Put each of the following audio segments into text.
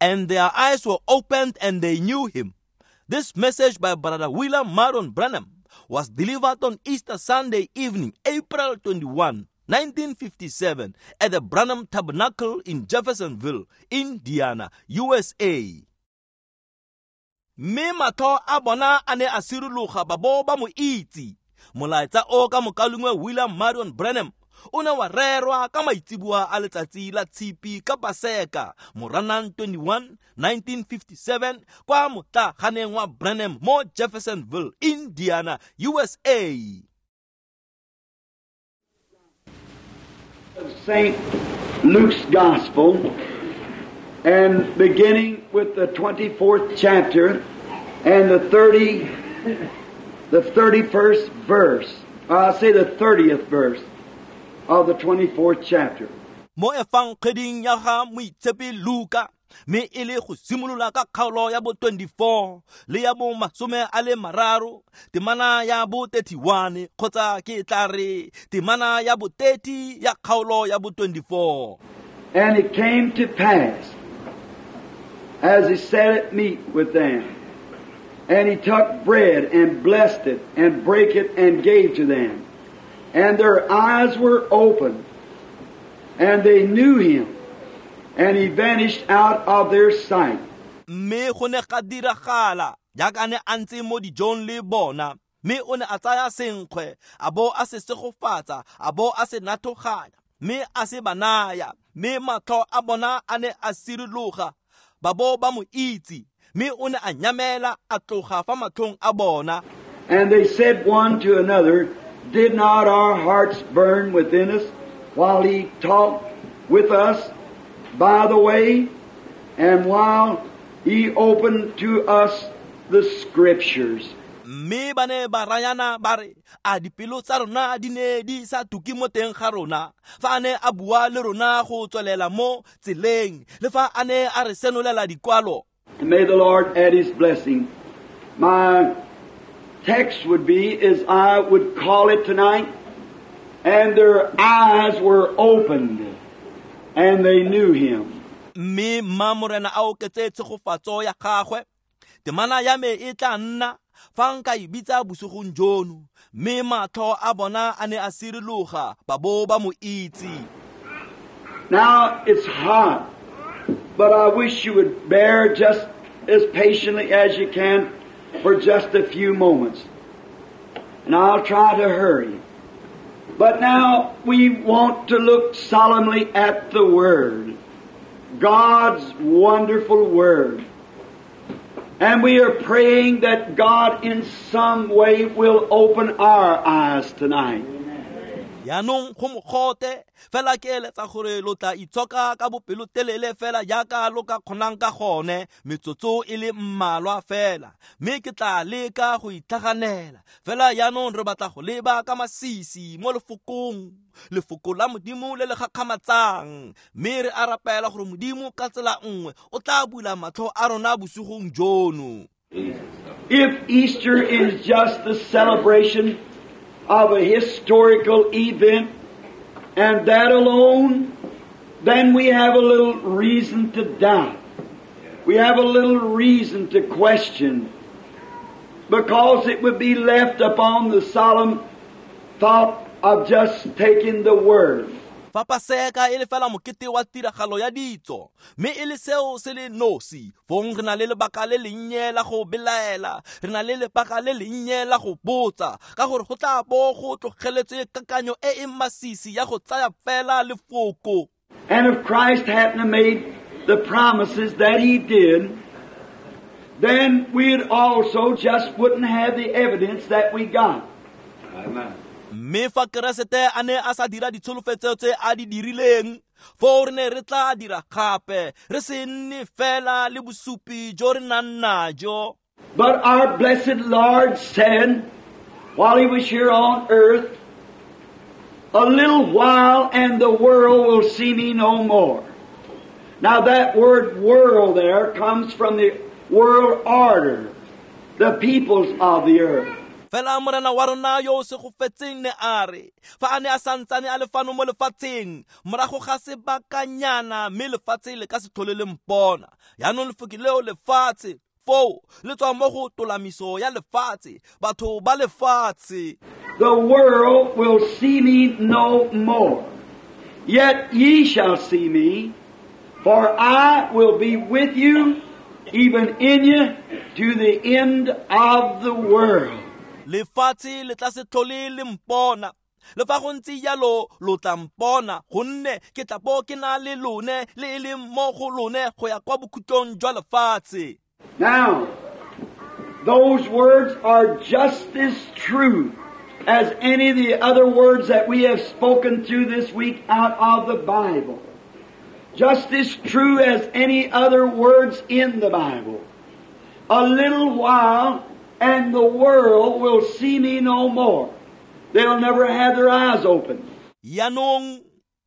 And their eyes were opened and they knew him. This message by Brother William Marion Branham was delivered on Easter Sunday evening, April 21, 1957, at the Branham Tabernacle in Jeffersonville, Indiana, USA. Mme matlho a bona a ne a sirologa ba bo ba mo itse. Molaetsa o ka mokalengwe William Marion Branham o ne wa rerwa ka maitseboa a letsatsi la Tshipi ka Paseka, Moranang 21, 1957, kwa motlaganeng wa Branham mo Jeffersonville, Indiana, USA. St. Luke's Gospel, and beginning with the 24th chapter and the 31st verse, I say the 30th verse of the 24th chapter. Mo efangeding ya ga Moitshepi Luka, mme e le go simolola ka kgaolo ya bo 24 le ya bo 30, temana ya bo 31, kgotsa ke tla re temana ya bo 30 ya kgaolo ya bo 24. And it came to pass, as he sat at meat with them, and he took bread and blessed it and brake it and gave to them. And their eyes were opened, and they knew him, and he vanished out of their sight. Mme go ne ga diragala jaaka ne a ntse mo dijong le bona, mme o ne a tsaya senkgwe, a bo a se segofatsa, a bo a se nathoganya, mme a se ba naya, mme matlho a bona a ne a sirologa, ba bo ba mo itse, mme o ne a nyamela a tloga fa matlhong a bona. And they said one to another, Did not our hearts burn within us while he talked with us by the way, and while he opened to us the Scriptures? Mme ba ne ba rayana ba re, a dipelo tsa rona di ne di sa tuke mo teng ga rona fa a ne a bua le rona go tswelela mo tseleng, le fa a ne a re senolela dikwalo. And may the Lord add his blessing. My text would be, as I would call it tonight, and their eyes were opened, and they knew him. Mme mma Morena a oketse tshegofatso ya gagwe. Temana ya me e tla nna fa nka e bitsa bosigong jono, mme matlho a bona a ne a sirologa ba bo ba mo itse. Now it's hot, but I wish you would bear just as patiently as you can for just a few moments. And I'll try to hurry. But now we want to look solemnly at the Word, God's wonderful Word. And we are praying that God in some way will open our eyes tonight. Yaanong go mogote fela ke eletsa gore lo tla itshoka ka bopelotelele fela jaaka lo ka kgonang ka gone metsotso e le mmalwa fela, mme ke tla leka go itlhaganela fela. Yaanong re batla go leba ka masisi mo lefokong, lefoko la Modimo le le gakgamatsang, mme re a rapela gore Modimo ka tsela nngwe o tla bula matlho a rona bosigong jono. If Easter is just the celebration of a historical event, and that alone, then we have a little reason to doubt. We have a little reason to question, because it would be left upon the solemn thought of just taking the Word. Fa Paseka e le fela mokete wa tiragalo ya ditso, mme e le seo se le nosi, fong re na le lebaka le lennye la go belaela, re na le lebaka le lennye la go botsa, ka gore go tla bo go tlogeletswe kakanyo e e masisi ya go tsaya fela lefoko. And if Christ hadn't made the promises that he did, then we'd also just wouldn't have the evidence that we got. Amen. Mme fa Keresete a ne a sa dira ditsholofetso tse a di dirileng, foo re ne re tla dira gape, re se nne fela le bosupi jo re nang najo. But our blessed Lord said, while he was here on earth, a little while and the world will see me no more. Now that word world there comes from the world order, the peoples of the earth. Fela morena wa rona yo o segofetseng ne a re fa a ne a santsane a le fano mo lefatsheng morago ga sebakanyana mme lefatshe le ka se tlhole le mpona. Yaanong lefoko leo lefatshe foo le tswa mo go tolamiso ya lefatshe, batho ba lefatshe. The world will see me no more. Yet ye shall see me, for I will be with you, even in you, to the end of the world. Lefatshe le tla se tlhole le mpona. Le fa go ntse jalo lo tla mpona, gonne ke tla bo ke na le lone le e leng mo go lone go ya kwa bokhutlong jwa lefatshe. Now, those words are just as true as any of the other words that we have spoken through this week out of the Bible. Just as true as any other words in the Bible. A little while and the world will see me no more. They'll never have their eyes open. Yanong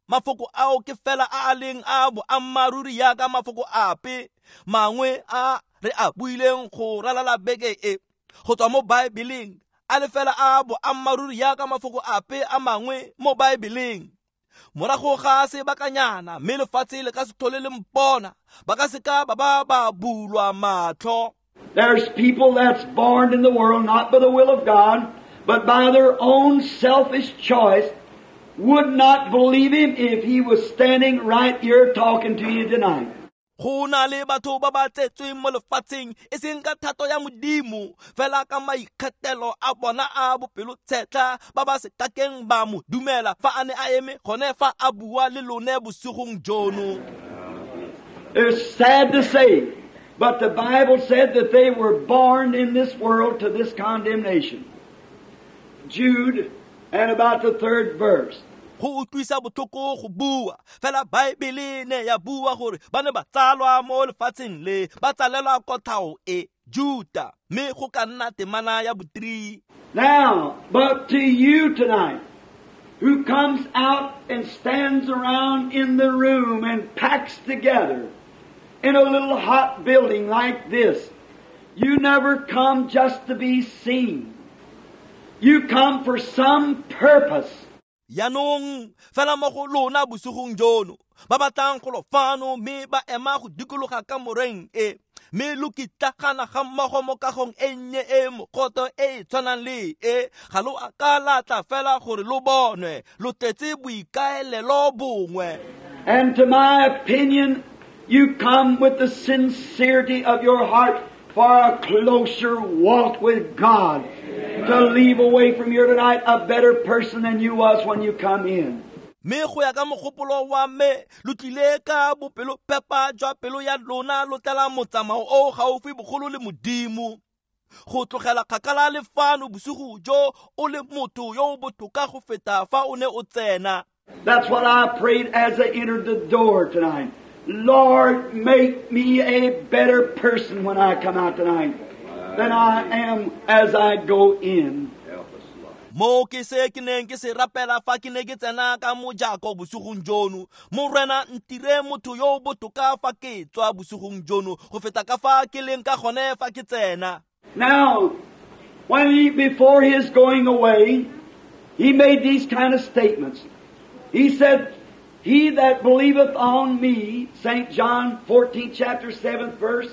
mafoko ao ke fela a a leng a boammaaruri jaaka mafoko ape mangwe a re a buileng go ralala beke e go tswa mo Baebeleng, a le fela a boammaaruri jaaka mafoko ape a mangwe mo Baebeleng. Morago ga sebakanyana mme lefatshe le ka se tlhole le mpona, ba ka seka ba ba ba bulwa matlho. There's people that's born in the world not by the will of God, but by their own selfish choice, would not believe Him if He was standing right here talking to you tonight. Go na le batho ba ba tsetsweng mo lefatsheng e seng ka thato ya Modimo, fela ka maikgethelo a bona a bopelotshetlha ba ba se kakeng ba mo dumela fa a ne a eme gone fa a bua le lone bosigong jono. It's sad to say, but the Bible said that they were born in this world to this condemnation. Jude, and about the third verse. Go utlwisa botlhoko go bua, fela Baebele ne ya bua gore ba ne ba tsalwa mo lefatsheng le ba tsalelwa kotlhao e, Juta, mme go ka nna temana ya bo-3. Now, but to you tonight, who comes out and stands around in the room and packs together in a little hot building like this, you never come just to be seen. You come for some purpose. Yanong fela mo go lona bosigong jono ba batlang go lo fano mme ba ema go dikologa ka moreng e, mme lo kitlagana ga mmogo mo kagong e nnye e mogote e e tshwanang le e, ga lo a ka la tla fela gore lo bonwe, lo tletse boikaelelo bongwe. And to my opinion, you come with the sincerity of your heart for a closer walk with God, to leave away from here tonight a better person than you was when you come in. Mme go ya ka mogopolo wa me, lo tlile ka bopelopepa jwa pelo ya lona lo tlela motsamao o gaufi bogolo le Modimo, go tlogela kgakala le fano bosigo jo o le motho yo o botoka go feta fa o ne o tsena. That's what I prayed as I entered the door tonight. Lord, make me a better person when I come out tonight than I am as I go in. Mo ke se ke neng ke se rapela fa ke ne ke tsena ka mojako bosigong jono, Morena ntire motho yo o botoka fa ke tswa bosigong jono go feta ka fa ke leng ka gone fa ke tsena. Now, when he, before his going away, he made these kind of statements. He said, He that believeth on me, St. John 14, chapter 7th verse.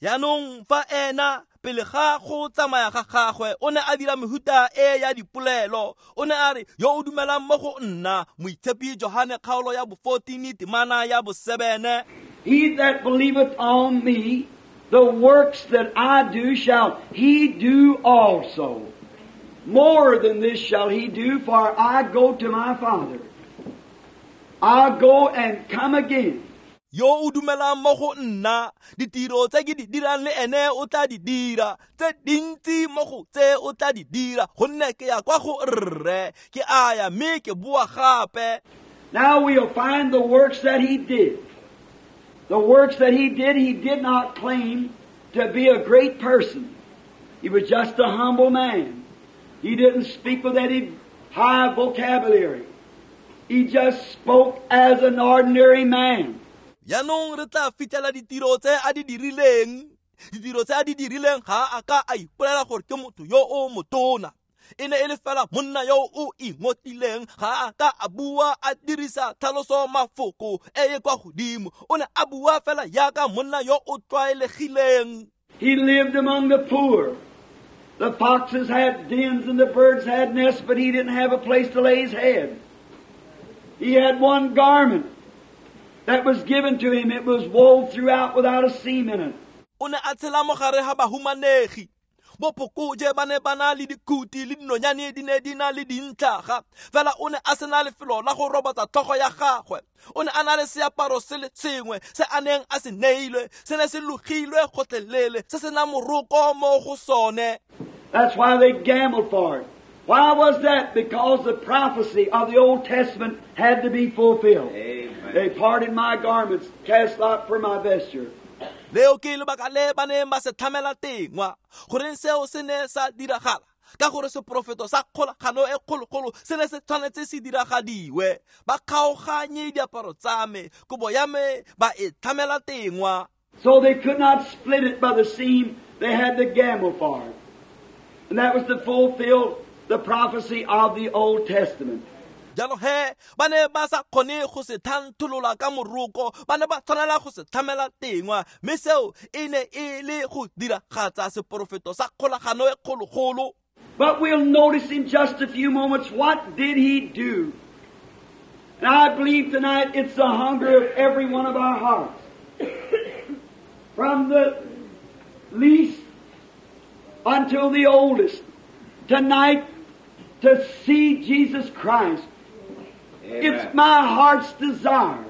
Yanong fa ena pele ga go tsamaya ga gagwe o ne a dira mehuta e ya dipolelo, o ne a re yo o dumelang mo go nna, Moitshepi Johane kgaolo ya bo-14 temana ya bo-7. He that believeth on me, the works that I do shall he do also. More than this shall he do, for I go to my Father. I go and come again. Yo o dumelang mo go nna, ditiro tse ke di dirang le ene o tla di dira, tse dintsi mo go tse o tla di dira, gonne ke ya kwa go rre, ke a ya mme ke boa gape. Now we'll find the works that he did. The works that he did not claim to be a great person. He was just a humble man. He didn't speak with any high vocabulary. He just spoke as an ordinary man. Yanong re tla fitlhela ditiro tse a di dirileng. Ditiro tse a di dirileng ga a ka a ipolela gore ke motho yo o motona. E ne e le fela monna yo o ingotileng, ga a ka a bua a dirisa tlhaloso mafoko e e kwa godimo. O ne a bua fela jaaka monna yo o tlwaelegileng. He lived among the poor. The foxes had dens and the birds had nests, but he didn't have a place to lay his head. He had one garment that was given to him. It was wove throughout without a seam in it. O ne a tshela mo gare ga bahumanegi. Bophokoje ba ne ba na le dikhuti le dinonyane di ne di na le dintlhaga, fela o ne a sena lefelo la go robatsa tlhogo ya gagwe. O ne a na le seaparo se le sengwe se a neng a se neilwe, se ne se logilwe gotlhelele, se sena moroko mo go sone. That's why they gambled for it. Why was that? Because the prophecy of the Old Testament had to be fulfilled. Amen. They parted my garments, cast lot for my vesture. Leo ke lebaka le ba neng ba se tlhamela tengwa. Goreng seo se ne sa diragala? Ka gore seporofeto sa kgolagano e kgologolo se ne se tshwanetse se diragadiwe. Ba kgaoganye diaparo tsa me, kobo ya me ba e tlhamela tengwa. So they could not split it by the seam, they had to gamble for it. And that was to fulfill the prophecy of the Old Testament. Jalo he ba ne ba sa kgone go se thantholola ka moroko, ba ne ba tshwanela go se tlhamela tengwa, mme seo e ne e le go diragatsa seporofeto sa kgolagano e kgologolo. But we'll notice in just a few moments, what did he do? And I believe tonight it's the hunger of every one of our hearts. From the least until the oldest, tonight to see Jesus Christ. Amen. It's my heart's desire.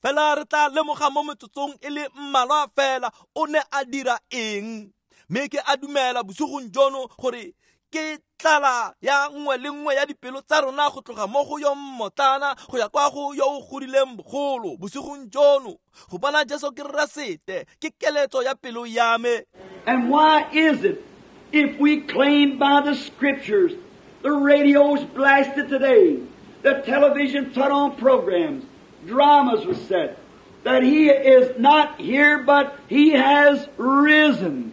Fela re tla lemoga mo metsotsong e le mmalwa fela o ne a dira eng. Mme ke a dumela bosigong jono gore ke tlala ya nngwe le nngwe ya dipelo tsa rona go tloga mo go yo mmotlana go ya kwa go yo o godileng bogolo bosigong jono. Go bona Jesu Keresete ke keletso ya pelo ya me. And why is it, if we claim by the Scriptures, the radio's blasted today, the television put on programs, dramas was set, that he is not here, but he has risen.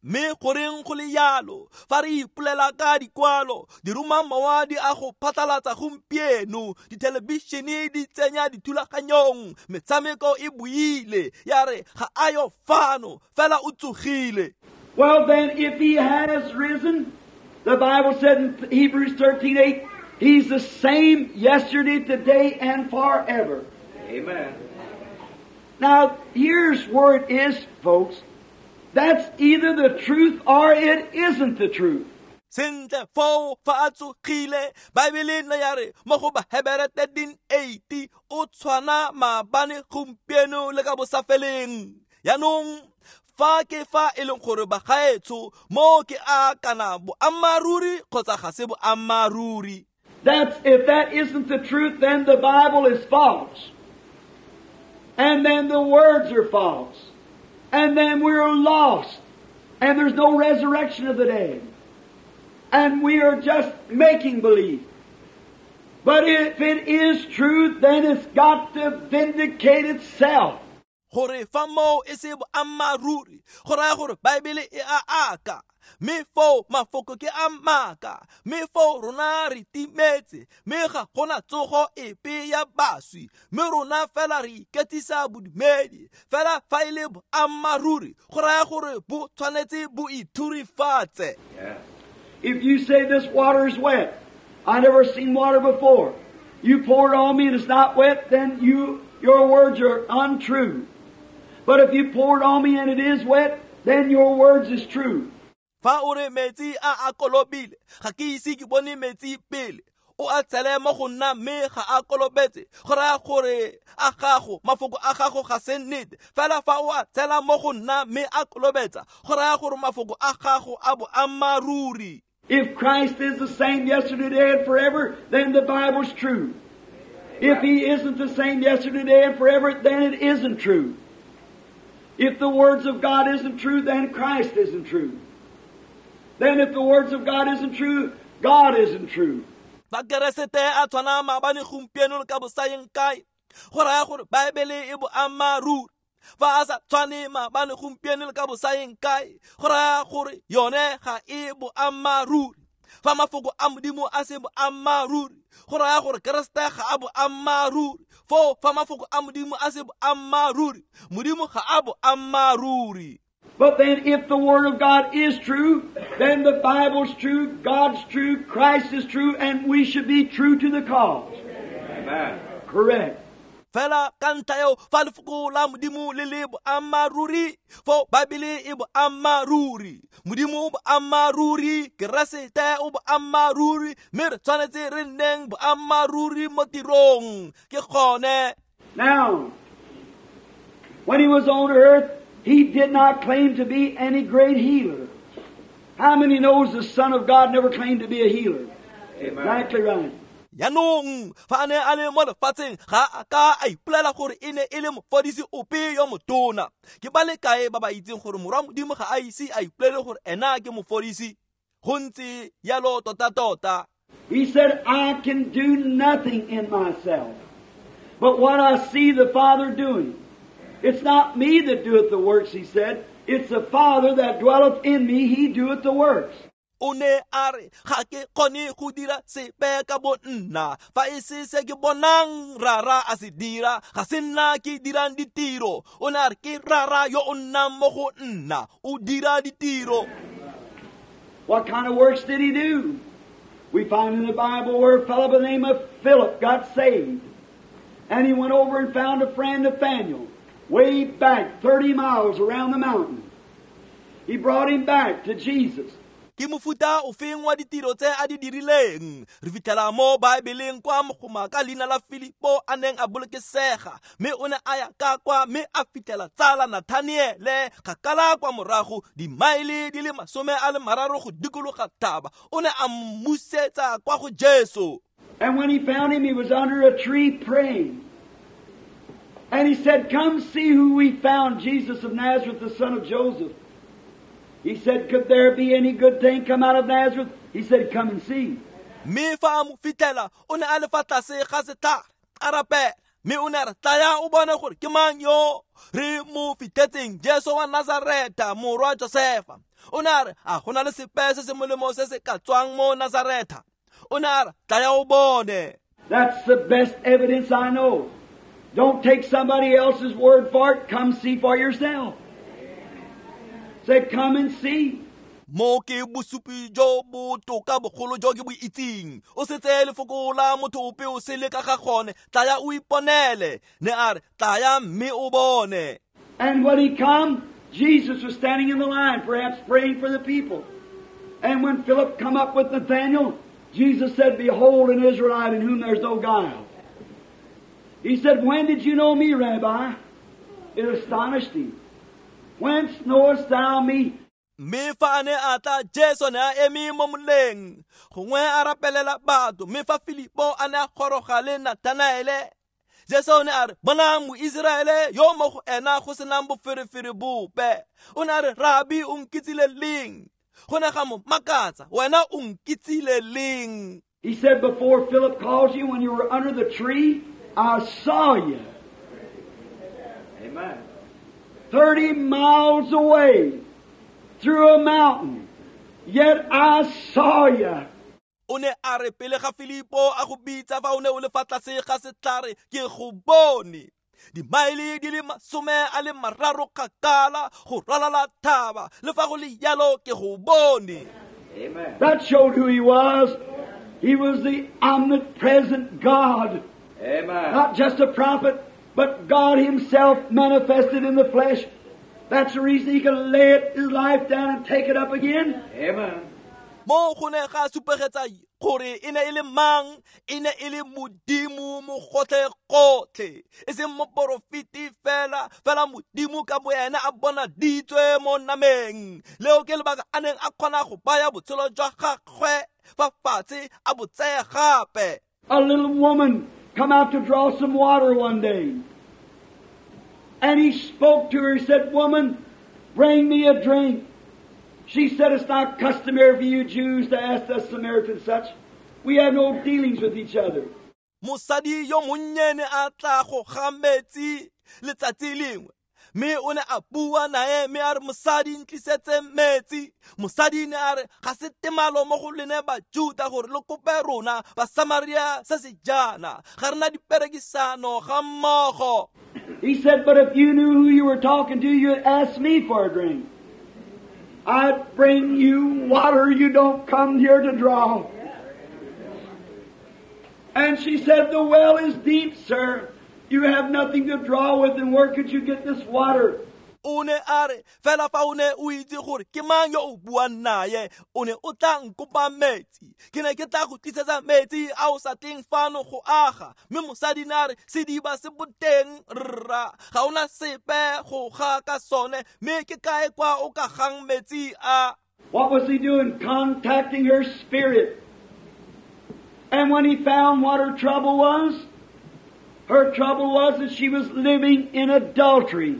Mme goreng go le jalo fa re ipolela ka dikwalo, diromamowa di a go phatlalatsa gompieno, dithelebišene di tsenya dithulaganyong, metshameko e buile ya re ga a yo fano, fela o tsogile. Well then, if he has risen, the Bible said in Hebrews 13:8, he's the same yesterday, today, and forever. Amen. Now, here's where it is, folks. That's either the truth or it isn't the truth. Sentle foo fa a tsogile, Baebele ne ya re mo go Bahebere 13:8, o tshwana maabane gompieno le ka bosafeleng. Jaanong fa ke fa e leng gore bagaetsho mo ke a kana boammaaruri kgotsa ga se boammaaruri. That's, if that isn't the truth, then the Bible is false. And then the words are false. And then we're lost. And there's no resurrection of the dead. And we are just making believe. But if it is true, then it's got to vindicate itself. Gore fa moo e se boammaaruri, go raya gore Baebele e a aka, mme foo mafoko ke a maaka, mme foo rona re timetse, mme ga gona tsogo epe ya baswi, mme rona fela re iketsisa bodumedi. Fela fa e le boammaaruri, go raya gore bo tshwanetse bo ithurifatse. Yeah. If you say this water is wet, I never seen water before. You pour it on me and it's not wet, then your words are untrue. But if you pour it on me and it is wet, then your words is true. Fa o re metsi a a kolobile, ga ke ise ke bone metsi pele. O a tshele mo go nna mme ga a kolobetse, go raya gore a gago, mafoko a gago ga se nnete. Fela fa o a tshela mo go nna mme a kolobetsa, go raya gore mafoko a gago a boammaaruri. If Christ is the same yesterday, today, and forever, then the Bible's true. If He isn't the same yesterday, today, and forever, then it isn't true. If the words of God isn't true, then Christ isn't true. Then if the words of God isn't true, God isn't true. Fa Keresete a tshwana maabane gompieno le ka bosayeng kae, go raya gore Baebele e boammaaruri. Fa a sa tshwane maabane gompieno le ka bosaeng kae, go raya gore yone ga e boammaaruri. Fa mafoko a Modimo a se boammaaruri, go raya gore Keresete ga a boammaaruri. Foo fa mafoko a Modimo a se boammaaruri, Modimo ga a boammaaruri. But then if the Word of God is true, then the Bible's true, God's true, Christ is true, and we should be true to the cause. Amen. Correct. Fela ka ntlha eo fa lefoko la Modimo le le boammaaruri, fo Baebele e boammaaruri, Modimo o boammaaruri, Keresete o boammaaruri, mme re tshwanetse re nneng boammaaruri mo tirong. Ke gone. Now, when he was on earth, he did not claim to be any great healer. How many knows the Son of God never claimed to be a healer? Amen. Exactly right. Jaanong fa a ne a le mo lefatsheng ga a ka a ipolela gore e ne e le mofodisi ope yo motona. Ke ba le kae ba ba itseng gore morwa Modimo ga a ise a ipolele gore ena ke mofodisi? Go ntse jalo tota-tota. He said, I can do nothing in myself, but what I see the Father doing. It's not me that doeth the works, he said. It's the Father that dwelleth in me, he doeth the works. O ne a re ga ke kgone go dira sepe ka bo nna, fa e se se ke bonang rara a se dira, ga se nna ke dirang ditiro. O ne a re ke rara yo o nnang mo go nna, o dira ditiro. What kind of works did he do? We find in the Bible where a fellow by the name of Philip got saved. And he went over and found a friend, Nathaniel, way back 30 miles around the mountain. He brought him back to Jesus. Ke mofuta ofeng wa ditiro tse a di dirileng? Re fitlhela mo Baebeleng kwa mogoma ka leina la Filipo a neng a bolokesega, mme o ne a ya ka kwa mme a fitlhela tsala Nathaniele kgakala kwa morago dimaele di le 30 go dikologa thaba. O ne a mmusetsa kwa go Jesu. And when he found him, he was under a tree praying. And he said, come see who we found, Jesus of Nazareth, the son of Joseph. He said, could there be any good thing come out of Nazareth? He said, come and see. Mme fa a mo fitlhela, o ne a le fa tlase ga setlhare, a rapela. Mme o ne a re, tlaya o bone gore ke mang yo re mo fitlhetseng, Jesu wa Nazareta, morwa Josefa. O ne a re, a go na le sepe se se molemo se se ka tswang mo Nazareta? O ne a re, tlaya o bone. That's the best evidence I know. Don't take somebody else's word for it. Come see for yourself. Say, come and see. Mo ke bosupi jo botoka bogolo jo ke bo itseng. O se tseye lefoko la motho ope o sele ka ga gone. Tlaya o iponele. Ne a re, tlaya mme o bone. And when he come, Jesus was standing in the line, perhaps praying for the people. And when Philip come up with Nathanael, Jesus said, behold, an Israelite in whom there's no guile. He said, when did you know me, Rabbi? It astonished him. Whence knowest thou me? Mme fa a ne a tla, Jesu ne a eme mo moleng, gongwe a rapelela batho. Mme fa Filipo a ne a goroga le Nathanaele, Jesu o ne a re, bonang Moiseraele yo mo go ena go senang boferefere bope. O ne a re, Rabi, o nkitsile leng? Go ne ga mo makatsa, wena o nkitsile leng? He said, before Philip called you, when you were under the tree, I saw you. Amen. 30 miles away, through a mountain, yet I saw you. O ne a re pele ga Filipo a go bitsa fa o ne o le fa tlase ga setlhare, ke go bone. Dimaele di le 30 kgakala go ralala thaba, le fa go le jalo ke go bone. Amen. That showed who he was. He was the omnipresent God. Amen. Not just a prophet, but God himself manifested in the flesh. That's the reason he could lay his life down and take it up again. Amen. Mo go ne ga supegetsa gore e ne e le mang, e ne e le Modimo mo gotlhe-gotlhe, e seng moporofeti fela, fela Modimo ka bo ena a bonaditswe mo nameng. Leo ke lebaka a neng a kgona go baya botshelo jwa gagwe fa fatshe a bo tseye gape. A little woman come out to draw some water one day. And he spoke to her. He said, woman, bring me a drink. She said, it's not customary for you Jews to ask us Samaritans such. We have no dealings with each other. Mosadi yo monnyane a tla go ga metsi letsatsi lengwe, Mme o ne a bua nae mme a re mosadi ntlisetse metsi. Mosadi ne a re ga se temalo mo go lene Bajuta gore lo kope rona Basamaria se se jaana, ga re na diperekisano ga mmogo. He said, but if you knew who you were talking to, you'd ask me for a drink. I'd bring you water you don't come here to draw. And she said, the well is deep, sir. You have nothing to draw with, and where could you get this water? O ne a re fela fa o ne o itse gore ke mang yo o buang naye, o ne o tla nkopa metsi. Ke ne ke tla go tlisetsa metsi a o sa tleng fano go aga. Mme mosadi ne a re sediba se boteng rra, ga ona sepe go ga ka sone, mme ke kae kwa o ka gang metsi a? What was he doing? Contacting her spirit. And when he found what her trouble was that she was living in adultery.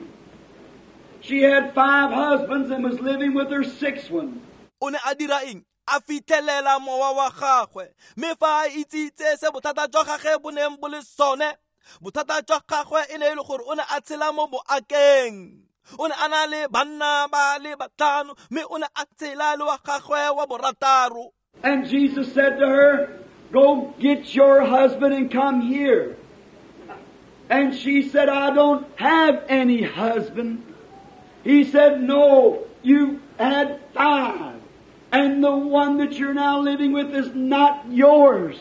She had 5 husbands and was living with her 6th one. O ne a dira eng? A fitlhelela mowa wa gagwe. Mme fa a itsitse se bothata jwa gagwe bo neng bo le sone, bothata jwa gagwe e ne e le gore o ne a tshela mo boakeng. O ne a na le banna ba le batlhano, mme o ne a tshela le wa gagwe wa borataro. And Jesus said to her, go get your husband and come here. And she said, I don't have any husband. He said, no, you had 5, and the one that you're now living with is not yours.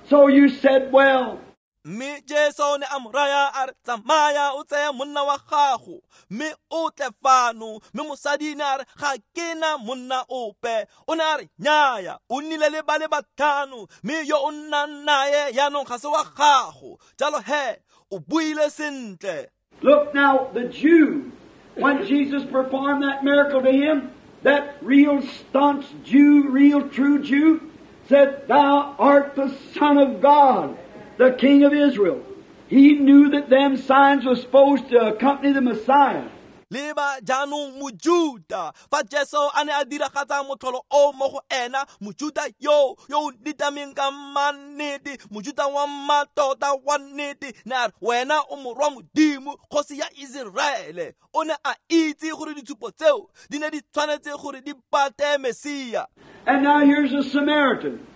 So you said, well. Mme Jesu o ne a mo raya a re tsamaya o tseye monna wa gago mme o tle fano. Mme mosadi ne a re ga ke na monna ope. O ne a re nnyaya, o nnile le ba le batlhano, mme yo o nnang naye jaanong ga se wa gago. Jalo he, o buile sentle. Look now, the Jew, when Jesus performed that miracle to him, that real staunch Jew, real true Jew, said, thou art the Son of God, the King of Israel. He knew that them signs were supposed to accompany the Messiah. Leba jaanong Mojuta, fa Jesu a ne a diragatsa motlholo o mo go ena, Mojuta yo yo o nitameng ka mannete, Mojuta wa mmatota wa nnete, ne a re wena o morwa Modimo, kgosi ya Iseraele. O ne a itse gore ditshupo tseo di ne di tshwanetse gore di pate Mesia. And now here's a Samaritan.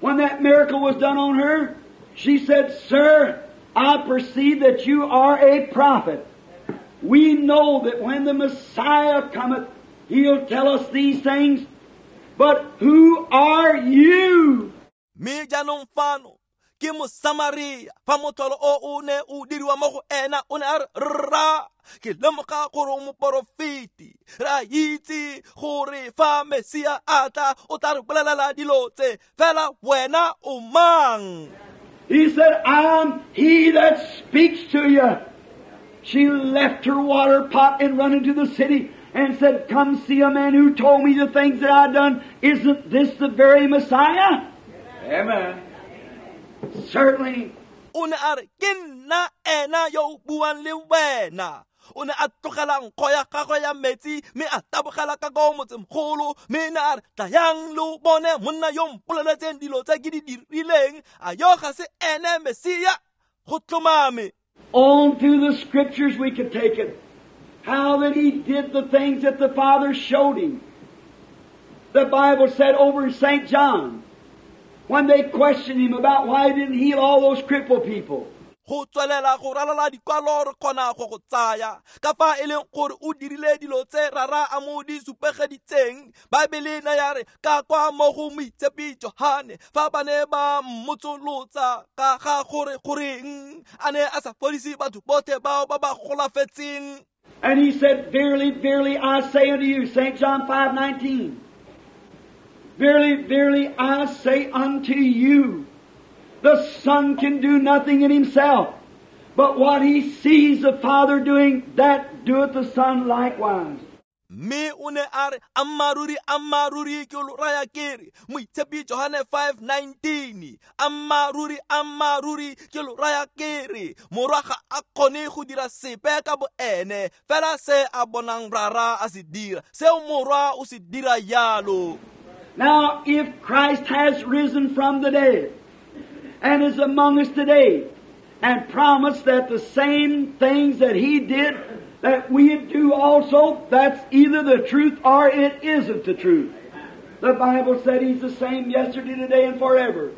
When that miracle was done on her, she said, sir, I perceive that you are a prophet. We know that when the Messiah cometh, he'll tell us these things. But who are you? Mme jaanong fano ke Mosamaria, fa motlholo o o ne o diriwa mo go ena, o ne a re rra, ke lemoga gore o moporofeti. Re a itse gore fa Mesia a tla, o tla re bolelela dilo tse, fela wena o mang? He said, I'm he that speaks to you. She left her water pot and run into the city and said, come see a man who told me the things that I've done. Isn't this the very Messiah? Amen. Certainly. O ne a re ke nna ena yo o buang le wena. O ne a tlogela nkgo ya gagwe ya metsi mme a tabogela ka ko motsemogolo, mme ne a re tlayang lo bone monna yo mpoleletseng dilo tse ke di dirileng, a yo ga se ene Mesia? Go tlhomame. On through the Scriptures we could take it. How that he did the things that the Father showed him. The Bible said over in St. John, when they questioned him about why he didn't heal all those crippled people. Go tswelela go ralala dikwalo re kgona go go tsaya ka fa e leng gore o dirile dilo tse rara a mo di supegeditseng. Baebele ne ya re ka kwa mo go moitshepi Johane, fa ba ne ba mmotsolotsa ka ga gore goreng a ne a sa fodise batho botlhe bao ba ba golafetseng. And he said, verily, verily, I say unto you, St. John 5:19. Verily, verily, I say unto you, the Son can do nothing in himself, but what he sees the Father doing, that doeth the Son likewise. Mme o ne a re ammaruri ammaruri ke lo raya ke re, moitshepi Johane 5:19, ammaruri ammaruri ke lo raya ke re, morwa ga a kgone go dira sepe ka boene, fela se a bonang rara a se dira, seo morwa o se dira jalo. Now, if Christ has risen from the dead and is among us today and promised that the same things that He did that we do also, that's either the truth or it isn't the truth. The Bible said He's the same yesterday, today, and forever.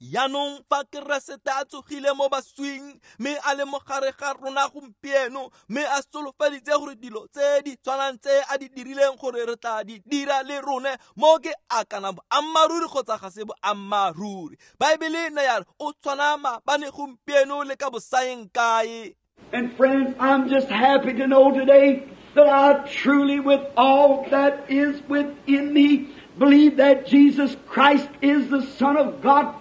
Jaanong fa Keresete a tsogile mo baswing mme a le mo gare ga rona gompieno mme a solofeditse gore dilo tse di tshwanang tse a di dirileng gore re tla di dira le rone mo ke a kana boammaaruri kgotsa ga se boammaaruri. Baebele ne ya re o tshwana maabane gompieno le ka bosaeng kae. And friends, I'm just happy to know today that I truly, with all that is within me, believe that Jesus Christ is the Son of God.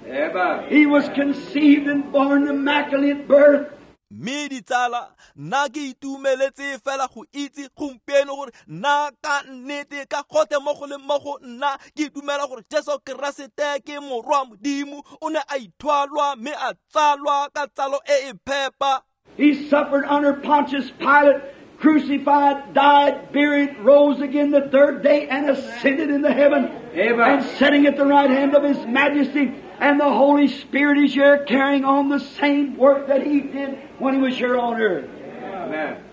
Amen. He was conceived and born immaculate birth. Mme ditsala, nna ke itumeletse fela go itse gompieno gore nna ka nnete ka gotlhe mo go leng mo go nna ke dumela gore Jesu Keresete ke morwa Modimo, o ne a ithwalwa mme a tsalwa ka tsalo e e phepa. He suffered under Pontius Pilate, crucified, died, buried, rose again the third day, and ascended into heaven. Amen. And sitting at the right hand of His Majesty, and the Holy Spirit is here carrying on the same work that He did when He was here on earth. Amen.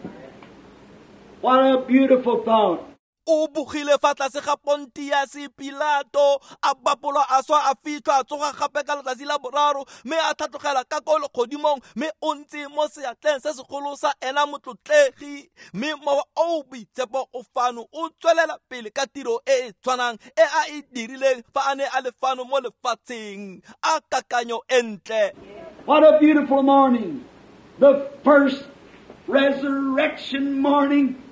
What a beautiful thought. O bogile fa tlase ga Pontius Pilato, a bapolwa a swa a fitlhwa a tsoga gape ka letsatsi la boraro mme a tlhatlogela ka ko legodimong mme o ntse mo seatleng se segolo sa ena motlotlegi mme mowa o boitshepo o fano o tswelela pele ka tiro e e tshwanang e a e dirileng fa a ne a le fano mo lefatsheng. A kakanyo e ntle. What a beautiful morning. The first resurrection morning.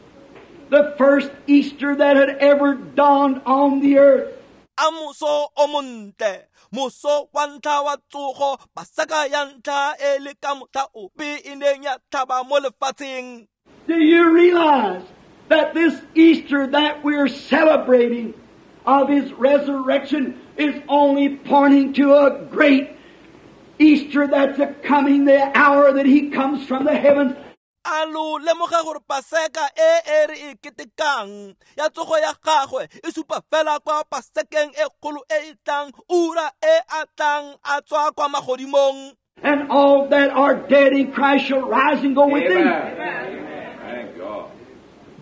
The first Easter that had ever dawned on the earth. A moso o montle, moso wa ntlha wa tsogo, Paseka ya ntlha e le ka motlha ope e neng ya tlhaba mo lefatsheng. Do you realize that this Easter that we're celebrating of His resurrection is only pointing to a great Easter that's a coming, the hour that He comes from the heavens? A lo lemoga gore Paseka e e re e ketekang ya tsogo ya gagwe e supa fela kwa Pasekeng e kgolo e e tlang, ura e a tlang a tswa kwa magodimong. And all that are dead in Christ shall rise and go with Him. Thank God.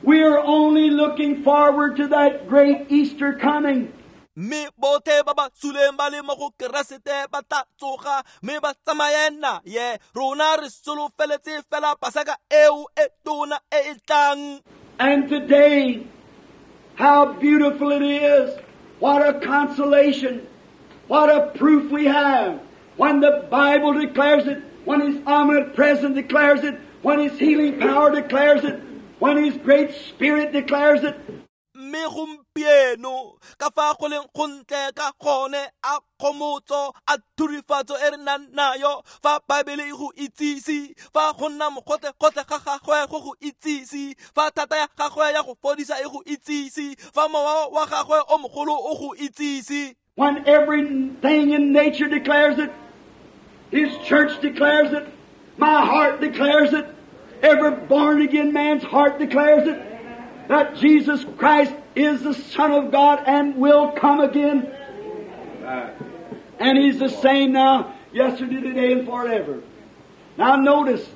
We are only looking forward to that great Easter coming. Mme botlhe ba ba suleng ba le mo go Keresete ba tla tsoga mme ba tsamaye naye. Rona re solofeletse fela Paseka eo e tona e e tlang. And today, how beautiful it is. What a consolation. What a proof we have. When the Bible declares it, when His omnipresence declares it, when His healing power declares it, when His great Spirit declares it. Mme gompieno ka fa go leng go ntle ka gone a kgomotso a thurifatso e re nang nayo fa Baebele e go itsise, fa go nna mogotlhe-gotlhe ga gagwe go go itsise, fa thata ya gagwe ya go fodisa e go itsise, fa mowa wa gagwe o mogolo o go itsise. When everything in nature declares it, His church declares it, my heart declares it, every born-again man's heart declares it, that Jesus Christ is the Son of God and will come again. And He's the same now, yesterday, today, and forever. Now notice.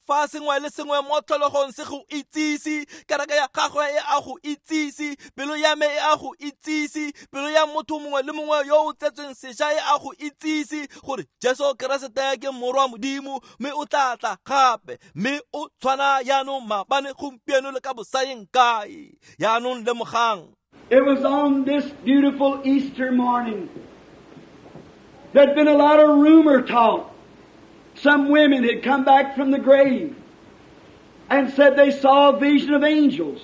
Fa sengwe le sengwe mo tlholegong se go itsise, kereke ya gagwe e a go itsise, pelo ya me e a go itsise, pelo ya motho mongwe le mongwe yo o tsetsweng sešwa e a go itsise gore Jesu Keresete ke morwa Modimo mme o tla tla gape mme o tshwana jaanong maabane gompieno le ka bosaeng kae. Jaanong lemogang. It was on this beautiful Easter morning. There'd been a lot of rumor talk. Some women had come back from the grave and said they saw a vision of angels.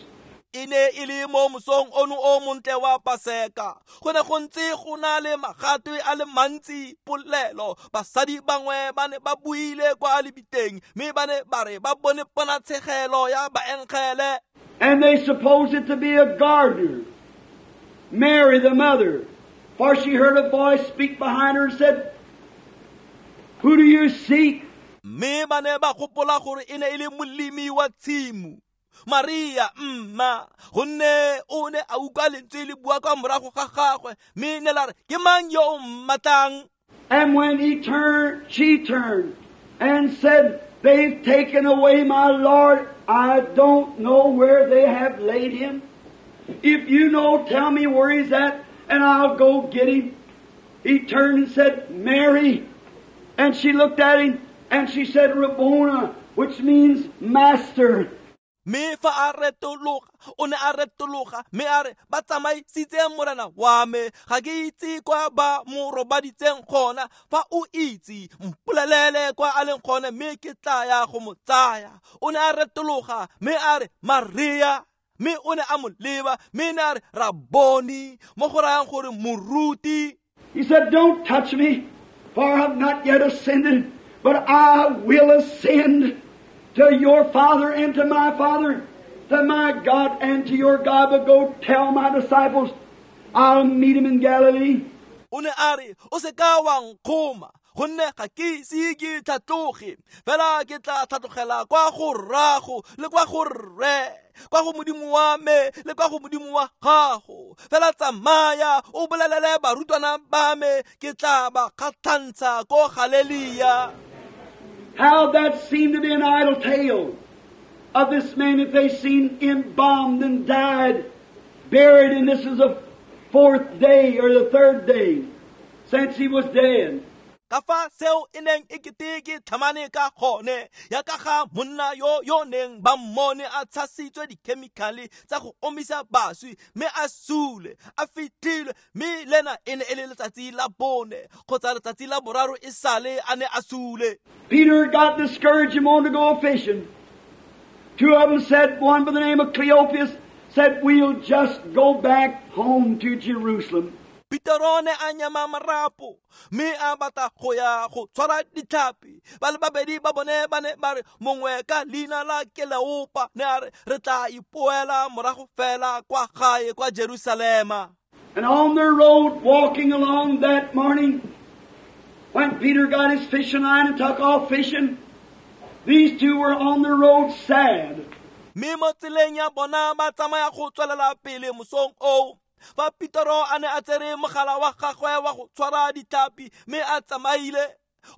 E ne e le mo mosong ono o montle wa Paseka. Go ne go ntse go na le magatwe a le mantsi polelo. Basadi bangwe ba ne ba buile kwa lebiteng mme ba ne ba re ba bone ponatshegelo ya baengele. And they supposed it to be a gardener, Mary the mother, for she heard a voice speak behind her and said, "Who do you seek?" Mme ba ne ba gopola gore e ne e le molemi wa tshimo, Maria mma, gonne o ne a utlwa lentswe le bua kwa morago ga gagwe mme ne la re, ke mang yo o mmatlang? And when he turned, she turned and said, They've taken away my Lord. I don't know where they have laid him. If you know, tell me where he's at, and I'll go get him. He turned and said, Mary. And she looked at him, and she said, Rabboni, which means master. Mme fa a retologa o ne a retologa mme a re ba tsamaisitse morena wa me ga ke itse kwa ba mo robaditseng gona fa o itse mpolelele kwa a leng gone mme ke tla ya go mo tsaya. O ne a retologa mme a re Maria, mme o ne a mo leba mme ne a re Rabboni, mo go rayang gore moruti. He said, Don't touch me, for I have not yet ascended, but I will ascend to your Father and to my Father, to my God and to your God. But go tell my disciples, I'll meet him in Galilee. O ne a re o se ka wa nkgoma gonne ga ke ise ke tlhatloge, fela ke tla tlhatlogela kwa go rrago le kwa go rre, kwa go Modimo wa me le kwa go Modimo wa gago. Fela tsamaya o bolelele barutwana ba me ke tla ba kgatlhantsha ko Galelia. How that seemed to be an idle tale of this man that they seen embalmed and died, buried, and this is the fourth day or the third day since he was dead. Ka fa seo e neng e kete ke tlhamane ka gone ya ka ga monna yo yo neng ba mmone a tshasitswe dikhemikhale tsa go omisa baswi mme a sule a fitlhilwe, mme lena e ne e le letsatsi la bone kgotsa letsatsi la boraro e sale a ne a sule. Peter got discouraged and wanted to go fishing. Two of them said, one by the name of Cleopas, said, We'll just go back home to Jerusalem. Petero ne a nyama marapo mme a batla go ya go tshwara ditlhapi. Ba le babedi ba bone ba ne ba re mongwe ka leina la Keleopa ne a re re tla ipoela morago fela kwa gae kwa Jerusalema. And on their road walking along that morning, when Peter got his fishing line and took off fishing, these two were on the road sad. Mme mo tseleng ya bona ba tsamaya go tswelela pele mosong oo. Fa Petero a ne a tsere mogala wa gagwe wa go tshwara ditlhapi mme a tsamaile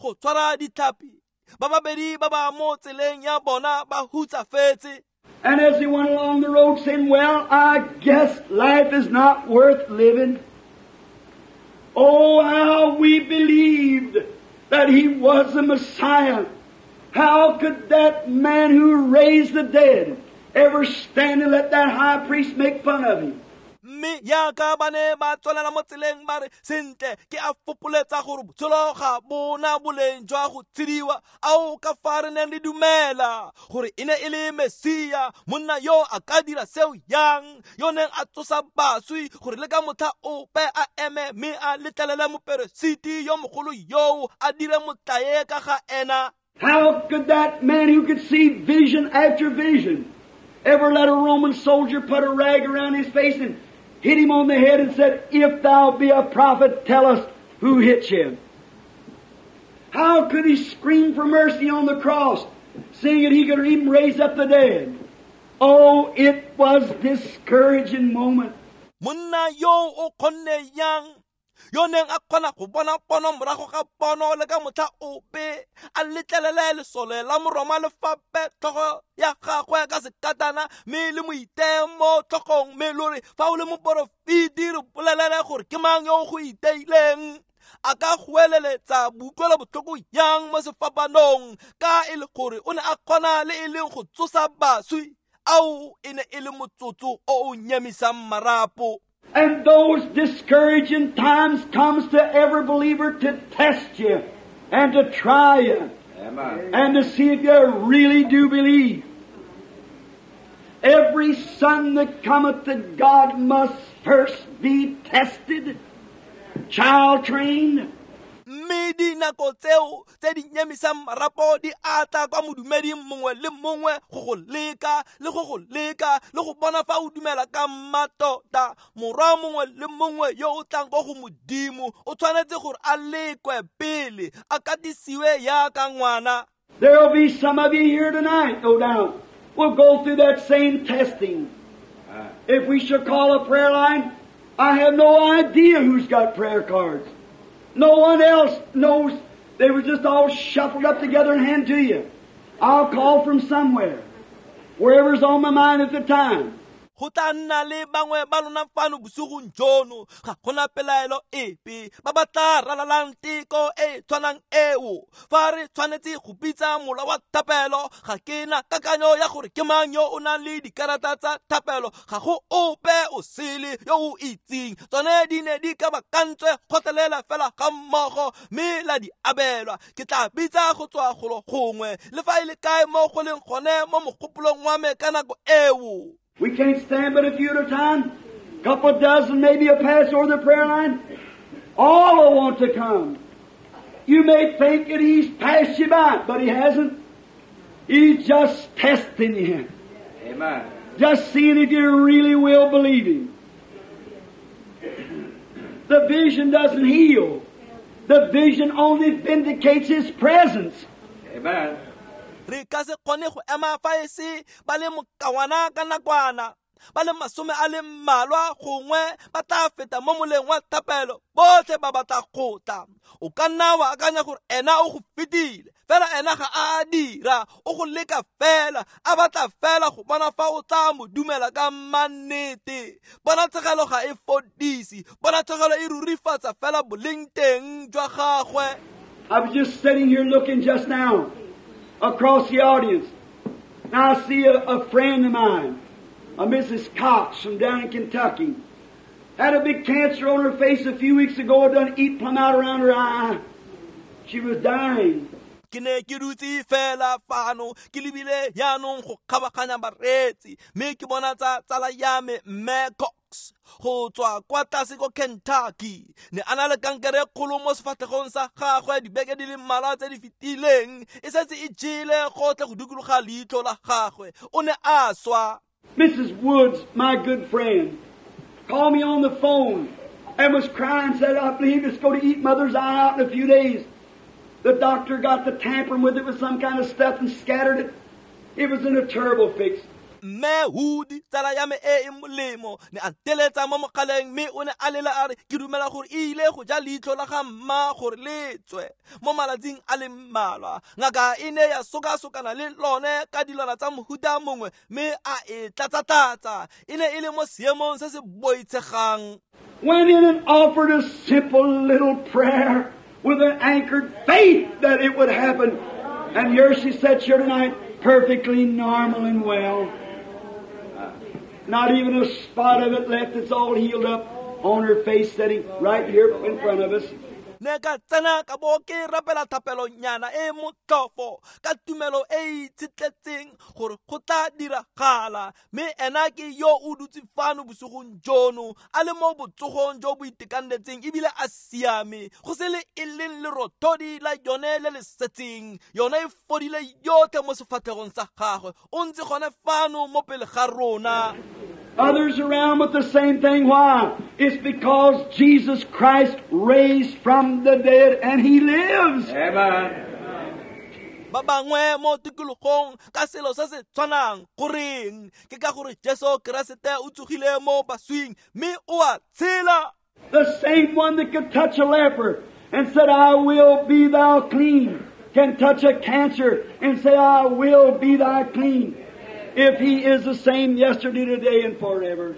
go tshwara ditlhapi, ba babedi ba ba mo tseleng ya bona ba hutsafetse. And as he went along the road saying, Well, I guess life is not worth living. Oh, how we believed that he was the Messiah. How could that man who raised the dead ever stand and let that high priest make fun of him? Mme yaka ba ne ba tswelela mo tseleng ba re sentle ke a fopoletsa gore botshelo ga bona boleng jwa go tshediwa, ao ka fa re neng re dumela gore e ne e le Mesia, monna yo a ka dira seo yang yo neng a tsosa baswi gore le ka motlha ope a eme mme a letlelele moperesiti yo mogolo yoo a dire motlae ka ga ena. How could that man who could see vision after vision ever let a Roman soldier put a rag around his face and hit him on the head and said, If thou be a prophet, tell us who hit you? How could he scream for mercy on the cross, seeing that he could even raise up the dead? Oh, it was discouraging moment. Monna yo o kgonne yang yo neng a kgona go bona pono morago ga pono le ka motlha ope a letlelele lesole la Moroma le fape tlhogo ya gagwe ka sekatana mme le mo iteye mo tlhogong mme lo re fa o le moporofeti re bolelele gore ke mang yo go iteileng. A ka goeleletsa boutlwelo botlhoko yang mo sefapanong ka e le gore o ne a kgona le e leng go tsosa baswi, ao e ne e le motsotso o o nyemisang marapo. And those discouraging times comes to every believer to test you and to try you. Amen. And to see if you really do believe. Every son that cometh to God must first be tested, child trained. Mme dinako tseo tse di nyemisang marapo di atla kwa modumeding mongwe le mongwe go go leka le go go leka le go bona fa o dumela ka mmatota. Morwa mongwe le mongwe yo o tlang ko go Modimo o tshwanetse gore a lekwe pele a katisiwe yaka ngwana. There'll be some of you here tonight, no doubt, will go through that same testing. If we should call a prayer line, I have no idea who's got prayer cards. No one else knows. They were just all shuffled up together and handed to you. I'll call from somewhere, wherever's on my mind at the time. Go tla nna le bangwe ba lona fano bosigong jono, ga gona pelaelo epe ba ba tla ralalang teko e tshwanang eo. Fa re tshwanetse go bitsa mola wa thapelo, ga ke na kakanyo ya gore ke mang yo o nang le dikarata tsa thapelo, ga go ope o sele yo o itseng. Tsone di ne di kabakantswe kgotlelela fela ga mmogo mme la di abelwa. Ke tla bitsa go tswa golo gongwe le fa e le kae mo go leng gone mo mogopolong wa me ka nako eo. We can't stand but a few at a time. A couple dozen maybe a pass over the prayer line. All will want to come. You may think that he's passed you by, but he hasn't. He's just testing you. Amen. Just seeing if you really will believe him. The vision doesn't heal. The vision only vindicates his presence. Amen. Re ka se kgone go ema fa e se ba le mokawana ka nakwana, ba le masome a le mmalwa gongwe ba tla feta mo moleng wa thapelo, botlhe ba batla go tla. O ka nna wa akanya gore ena o go fetile, fela ena ga a dira, o go leka fela, a batla fela go bona fa o tla mo dumela ka mannete. Ponatshegelo ga e fodise, ponatshegelo e rurifatsa fela boleng teng jwa gagwe. I was just sitting here looking just now across the audience. Now I see a friend of mine, a Mrs. Cox from down in Kentucky, had a big cancer on her face a few weeks ago, done eat plumb out around her eye. She was dying. Ke ne ke dutse fela fano ke lebile jaanong go kgabaganya bareetsi, mme ke bona tsa tsala ya me Mme Cox go tswa kwa tlase ko Kentucky. Ne a na le kankere kgolo mo sefatlhegong sa gagwe dibeke di le mmalwa tse di fetileng, e setse e jele gotlhe go dikologa leitlho la gagwe. O ne a swa. Mrs. Woods, my good friend, called me on the phone and was crying, said, I believe it's going to eat mother's eye out in a few days. The doctor got to tampering with it with some kind of stuff and scattered it. It was in a terrible fix. Mme Wood, tsala ya me e e molemo, ne a nteletsa mo mogaleng mme o ne a lela a re ke dumela gore e ile go ja leitlho la ga mma gore le tswe mo malatsing a le mmalwa. Ngaka e ne ya sokasokana le lone ka dilwana tsa mohuta mongwe mme a e tlatsa-tlatsa. E ne e le mo seemong se se boitshegang. Went in and offered a simple little prayer with an anchored faith that it would happen. And here she sits here tonight, perfectly normal and well. Not even a spot of it left. It's all healed up on her face, sitting right here in front of us. Ne ka tsena ka bo ke rapela thapelonyana e motlhofo ka tumelo e itshetletseng gore go tla diragala, mme ena ke yo o dutse fano bosigong jono a le mo botsogong jo bo itekanetseng ebile a siame, go se le e leng lerothodi la yone le le setseng. Yone e fodile yotlhe mo sefatlhegong sa gagwe, o ntse gone fano mo pele ga rona. Others around with the same thing. Why? It's because Jesus Christ raised from the dead and He lives. Amen. Ba bangwe mo tikologong ka selo se se tshwanang, goreng ke ka gore Jesu Keresete o tsogile mo baswing mme o a tshela. The same one that could touch a leper and said, I will be thou clean, can touch a cancer and say, I will be thou clean. If He is the same yesterday, today, and forever.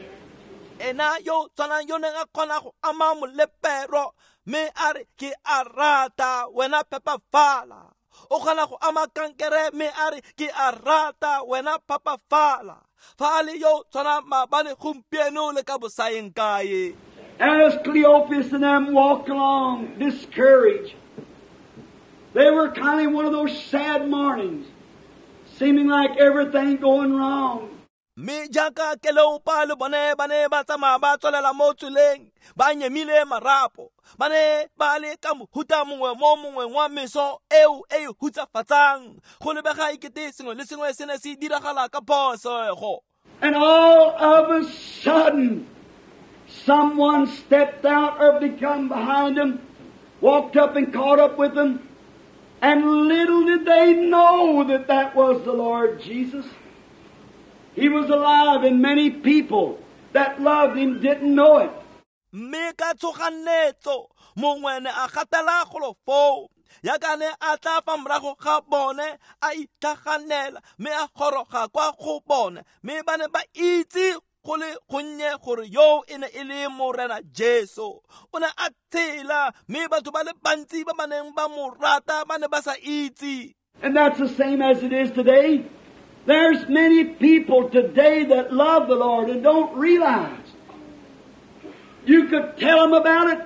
Ena yo tshwanang yo neng a kgona go ama molepero mme a re ke a rata wena phepafala. O kgona go ama kankere mme a re ke a rata wena phepafala. Fa a le yo tshwana maabane gompieno le ka bosaeng kae. As Cleopas and them walked along discouraged, they were kind of one of those sad mornings, seeming like everything going wrong. Mme jaaka Keleopa le bone ba ne ba tsamaya ba tswelela mo tseleng ba nyemile marapo, ba ne ba le ka mohuta mongwe mo mongweng wa meso eo e e hutsafatsang, go lebega ekete sengwe le sengwe se ne se diragala ka phosego. And all of a sudden, someone stepped out or become behind them, walked up and caught up with them, and little did they know that that was the Lord Jesus. He was alive, and many people that loved Him didn't know it. Mme ka tshoganetso mongwe ne a gatela golo foo Yaka ne a tla fa morago ga bone a itlhaganela mme a goroga kwa go bone mme ba ne ba itse go le gonnye gore yo e ne e le Morena Jesu. O ne a tshela mme batho ba le bantsi ba ba neng ba mo rata ba ne ba sa itse. And that's the same as it is today. There's many people today that love the Lord and don't realize. You could tell them about it,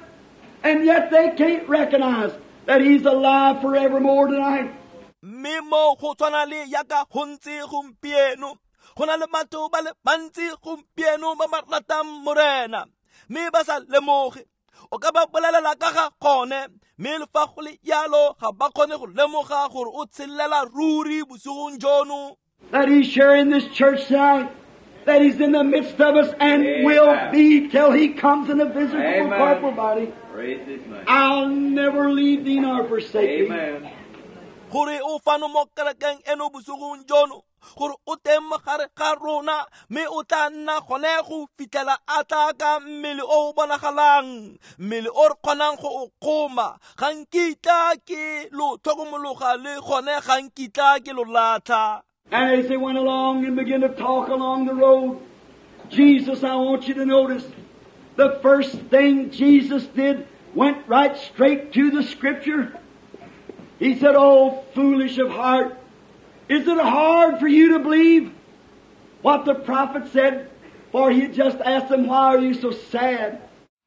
and yet they can't recognize that He's alive forevermore tonight. Mme mo go tshwana le yaka go ntse gompieno. Go na le batho ba le bantsi gompieno ba ba ratang Morena mme ba sa lemoge. O ka ba bolelela ka ga gone mme le fa go le jalo ga ba kgone go lemoga gore o tshelela ruri bosigong jono. That He's sharing this church tonight, that He's in the midst of us and Amen. Will be till He comes in a visible Amen. Corporal body. Praise His name. I'll never leave thee nor forsake thee. Amen. Gore o fano mo kerekeng eno bosigong jono, gore o teng mo gare ga rona mme o tla nna gone go fitlhela a tla ka mmele o o bonagalang, mmele o re kgonang go o kgoma. Ga nkitla ke lo tlhokomologa le gone ga nkitla ke lo latlha. And as they went along and began to talk along the road, Jesus, I want you to notice, the first thing Jesus did went right straight to the Scripture. He said, "Oh, foolish of heart, is it hard for you to believe what the prophet said?" For he had just asked them, "Why are you so sad?"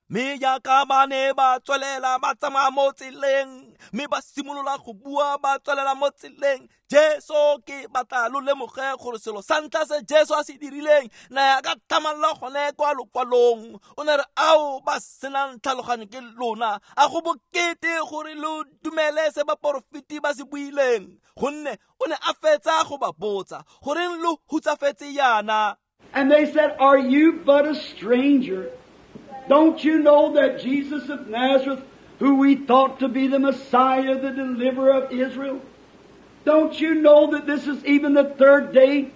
Mme jaaka ba ne ba tswelela ba tsamaya mo tseleng mme ba simolola go bua ba tswelela mo tseleng, Jesu ke batla lo lemoge gore selo sa ntlha se Jesu a se dirileng na ya ka tlhamallo gone kwa lokwalong. O ne re ao ba senang tlhaloganyo ke lona, a go bokete gore lo dumele se baporofeti ba se buileng, gonne o ne a fetsa go ba botsa goreng lo hutsafetse yana. And they said, "Are you but a stranger? Don't you know that Jesus of Nazareth, who we thought to be the Messiah, the deliverer of Israel, don't you know that this is even the third day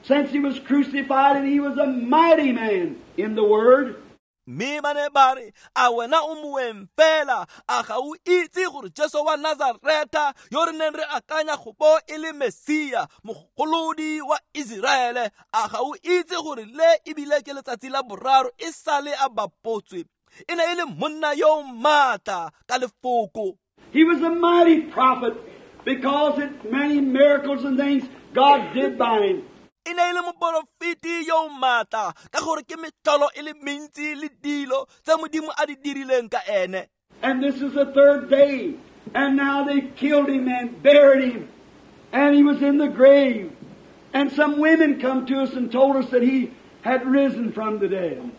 since He was crucified, and He was a mighty man in the Word?" Mme ba ne ba re, a wena o moeng fela, a ga o itse gore Jesu wa Nazareta yo re neng re akanya go bo e le Mesia, mogolodi wa Iseraele, a ga o itse gore le ebile ke letsatsi la boraro e sale a bapotswe. E ne e le monna yo o maatla ka lefoko. He was a mighty prophet because of many miracles and things God did by him. E ne e le moporofeti yo o maatla ka gore ke metlholo e le mentsi le dilo tse Modimo a di dirileng ka ene. And this is the third day, and now they killed him and buried him, and he was in the grave. And some women come to us and told us that he had risen from the dead.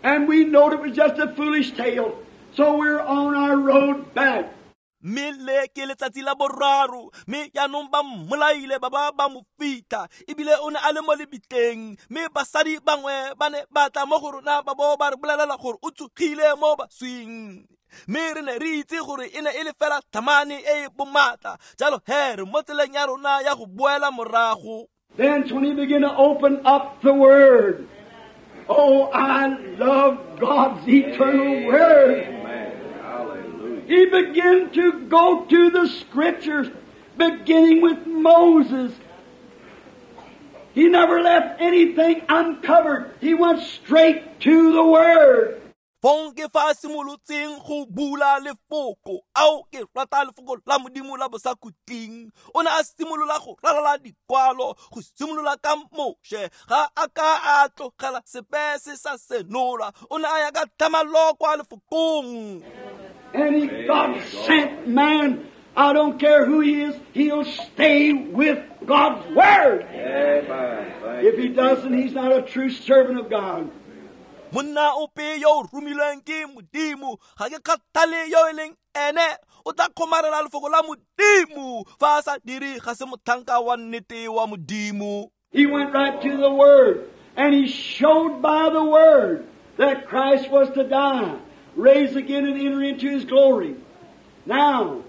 And we knowed it was just a foolish tale, so we're on our road back. Mme le ke letsatsi la boraro mme jaanong ba mmolaile ba ba ba mo fitlha ebile o ne a le mo lebitleng, mme basadi bangwe ba ne ba tla mo go rona ba bo ba re bolelela gore o tsogile mo baswing. Mme re ne re itse gore e ne e le fela tlhamane e e bomatla, jalo he re mo tseleng ya rona ya go boela morago. Then when he began to open up the Word, oh, I love God's eternal Word. He began to go to the Scriptures, beginning with Moses. He never left anything uncovered. He went straight to the Word. Fong ke fa a simolotseng go bula lefoko, ao ke rata lefoko la Modimo la bosakhutleng. O ne a simolola go ralala dikwalo, go simolola ka Moshe, ga a ka a tlogela sepe se sa senola. O ne a ya ka tlhamallo kwa lefokong. Any God sent man, I don't care who he is, he'll stay with God's Word. Amen. If he doesn't, he's not a true servant of God. Monna ope yo o romilweng ke Modimo, ga ke kgathale yo e leng ene, o tla kgomarela lefoko la Modimo. Fa a sa dire, ga se motlhanka wa nnete wa Modimo. He went right to the Word, and he showed by the Word that Christ was to die, raise again, and enter into His glory. Now,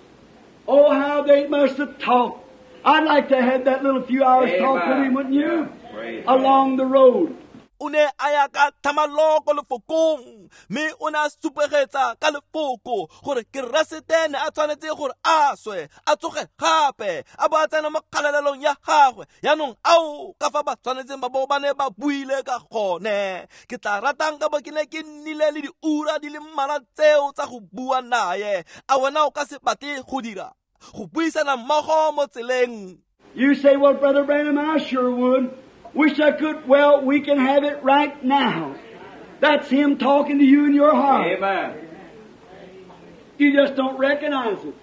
oh, how they must have talked. I'd like to have that little few hours Amen. Talk with him, wouldn't you? Yeah. Along the road. O ne a ya ka tlhamallo ko lefokong, mme o ne a supegetsa ka lefoko gore Keresete ne a tshwanetse gore a swe, a tsoge gape, a bo a tsena mo kgalalelong ya gagwe. Yaanong ao ka fa ba tshwanetseng ba bo ba ne ba buile ka gone. Ke tla ratang ka bo ke ne ke nnile le diura di le mmalwa tseo tsa go bua naye. A wena o ka se batle go dira go buisana mmogo mo tseleng? You say, well, Brother Branham, I sure would. Wish I could. Well, we can have it right now. That's Him talking to you in your heart. Amen. You just don't recognize it.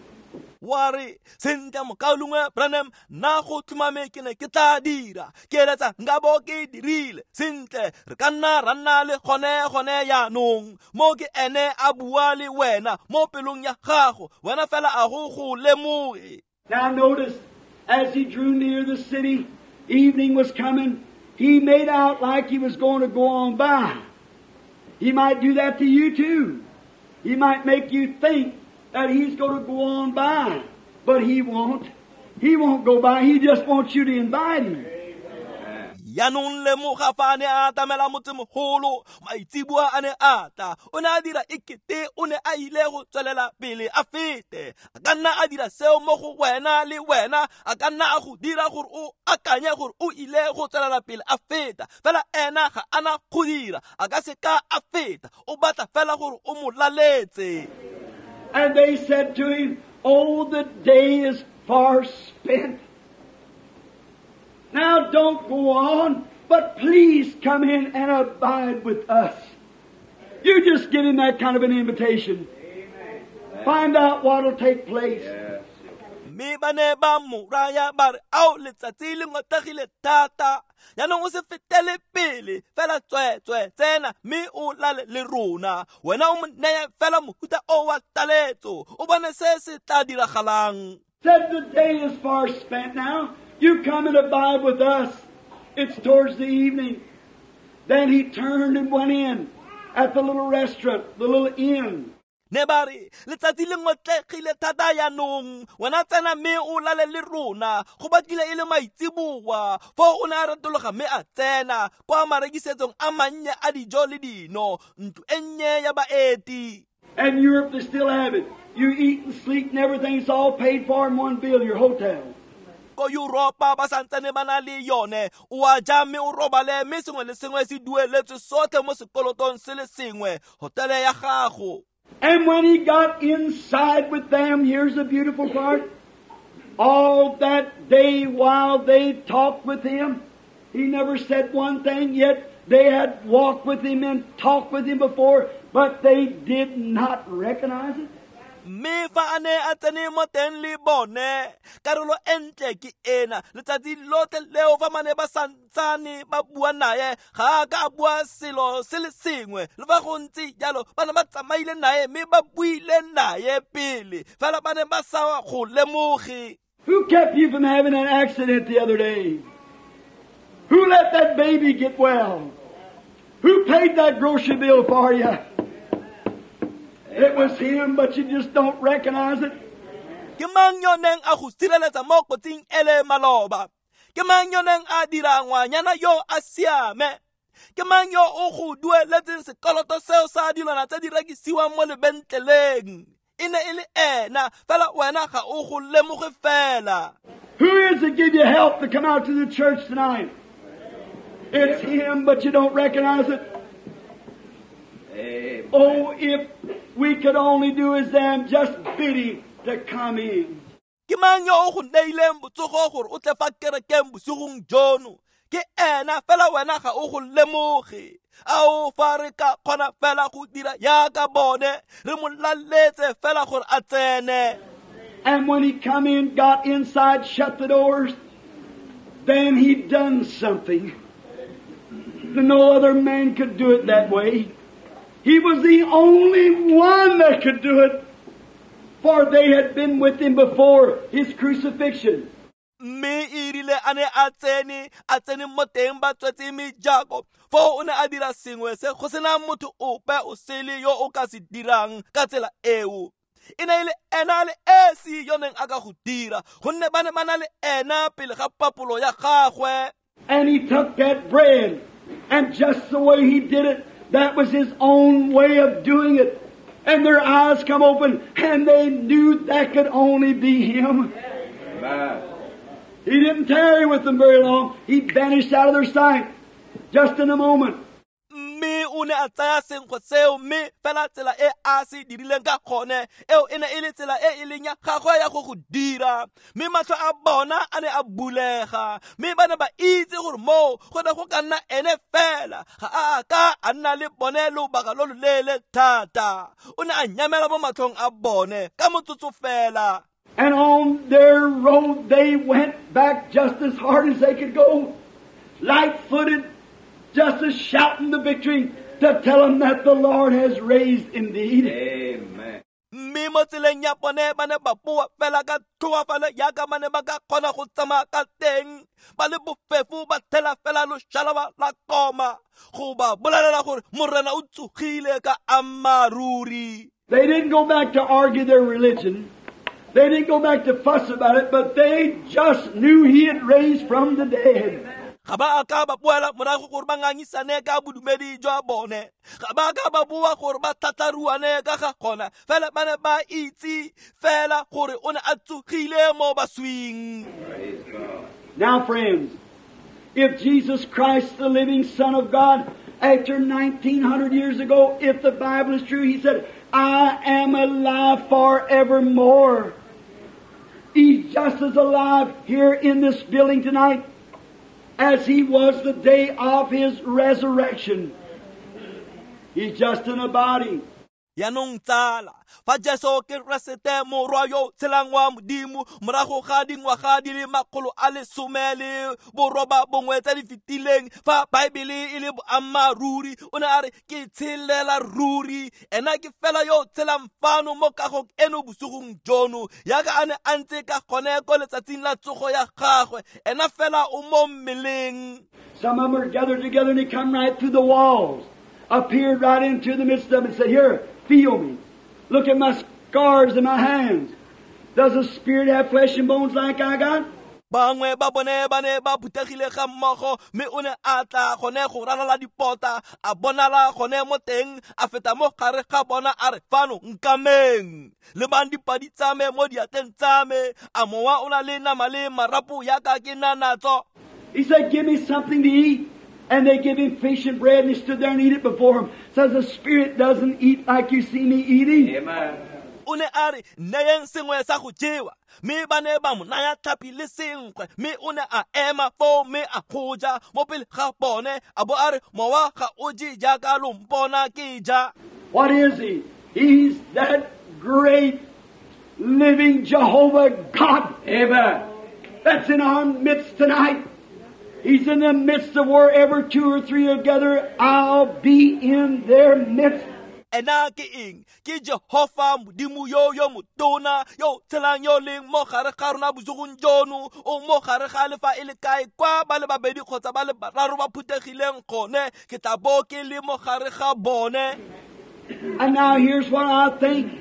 Wa re, sentle mokaulengwe Branham, nna go tlhomame ke ne ke tla dira. Ke eletsa nka bo ke dirile. Sentle, re ka nna ra nna le gone yaanong. Mo ke ene a bua le wena mo pelong ya gago. Wena fela a go go lemoge. Now notice, as he drew near the city, evening was coming. He made out like he was going to go on by. He might do that to you too. He might make you think that he's going to go on by, but he won't. He won't go by. He just wants you to invite him. Yaanong lemoga fa a ne a atamela motsemogolo, maitseboa a ne a tla. O ne a dira ekete o ne a ile go tswelela pele a fete. A ka nna a dira seo mo go wena le wena, a ka nna a go dira gore o akanye gore o ile go tswelela pele a feta. Fela ena ga ana go dira, a ka se ka a feta. O batla fela gore o mo laletse. And they said to him, oh, the day is far spent. Now don't go on, but please come in and abide with us. You just give him that kind of an invitation. Amen. Find out what will take place. Yes. Mme ba ne ba mo raya ba re, ao letsatsi le ngotlegile thata. Jaanong o se fetele pele, fela tsweetswe tsena mme o lale le rona. Wena o mo neye fela mohuta o wa taletso, o bone se se tla diragalang. Said the day is far spent now. You come and abide with us. It's towards the evening. Then he turned and went in at the little restaurant, the little inn. Ne ba re, letsatsi le ngotlegile thata yaanong, wena tsena mme o lale le rona. Go batlile e le maitseboa. Foo o ne a retologa mme a tsena kwa marekisetsong a mannye a dijo le dino, ntlo e nnye ya baeti. And Europe, they still have it. You eat and sleep and everything's all paid for in one bill, your hotel. Ko Europa ba santsane ba na le yone. O a ja mme o robale, mme sengwe le sengwe se dueletswe sotlhe mo sekolotong se le sengwe, hotele ya gago. And when he got inside with them, here's the beautiful part. All that day while they talked with him, he never said one thing, yet they had walked with him and talked with him before, but they did not recognize it. Mme fa a ne a tsene mo teng le bone, karolo e ntle ke ena. Letsatsi lotlhe leo fa ba ne ba santsane ba bua naye, ga a ka a bua selo se le sengwe. Le fa go ntse jalo, ba ne ba tsamaile naye mme ba buile naye pele, fela ba ne ba sa go lemoge. Who kept you from having an accident the other day? Who let that baby get well? Who paid that grocery bill for you? It was him, but you just don't recognize it. Ke mang yo neng a go sireletsa mo kotsing ele maloba? Ke mang yo neng a dira ngwanyana yo a siame? Ke mang yo o go dueletseng sekoloto seo sa dilwana tse di rekisiwang mo lebentleleng? E ne e le ena, fela wena ga o go lemoge fela. Who is it give you help to come out to the church tonight? It's him, but you don't recognize it. Amen. Oh, if we could only do as them, just bid him to come in. Ke mang yo o go neileng botsogo gore o tle fa kerekeng bosigong jono? Ke ena, fela wena ga o go lemoge. Ao fa re ka kgona fela go dira yaka bone, re mo laletse fela gore a tsene. And when he come in, got inside, shut the doors, then he done something. No other man could do it that way. He was the only one that could do it, for they had been with him before his crucifixion. Mme e rile a ne a tsene mo teng ba tswetse mejako. Foo o ne a dira sengwe se go sena motho ope o sele yo o ka se dirang ka tsela eo. E ne e le ena le esi yo neng a ka go dira, gonne ba ne ba na le ena pele ga papolo ya gagwe. And he took that bread And just the way He did it, that was His own way of doing it. And their eyes come open, and they knew that could only be Him. Amen. He didn't tarry with them very long. He vanished out of their sight just in a moment. Mme o ne a tsaya senkgwe seo, mme fela tsela e a se dirileng ka gone eo e ne e le tsela e e leng ya gagwe ya go dira. Mme matlho a bona a ne a bulega, mme ba ne ba itse gore moo go ne go ka nna ene fela. Ga a ka a nna le bone lobaka lo loleele thata. O ne a nyamela mo matlhong a bone ka motsotso fela. And on their road they went back just as hard as they could go, light-footed, just as shouting the victory to tell them that the Lord has raised indeed. Amen. Mme mo tseleng ya bone ba ne ba boa fela ka tlhoafalo jaaka ba ne ba ka kgona go tsamaya ka teng, ba le bofefo ba thela fela loshalaba la koma go ba bolelela gore Morena o tsogile ka ammaaruri. They didn't go back to argue their religion. They didn't go back to fuss about it, but they just knew He had raised from the dead. Ga ba a ka ba boela morago gore ba ngangisane ka bodumedi jwa bone. Ga ba ka ba boa gore ba tlhatlharuane ka ga gona. Fela ba ne ba itse fela gore o ne a tsogile mo baswing. Praise God. Now, friends, if Jesus Christ, the living Son of God, after 1900 years ago, if the Bible is true, He said, I am alive forevermore. He's just as alive here in this building tonight as He was the day of His resurrection. He's just in a body. Yaanong tsala, fa Jesu Keresete morwa yo tshelang wa Modimo morago ga dingwaga di le 119 tse di fetileng, fa Baebele e le boammaaruri, o ne a re ke tshelela ruri. Ena ke fela yo tshelang fano mo kagong eno bosigong jono, jaaka a ne a ntse ka gone ko letsatsing la tsogo ya gagwe. Ena fela o mo mmeleng. Some of them are gathered together and He come right through the walls, appeared right into the midst of them and said, Here, feel me. Look at my scars in my hands. Does the spirit have flesh and bones like I got? Bangwe ba bone ba ne ba phuthegile ga mmogo, mme o ne a tla gone go ralala dipota, a bonala gone mo teng, a feta mo gare ga bona a re, fano nkameng, lebang dipadi tsa me mo diatleng tsa me, a mowa o na le nama le marapo yaka ke na natso. He said, Give me something to eat. And they give him fish and bread, and he stood there and eat it before him. Says the spirit doesn't eat like you see me eating. Amen. O ne a re, neyeng sengwe sa go jewa, mme ba ne ba mo naya tlhapi le senkgwe, mme o ne a ema foo mme a go ja mo pele ga bone, a bo a re, mowa ga o je jaaka lo mpona ke ja. What is He? He's that great living Jehovah God. Amen. That's in our midst tonight. He's in the midst of wherever two or three are gathered, I'll be in their midst. Ena ke eng? Ke Jehofa Modimo yo yo motona, yo tshelang yo leng mo gare ga rona bosigong jono, o mo gare ga le fa e le kae kwa ba le babedi kgotsa ba le bararo ba phuthegileng gone, ke tla bo ke le mo gare ga bone. And now here's what I think.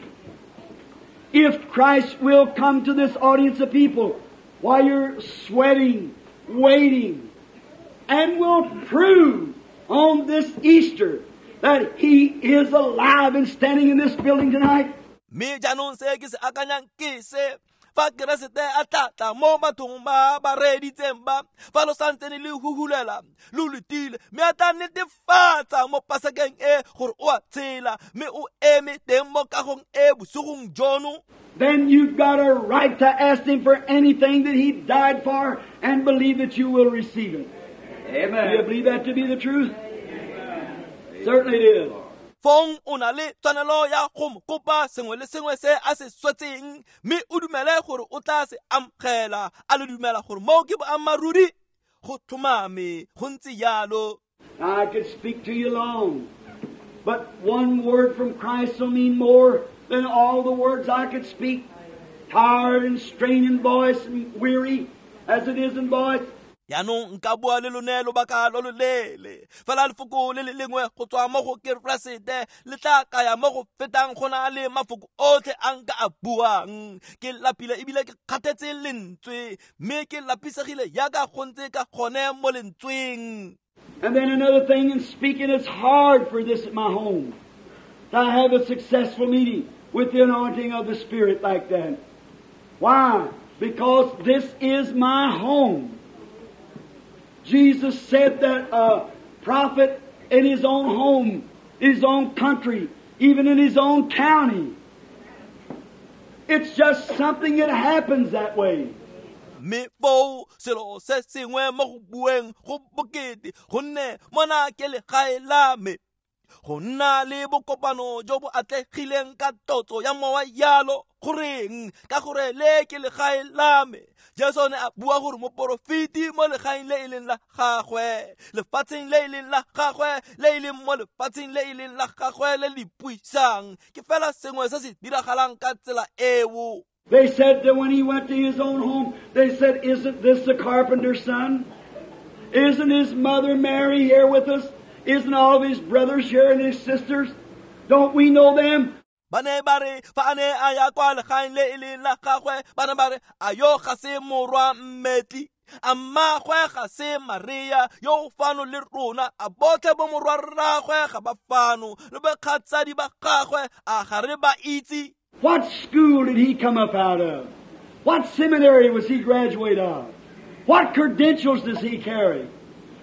If Christ will come to this audience of people while you're sweating, waiting, and will prove on this Easter that He is alive and standing in this building tonight. Mme jaanong se ke se akanyang ke se, fa Keresete a tla tla mo bathong ba ba reeditseng ba, fa lo santsene le huhulela, lo letile, mme a tla netefatsa mo Pasekeng e gore o a tshela, mme o eme teng mo kagong e bosigong jono. Then you've got a right to ask Him for anything that He died for and believe that you will receive it. Amen. Do you believe that to be the truth? Amen. Certainly it is. Fong o na le tshwanelo ya go mo kopa sengwe le sengwe se a se swetseng, mme o dumele gore o tla se amogela. A le dumela gore moo ke boammaaruri? Go tlhomame, go ntse jalo. I could speak to you long, but one word from Christ will mean more than all the words I could speak. Tired and strained in voice and weary as it is in voice. Yaanong nka bua le lone lobaka lo loleele, fela lefoko le le lengwe go tswa mo go Keresete le tla kaya mo go fetang go na le mafoko otlhe a nka a buang. Ke lapile ebile ke kgathetse lentswe, mme ke lapisegile jaaka go ntse ka gone mo lentsweng. And then another thing in speaking, it's hard for this at my home to have a successful meeting with the anointing of the Spirit like that. Why? Because this is my home. Jesus said that a prophet in his own home, his own country, even in his own county. It's just something that happens that way. Mme foo selo se sengwe mo go bueng go bokete gonne mona ke legae la me go nna le bokopano jo bo atlegileng ka totso ya mowa yalo goreng ka gore le ke legae la me. Jesu ne a bua gore moporofeti mo legaeng le e leng la gagwe, lefatsheng le e leng la gagwe, le e leng mo lefatsheng le e leng la gagwe le le puisang ke fela sengwe se se diragalang ka tsela eo. They said that when he went to his own home, they said, "Isn't this the carpenter's son? Isn't his mother Mary here with us? Isn't all of his brothers here and his sisters? Don't we know them?" Ba ne ba re fa a ne a ya kwa legaeng le e leng la gagwe, ba ne ba re a yo ga se morwa mmetli, a mmagwe ga se Maria yo o fano le rona, a botlhe bo morwa rragwe ga ba fano le bakgatsadi ba gagwe a ga re ba itse. What school did he come up out of? What seminary was he graduate of? What credentials does he carry?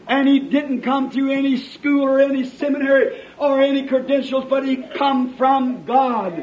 And he didn't come through any school or any seminary or any credentials, but he come from God.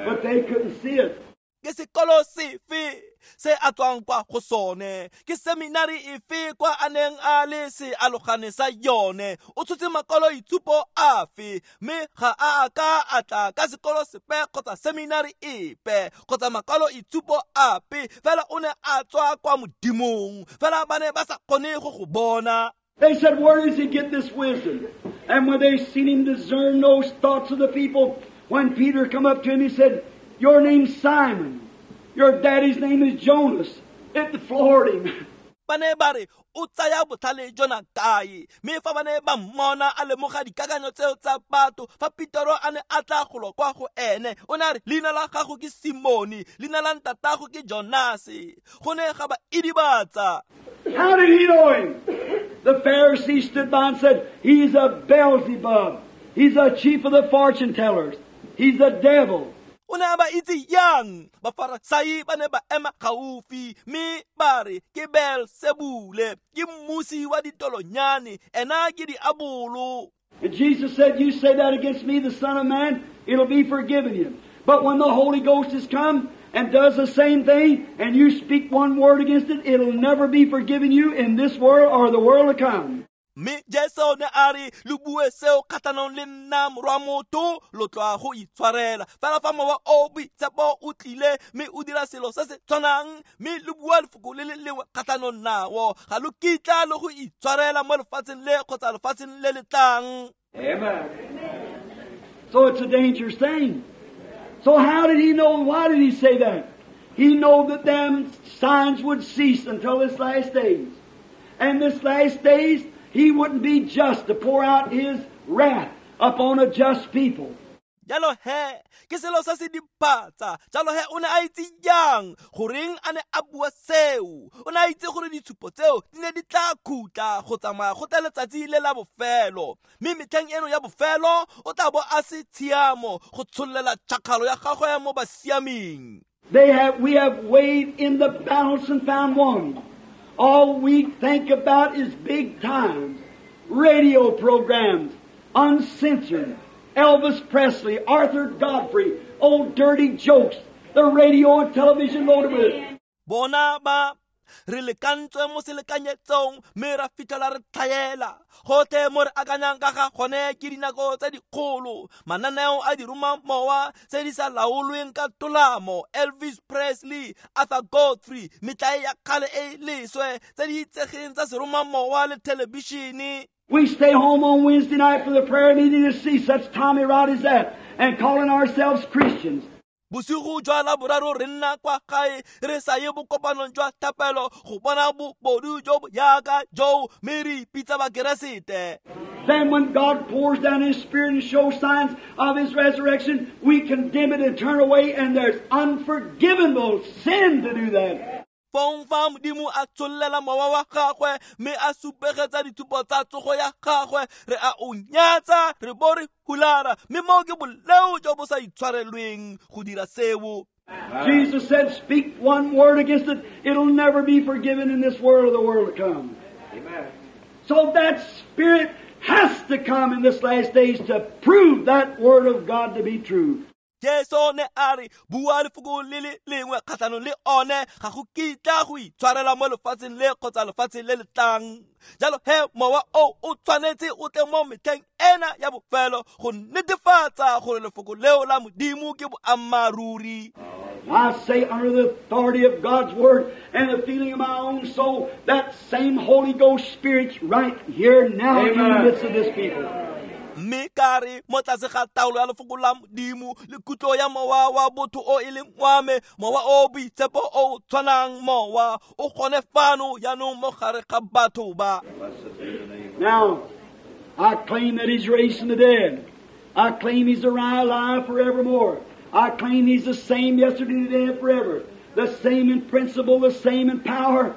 But they couldn't see it. Ke sekolo sefe se a tswang kwa go sone, ke seminari efe kwa a neng a le sealogane sa yone, o tshotse makwaloitshupo afe, mme ga a ka a tla ka sekolo sepe kgotsa seminari epe kgotsa makwaloitshupo ape, fela o ne a tswa kwa Modimong, fela ba ne ba sa kgone go go bona. They said, "Where does he get this wisdom?" And when they seen him discern those thoughts of the people, when Peter come up to him, he said, "Your name's Simon. Your daddy's name is Jonas." It floored him. Ba ne ba re o tsaya botlhale jona kae, mme fa ba ne ba mmona a lemoga dikakanyo tseo tsa batho, fa Petero a ne a tla golo kwa go ene, o ne a re leina la gago ke Simone, leina la ntatago ke Jonase. Go ne ga ba idibatsa. How did he know him? The Pharisees stood by and said, "He's a Beelzebub. He's a chief of the fortune tellers. He's a devil." O ne a ba itse yang? Bafarasai ba ne ba ema gaufi mme ba re ke Beelsebule, ke mmusi wa ditolonyane, ena ke diabolo. And Jesus said, "You say that against me, the Son of Man, it'll be forgiven you. But when the Holy Ghost has come and does the same thing, and you speak one word against it, it'll never be forgiven you in this world or the world to come." Mme Jesu ne a re lo bue seo kgatlhanong le nna morwa motho, lo tloa go itshwarela. Fela fa mowa o boitshepo o tlile mme o dira selo se se tshwanang, mme lo bua lefoko le le lengwe kgatlhanong nao, ga lo kitla le go itshwarela mo lefatsheng le kgotsa lefatsheng le le tlang. Amen. So it's a dangerous thing. So how did he know? Why did he say that? He knew that them signs would cease until this last days. And this last days, he wouldn't be just to pour out his wrath upon a just people. Jalo he, ke selo se se diphatsa. Jalo he, o ne a itse jang goreng a ne a bua seo? O ne a itse gore ditshupo tseo di ne di tla khutla go tsamaya go tla letsatsi le la bofelo, mme metlheng eno ya bofelo o tla bo a se tshiamo go tshollela tšhakgalo ya gagwe mo basiaming. We have weighed in the balance and found one. All we think about is big times, radio programs, uncensored, Elvis Presley, Arthur Godfrey, old dirty jokes, the radio and television loaded with it. Bona ba re lekantswe mo selekanyetsong mme ra fitlhela re tlhaela. Gotlhe mo re akanyang ka ga gone ke dinako tse dikgolo, mananeo a diromamowa tse di sa laolweng ka tolamo, Elvis Presley, Arthur Godfrey, metlae ya kgale e leswe tse di itsegeng tsa seromamowa le thelebišene. We stay home on Wednesday night for the prayer meeting to see such Tommy rot as that and calling ourselves Christians. Bosigo jwa Laboraro re nna kwa gae re sa ye bokopanong jwa thapelo go bona bobodu jo bo yaka joo mme re ipitsa Bakeresete. Then when God pours down His Spirit and shows signs of His resurrection, we condemn it and turn away, and there's unforgivable sin to do that. Fong fa Modimo a tshollela mowa wa gagwe mme a supegetsa dithupo tsa tsogo ya gagwe, re a o nyatsa, re bo re hulara, mme moo ke boleo jo bo sa itshwarelweng go dira seo. Jesus said, speak one word against it, it'll never be forgiven in this world or the world to come. Amen. So that Spirit has to come in this last days to prove that Word of God to be true. Jesu ne a re bua lefoko le le lengwe kgatlhanong le one ga go kitla go itshwarela mo lefatsheng le kgotsa lefatsheng le le tlang. Jalo he mowa o o tshwanetse o tle mo metlheng ena ya bofelo go netefatsa gore lefoko leo la Modimo ke boammaaruri. I say under the authority of God's Word and the feeling of my own soul, that same Holy Ghost Spirit's right here now. Amen. In the midst of this people. Mme ka re mo tlase ga taolo ya lefoko la Modimo le kutlo ya mowa wa botho o e leng wa me, mowa o boitshepo o tshwanang mowa o gone fano jaanong mo gare ga batho ba. Now, I claim that He's raised from the dead. I claim He's alive forevermore. I claim He's the same yesterday, today, and forever. The same in principle, the same in power,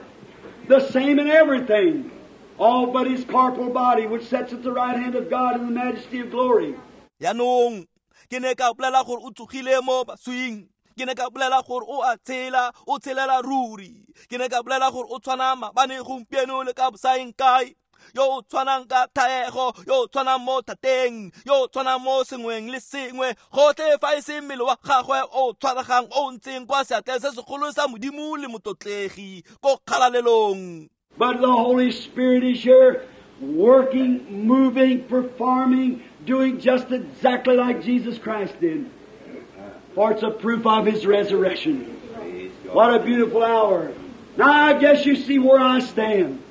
the same in everything. All but His corporal body, which sits at the right hand of God in the majesty of glory. Jaanong, ke ne ka bolela gore o tsogile mo baswing. Ke ne ka bolela gore o a tshela, o tshelela ruri. Ke ne ka bolela gore o tshwana maabane, gompieno le ka bosaeng kae. Yo o tshwanang ka thaego, yo o tshwanang mo thateng, yo o tshwanang mo sengweng le sengwe, gotlhe fa e se mmele wa gagwe o tshwaregang o ntseng kwa seatleng se segolo sa Modimo le motlotlegi ko kgalalelong. But the Holy Spirit is here working, moving, performing, doing just exactly like Jesus Christ did. For it's a proof of His resurrection. What a beautiful hour. Now I guess you see where I stand.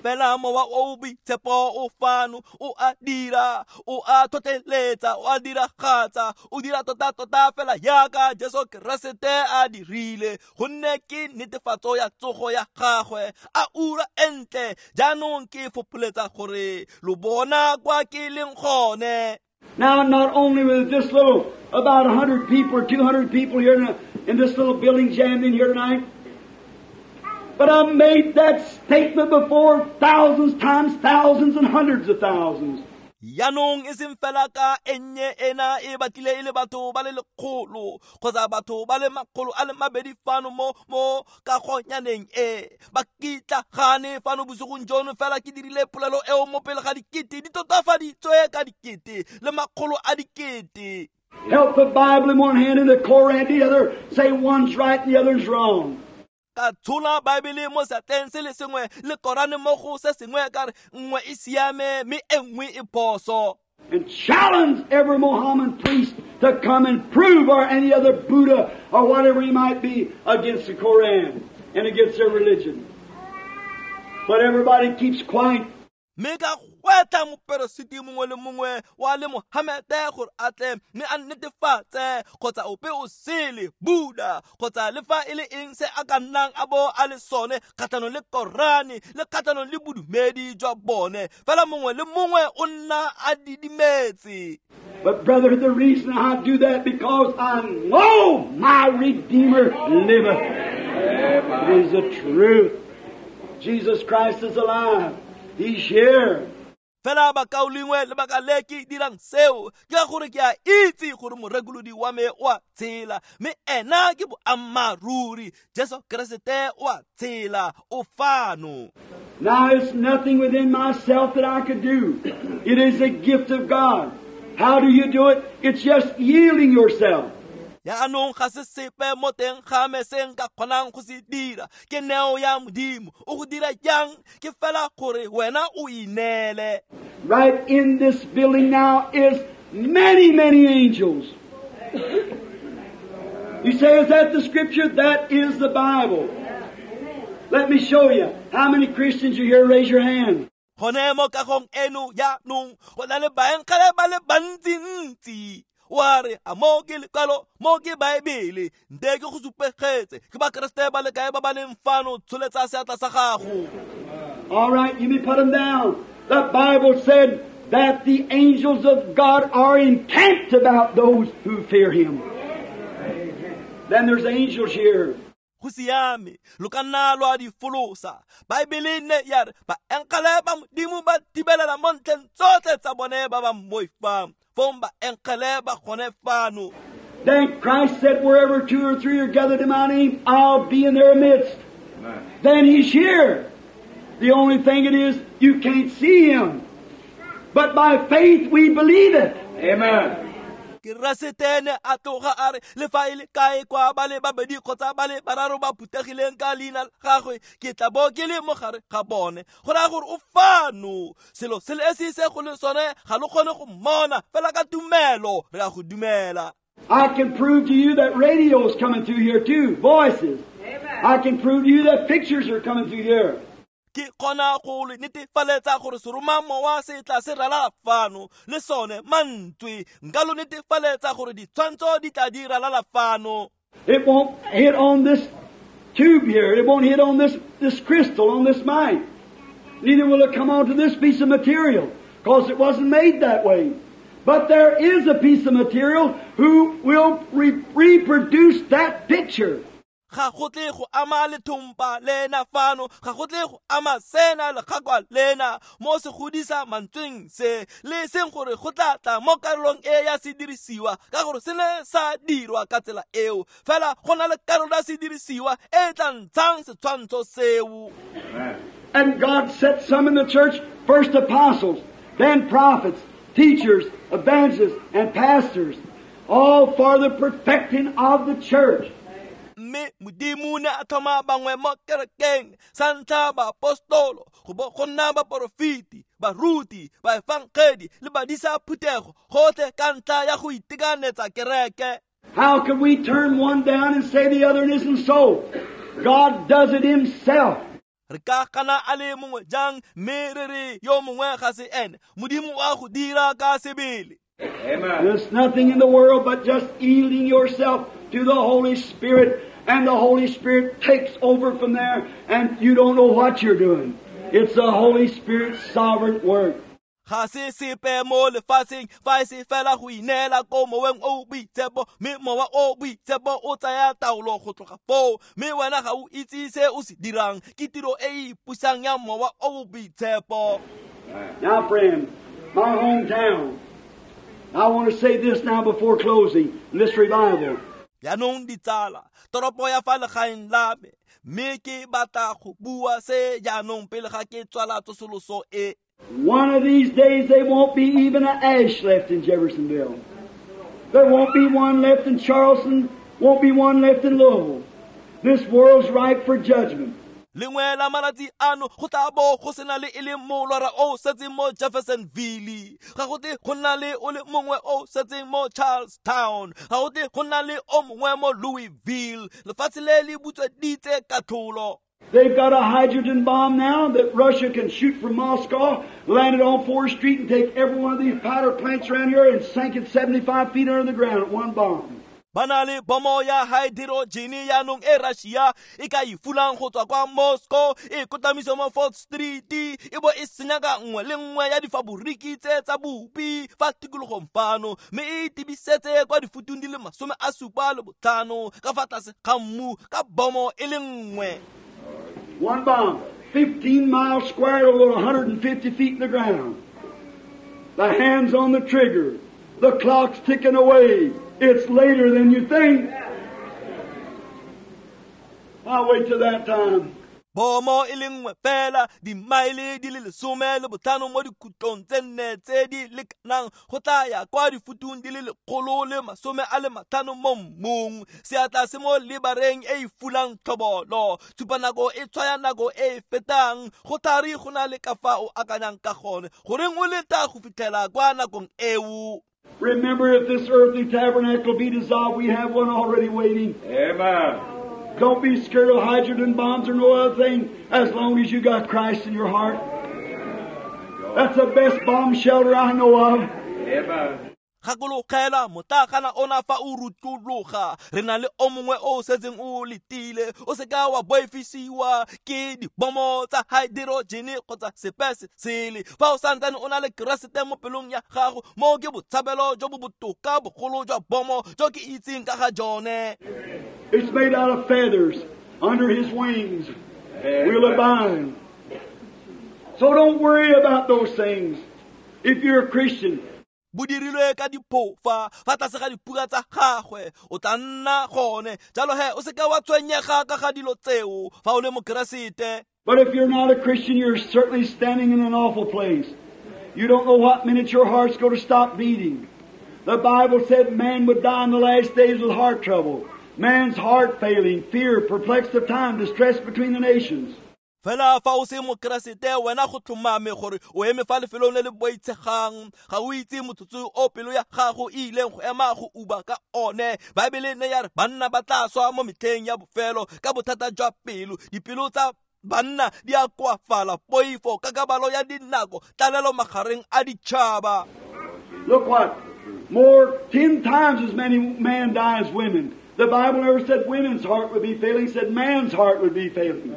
Fela mowa o boitshepo o fano, o a dira, o a tlhotlheletsa, o a diragatsa, o dira tota-tota fela jaaka Jesu Keresete a dirile, gonne ke netefatso ya tsogo ya gagwe. A ura e ntle, jaanong ke fopholetsa gore lo bona kwa ke leng gone. Now, not only with this little, about 100 people or 200 people here in this little building jammed in here tonight, but I made that statement before thousands times thousands and hundreds of thousands. Jaanong e seng fela ka e nnye ena e batlile e le batho ba le lekgolo kgotsa batho ba le makgolo a le mabedi fano mo kagonyaneng e ba kitlagane fano bosigong jono, fela ke dirile polelo eo mo pele ga dikete di totafaditswe ka dikete le makgolo a dikete. Help the Bible in one hand and the Koran the other, say one's right and the other's wrong. Ka tshola Baebele mo seatleng se le sengwe le Korane mo go se sengwe, ka re nngwe e siame mme e nngwe e phoso. And challenge every Mohammedan priest to come and prove, or any other Buddha or whatever he might be, against the Koran and against their religion. But everybody keeps quiet. Mme ka gwetlha moperesiti mongwe le mongwe wa le Mohamede gore a tle mme a netefatse kgotsa ope o sele, Buddha kgotsa le fa e le eng se a ka nnang a bo a le sone kgatlhanong le Korane le kgatlhanong le bodumedi jwa bone, fela mongwe le mongwe o nna a didimetse. But brother, the reason I do that, because I know my Redeemer liveth. It is the truth. Jesus Christ is alive. He's here. Fela bakaulengwe, lebaka le ke dirang seo ke ka gore ke a itse gore morekolodi wa me o a tshela, mme ena ke boammaaruri. Jesu Keresete o a tshela, o fano. Now it's nothing within myself that I could do. It is a gift of God. How do you do it? It's just yielding yourself. Jaanong ga se sepe mo teng ga me se nka kgonang go se dira, ke neo ya Modimo. O go dira jang? Ke fela gore wena o ineele. Right in this building now is many, many angels. You say, is that the Scripture? That is the Bible. Let me show you. How many Christians are here? Raise your hand. Gone mo kagong eno jaanong go na le baengele ba le bantsintsi. Wa re, a mo ke lekwalo, mo ke Baebele, nte ke go supegetse, ke Bakeresete ba le kae ba ba leng fano, tsholetsa seatla sa gago. All right, you may put them down. The Bible said that the angels of God are encamped about those who fear Him. Then there's angels here. Go siame, lo ka nna lwa di folosa. Baebele ne ya re baengele ba Modimo ba thibelela mo ntlheng tsotlhe tsa bone ba ba mmoifang. Fong baengele ba gone fano. Then Christ said, wherever two or three are gathered in my name, I'll be in their midst. Amen. Then He's here. The only thing it is, you can't see Him. But by faith we believe it. Amen. Keresete ne a tloga a re le fa e le kae kwa ba le babedi kgotsa ba le bararo ba phuthegileng ka leina la gagwe, ke tla bo ke le mo gare ga bone. Go raya gore o fano. Selo se le esi se go le sone ga lo kgone go mmona, fela ka tumelo re a go dumela. I can prove to you that radio is coming through here too, voices. Amen. I can prove to you that pictures are coming through here. Ke kgona go le netefaletsa gore seromamowa se tla se ralala fano le sone mantswe. Nka lo netefaletsa gore ditshwantsho di tla di ralala fano. It won't hit on this tube here. It won't hit on this crystal, on this mic. Neither will it come onto this piece of material, because it wasn't made that way. But there is a piece of material who will reproduce that picture. Ga go tle go ama lethompa lena fano, ga go tle go ama sena legakwa lena mo se godisa mantsweng se le seng gore go tla tla mo karolong e ya sedirisiwa, ka gore se ne sa dirwa ka tsela eo. Fela go na le karolo ya sedirisiwa e tla ntshang setshwantsho seo. And God set some in the church, first apostles, then prophets, teachers, evangelists, and pastors, all for the perfecting of the church. Mme Modimo ne a tlhoma bangwe mo kerekeng, sa ntlha baapostolo, go bo go nna baporofeti, baruti, baefangedi le badisa phuthego, gotlhe ka ntlha ya go itekanetsa kereke. How can we turn one down and say the other isn't so? God does it Himself. Re ka gana a le mongwe jang mme re re yo mongwe ga se ene? Modimo o a go dira ka sebele. Amen. There's nothing in the world but just yielding yourself to the Holy Spirit, and the Holy Spirit takes over from there, and you don't know what you're doing. It's the Holy Spirit's sovereign work. Ga se sepe mo lefatsheng fa e se fela go ineela ko moweng o boitshepo, mme mowa o boitshepo o tsaya taolo go tloga foo, mme wena ga o itse se o se dirang. Ke tiro e e ipusang ya mowa o boitshepo. Now, friend, my hometown, I want to say this now before closing this revival. Jaanong ditsala, toropo ya fa legaeng la me, mme ke batla go bua se jaanong pele ga ke tswala tsosoloso e. One of these days there won't be even an ash left in Jeffersonville. There won't be one left in Charleston, won't be one left in Louisville. This world's ripe for judgment. Lengwe la malatsi ano go tla bo go sena le e le molora o setseng mo Jeffersonville, ga go tle go nna le o le mongwe o setseng mo Charlestown, ga go tle go nna le o mongwe mo Louisville. Lefatshe le le butsweditse katlholo. They've got a hydrogen bomb now that Russia can shoot from Moscow, land it on 4th Street and take every one of these powder plants around here and sink it 75 feet under the ground at one bomb. Ba na le bomo ya hydrogen jaanong e Russia e ka e fulang go tswa kwa Moscow, e kotamise mo 4th Street, e bo e senya ka nngwe le nngwe ya difaboriki tse tsa bopi fa tikologong fano, mme e tibisetse kwa difutung di le 75 ka fa tlase ga mmu ka bomo e le nngwe. One bomb, 15 miles square, it'll go 150 feet in the ground. The hand's on the trigger. The clock's ticking away. It's later than you think. I'll wait till that time. Bomo e le nngwe fela, dimaele di le 15 mo dikhutlong tse nne tse di lekanang go tla ya kwa difutung di le 150 mo mmung. Seatla se mo lebareng e e fulang tlhobolo, tshupanako e tshwaya nako e e fetang. Go thari go na le ka fa o akanyang ka gone, goreng o leta go fitlhela kwa nakong eo. Remember, if this earthly tabernacle be dissolved, we have one already waiting. Amen. Don't be scared of hydrogen bombs or no other thing as long as you got Christ in your heart. That's the best bomb shelter I know of. Amen. Gakologela motlakana ona fa o rutlologa, re na le o mongwe o setseng o letile. O seka wa boifisiwa ke dibomo tsa hydrogen kgotsa sepe se sele. Fa o santsane o na le Keresete mo pelong ya gago, mo ke botshabelo jo bo botoka bogolo jwa bomo jo ke itseng ka ga jone. It's made out of feathers. Under His wings we'll abide. So don't worry about those things. If you're a Christian, Bo dirilwe ka diphofa fa tlase ga diphuka tsa gagwe o tla nna gone. Jalo he o seka wa tshwenyega ka ga dilo tseo fa o le mokeresete. But if you're not a Christian, you're certainly standing in an awful place. You don't know what minute your heart's going to stop beating. The Bible said man would die in the last days with heart trouble. Man's heart failing, fear, perplexed of time, distress between the nations. Fela fa o se mokeresete wena go tlhomame gore o eme fa lefelong le le boitshegang, ga o itse motsotso o pelo ya gago e ileng go ema go uba ka one. Baebele ne ya re banna ba tla swa mo metlheng ya bofelo ka bothata jwa pelo, dipelo tsa banna di a koafala, poifo, kakabalo ya dinako, tlalelo magareng a ditšhaba. Look what? More 10 times as many men die as women. The Bible never said women's heart would be failing, it said man's heart would be failing.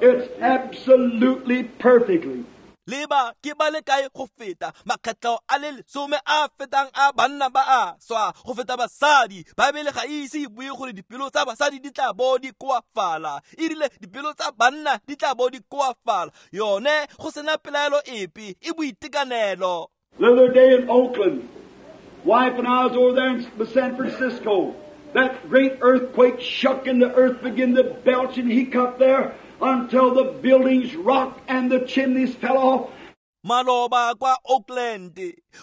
It's absolutely perfectly. Leba ke ba le kae go feta makgetlo a le 10 a fetang a banna ba a swa go feta basadi. Baebele ga e ise e bue gore dipelo tsa basadi di tla bo di koafala, e rile dipelo tsa banna di tla bo di koafala. Yone go sena pelaelo epe, e boitekanelo. The other day in Oakland, wife and I was over there in San Francisco. That great earthquake shook and the earth began to belch and hiccup there until the buildings rocked and the chimneys fell off. Maloba kwa Oakland,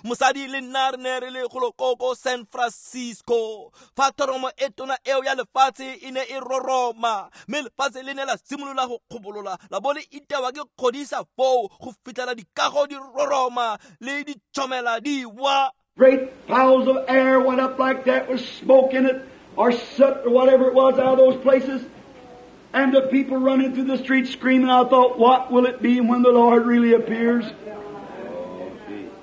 mosadi le nna re ne re le golo ko San Francisco. Fa thoromo e tona eo ya lefatshe e ne e roroma, mme lefatshe le ne la simolola go kgobolola, la bo le itewa ke kgodisa foo go fitlhela dikago di roroma le ditšhomela di wa. Great piles of air went up like that with smoke in it or soot or whatever it was out of those places. And the people running through the streets screaming. I thought, what will it be when the Lord really appears?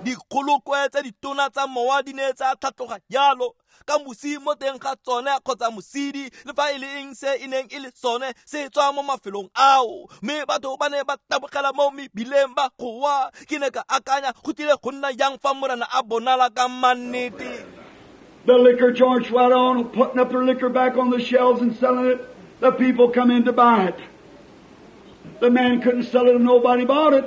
Dikgolokwe tse ditona tsa mowa di ne tsa tlhatloga jalo ka mosi mo teng ga tsone kgotsa mosidi le fa e le eng se e neng e le sone se tswa mo mafelong ao, mme batho ba ne ba tabogela mo mebileng ba goa. Ke ne ka akanya go tlile go nna jang fa Morena a bonala ka mannete. The liquor joints right on, putting up their liquor back on the shelves and selling it. The people come in to buy it. The man couldn't sell it if nobody bought it.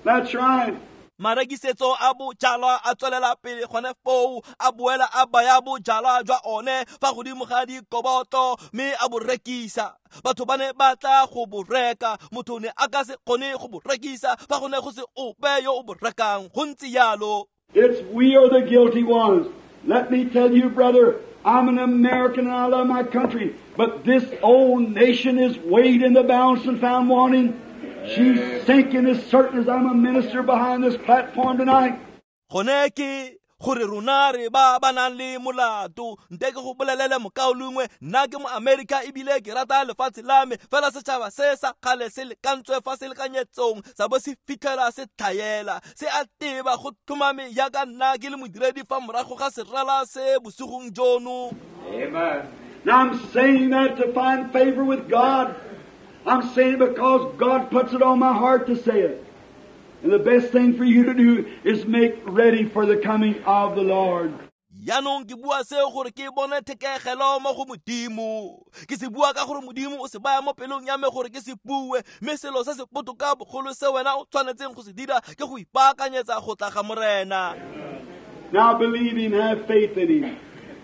That's right. Marekisetso a bojalwa a tswelela pele gone foo, a boela a baya bojalwa jwa one fa godimo ga dikoboto mme a bo rekisa. Batho ba ne ba tla go bo reka, motho ne a ka se kgone go bo rekisa fa go ne go se ope yo o bo rekang. Go ntse jalo. It's we are the guilty ones. Let me tell you, brother, I'm an American and I love my country, but this old nation is weighed in the balance and found wanting. She's sinking as certain as I'm a minister behind this platform tonight. Gone ke gore rona re ba ba nang le molato. Nte ke go bolelele mokaulengwe, nna ke mo America ebile ke rata lefatshe la me, fela setšhaba se sa kgale se lekantswe fa se lekanyetsong sa bo se fitlhela se tlhaela, se a teba go tlhomame jaaka nna ke le modiredi fa morago ga serala se bosigong jono. Amen. Now I'm saying that to find favor with God. I'm saying it because God puts it on my heart to say it. And the best thing for you to do is make ready for the coming of the Lord. Jaanong ke bua seo gore ke bone thekegelo mo go Modimo. Ke se bua ka gore Modimo o se baya mo pelong ya me gore ke se bue, mme selo se se botoka bogolo se wena o tshwanetseng go se dira ke go ipaakanyetsa go tla ga Morena. Now believe Him, have faith in Him.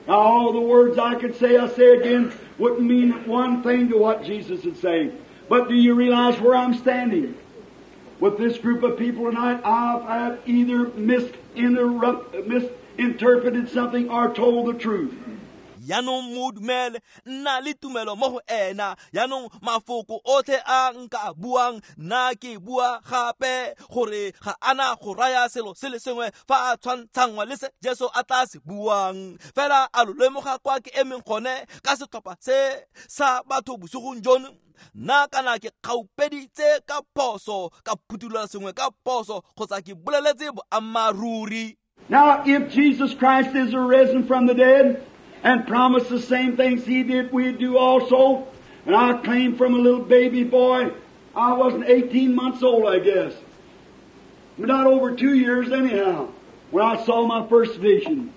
Now all the words I could say, I say again, wouldn't mean one thing to what Jesus would say. But do you realize where I'm standing? With this group of people tonight, I've either misinterpreted something or told the truth. Jaanong mo dumele, nna le tumelo mo go ena. Jaanong mafoko otlhe a nka buang, nna ke bua gape gore ga ana go raya selo se le sengwe fa a tshwantshangwa le se Jesu a tla se buang. Fela a lo lemoga kwa ke emeng gone ka setlhopha se sa batho bosigong jono. Nna kana ke kgaupeditse ka phoso, ka phuthulola sengwe ka phoso, kgotsa ke boleletse boammaaruri. Now if Jesus Christ is arisen from the dead and promised the same things He did, we do also. And I claim from a little baby boy, I wasn't 18 months old, I guess. Not over 2 years anyhow, when I saw my first vision.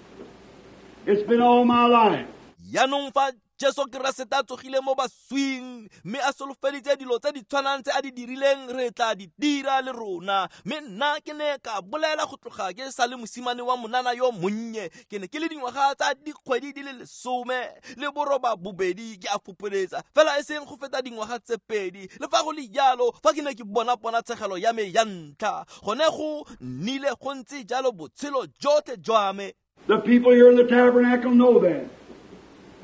It's been all my life. Jaanong fa Jesu Keresete a tsogile mo baswing mme a solofeditse dilo tse di tshwanang tse a di dirileng re tla di dira le rona. Mme nna ke ne ka bolela go tloga ke sa le mosimane wa monana yo monnye, ke ne ke le dingwaga tsa dikgwedi di le 18 ke a fopoletsa fela e seng go feta dingwaga tse 2. Le fa go le jalo, fa ke ne ke bona ponatshegelo ya me ya ntlha, gone go nnile go ntse jalo botshelo jotlhe jwa me. The people here in the tabernacle know that.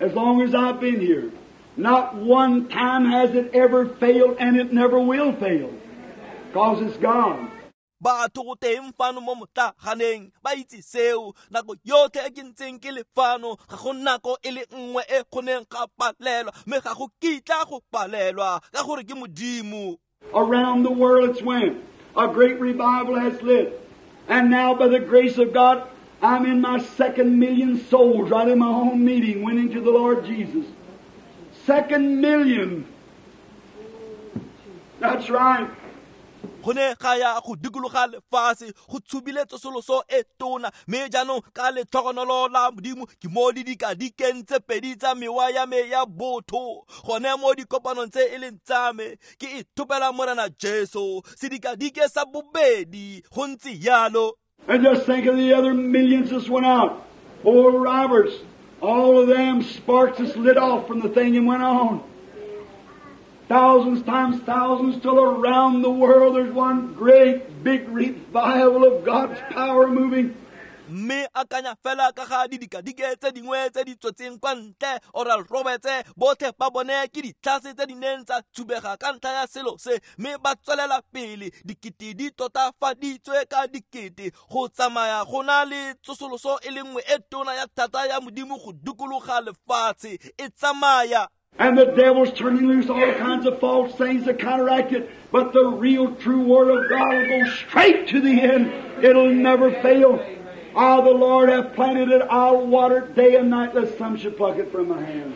As long as I've been here, not one time has it ever failed, and it never will fail, because it's God. Batho go teng fano mo motlaganeng ba itse seo. Nako yotlhe e ke ntseng ke le fano, ga go nako e le nngwe e kgoneng ga palelwa, mme ga go kitla go palelwa ka gore ke Modimo. Around the world it's went. A great revival has lit. And now by the grace of God, I'm in my 2nd million souls right in my own meeting, winning to the Lord Jesus. 2nd million. That's right. Go ne ga ya go dikologa lefatshe go tshubile tsosoloso e tona, mme jaanong ka letlhogonolo la Modimo ke mo di dikadikeng tse 2 tsa mewa ya me ya botho gone mo dikopanong tse e leng tsa me ke ithopela Morena Jesu sedikadike sa bobedi go ntse jalo. And just think of the other millions that went out. Oral Roberts, all of them sparks just lit off from the thing and went on. Thousands times thousands till around the world there's one great big revival of God's power moving. Mme akanya fela ka ga didikadike tse dingwe tse di tswetseng kwa ntle, Oral Roberts, botlhe ba bone ke ditlhase tse di neng tsa thubega ka ntlha ya selo se, mme ba tswelela pele dikete di totafaditswe ka dikete go tsamaya go na le tsosoloso e le nngwe e tona ya thata ya Modimo go dikologa lefatshe e tsamaya. And the devil's turning loose all kinds of false things to counteract it. But the real true Word of God will go straight to the end. It'll never fail. I, the Lord, have planted it. I'll water it day and night, lest some should pluck it from my hand.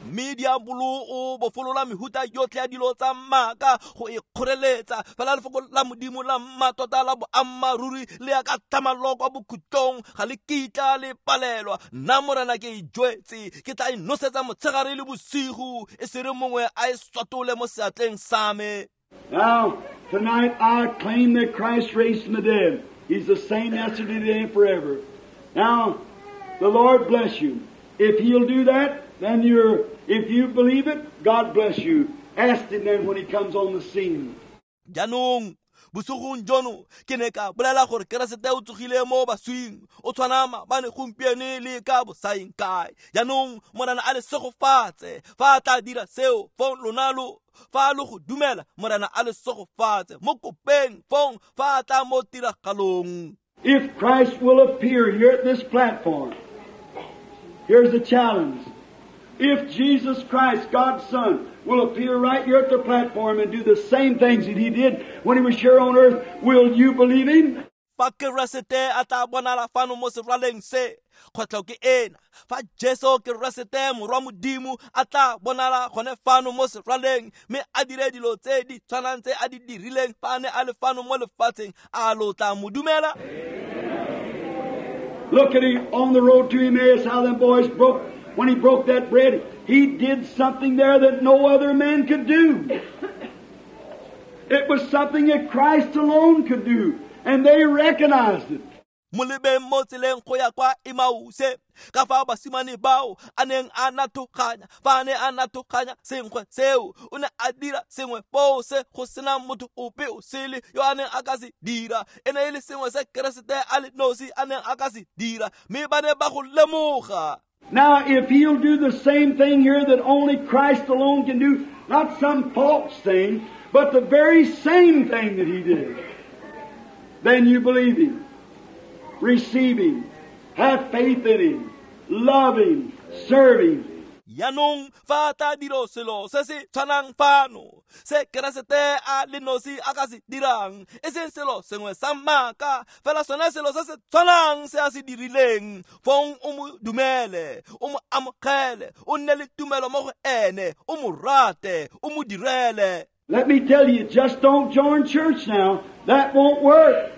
Mme diabolo o bofolola mehuta yotlhe ya dilo tsa maaka go e kgoreletsa, fela lefoko la Modimo la mmatota la boammaaruri le ya ka tlhamallo kwa bokhutlong ga le kitla le palelwa. Nna Morena ke e jwetse, ke tla e nosetsa motshegare le bosigo, e se re mongwe a e swatole mo seatleng sa me. Now, tonight I claim that Christ raised from the dead. He's the same yesterday, today, and forever. Now, the Lord bless you. If He'll do that, then if you believe it, God bless you. Ask Him then when He comes on the scene. Jaanong, bosigong jono ke ne ka bolela gore Keresete o tsogile mo baswing, o tshwana maabane gompieno le ka bosaeng kae. Jaanong Morena a le segofatse fa a tla dira seo, fong lona lo fa lo go dumela, Morena a le segofatse mo kopeng fong fa a tla mo tiragalong. If Christ will appear here at this platform, here's the challenge. If Jesus Christ, God's Son, will appear right here at the platform and do the same things that He did when He was here on earth, will you believe Him? Fa Keresete a tla bonala fano mo seraleng se, kgwetlho ke ena. Fa Jesu Keresete morwa Modimo a tla bonala gone fano mo seraleng mme a dire dilo tse di tshwanang tse a di dirileng fa a ne a le fano mo lefatsheng, a lo tla mo dumela? Look at him on the road to Emmaus, how them boys broke. When he broke that bread, he did something there that no other man could do. It was something that Christ alone could do, and they recognized it. Molebeng mo tseleng go ya kwa Emause, ka fa basimane bao a neng a nathoganya, fa a ne a nathoganya senkgwe seo, o ne a dira sengwe foo se go sena motho ope o sele yo a neng a ka se dira. E ne e le sengwe se Keresete a le nosi a neng a ka se dira, mme ba ne ba go lemoga. Now, if He'll do the same thing here that only Christ alone can do, not some false thing, but the very same thing that He did, then you believe Him, receive Him, have faith in Him, love Him, serve Him. Jaanong fa tla dira selo se se tshwanang fano se Keresete a le nosi a ka se dirang, e seng selo sengwe sa maaka, fela sone selo se se tshwanang se a se dirileng, fong o mo dumele, o mo amogele, o nne le tumelo mo go ene, o mo rate, o mo direle. Let me tell you, just don't join church now. That won't work.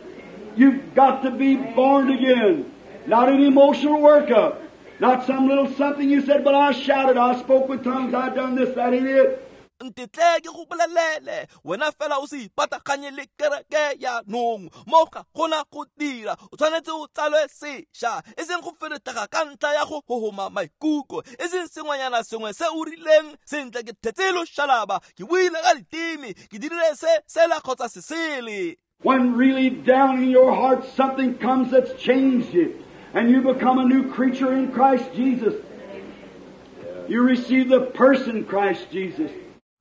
You've got to be born again. Not an emotional workup. Not some little something you said, but I shouted, I spoke with tongues, I done this, that ain't it. Ntetle ke go bolelele wena fela o se ipataganye le kereke yaanong mo ga gona go dira o tshwanetse o tsalwe sešwa e seng go feretega ka ntlha ya go hohoma maikutlo e seng sengwenyana sengwe se o rileng sentle ke thetse loshalaba ke buile ka diteme ke dirile se sela kgotsa se sele. When really down in your heart something comes that's changed you, and you become a new creature in Christ Jesus. You receive the person Christ Jesus.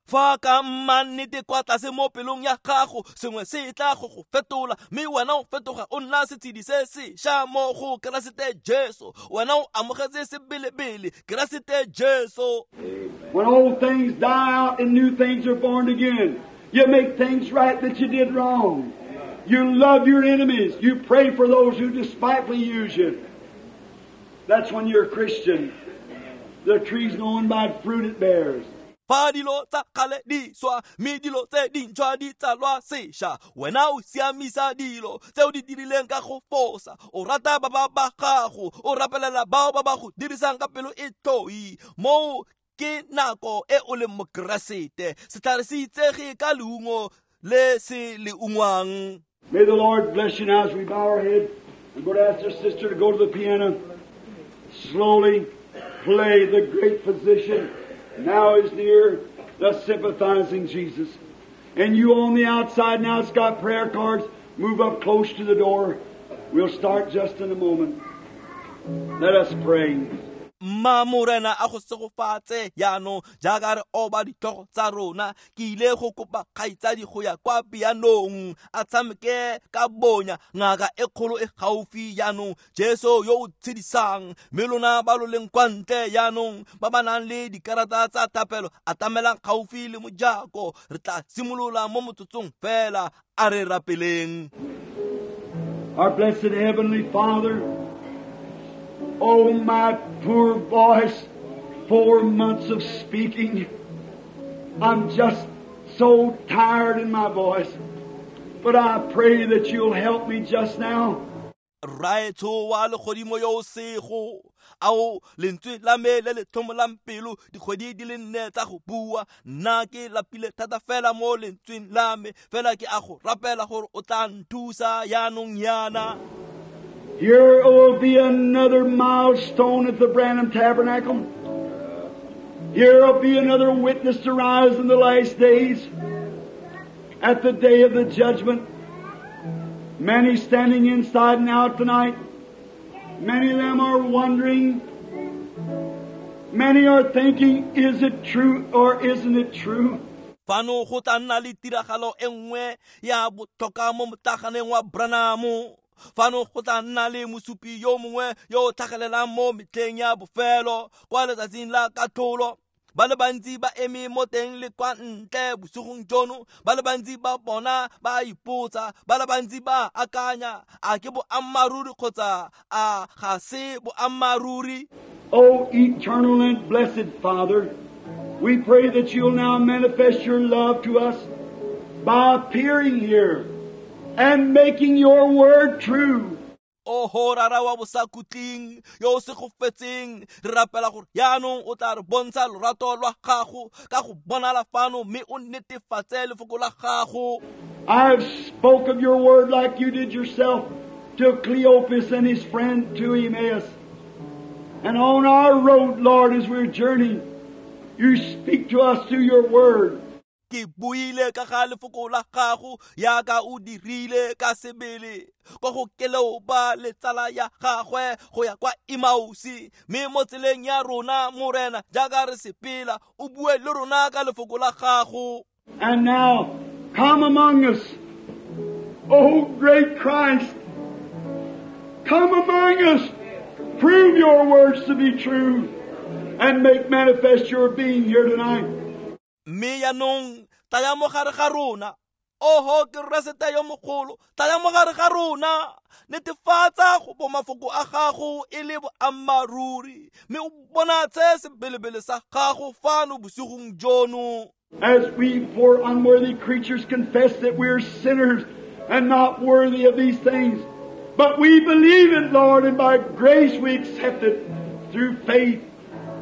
Fa ka mannete kwa tlase mo pelong ya gago sengwe se tla go go fetola mme wena o fetoga o nna setshedi se sešwa mo go Keresete Jesu wena o amogetse sebelebele Keresete Jesu. When old things die out and new things are born again, you make things right that you did wrong. You love your enemies. You pray for those who despitefully use you. That's when you're a Christian. The tree's known by fruit it bears. Fa dilo tsa kgale di swa mme dilo tse dintšhwa di tsalwa sešwa wena o siamisa dilo tse o di dirileng ka go fosa o rata ba ba ba gago o rapelela bao ba ba go dirisang ka pelo e tloi moo ke nako e o leng mokeresete setlhare se itsege ka leungo le se le ungwang. May the Lord bless you now as we bow our head. I'm going to ask our sister to go to the piano. Slowly play the great physician. Now is near, the sympathizing Jesus. And you on the outside now, it's got prayer cards. Move up close to the door. We'll start just in a moment. Let us pray. Mma morena a go segofatse jaanong jaaka re oba ditlhogo tsa rona ke ile go kopa kgaitsadi go ya kwa pianong a tshameke ka bonya ngaka e kgolo e gaufi jaanong Jesu yo o tshedisang mme lona ba lo leng kwa ntle jaanong ba ba nang le dikarata tsa thapelo atamelang gaufi le mojako re tla simolola mo motsotsong fela a re rapeleng. Our blessed Heavenly Father, oh, my poor voice, 4 months of speaking. I'm just so tired in my voice. But I pray that you'll help me just now. Raetsho wa legodimo yo o sego ao lentswe la me le le tlhomolang pelo dikgwedi di le nne tsa go bua nna ke lapile thata fela mo lentsweng la me fela ke a go rapela gore o tla nthusa yaanong yana. Here will be another milestone at the Branham Tabernacle. Here will be another witness to rise in the last days, at the day of the judgment. Many standing inside and out tonight. Many of them are wondering. Many are thinking, is it true or isn't it true? Fano go tla nna le tiragalo e nngwe ya botlhokwa mo motlaganeng wa Branham. Fano go tla nna le mosupi yo mongwe yo o tlhagelelang mo metlheng ya bofelo kwa letsatsing la katlholo. Ba le bantsi ba eme mo teng le kwa ntle bosigong jono ba le bantsi ba bona ba ipotsa ba le bantsi ba akanya a ke boammaaruri kgotsa a ga se boammaaruri. O eternal and blessed Father, we pray that you'll now manifest your love to us by appearing here and making your word true. Oho rara wa bosakhutleng yo o segofetseng re rapela gore yaanong o tla re bontsha lorato lwa gago ka go bonala fano mme o netefatse lefoko la gago. I have spoke of your word like you did yourself to Cleopas and his friend to Emmaus. And on our road, Lord, as we're journeying, you speak to us through your word. Ke buile ka ga lefoko la gago yaka o dirile ka sebele kwa go Keleopa le tsala ya gagwe go ya kwa Emausi mme mo tseleng ya rona morena jaaka re sepela o bue le rona ka lefoko la gago. And now come among us, O great Christ. Come among us, prove your words to be true, and make manifest your being here tonight. Mme yaanong tlaya mo gare ga rona oho Keresete yo mogolo tlaya mo gare ga rona netefatsa go bo mafoko a gago e le boammaaruri mme o bonatse sebelebele sa gago fano bosigong jono. As we poor unworthy creatures confess that we're sinners and not worthy of these things, but we believe it, Lord, and by grace we accept it through faith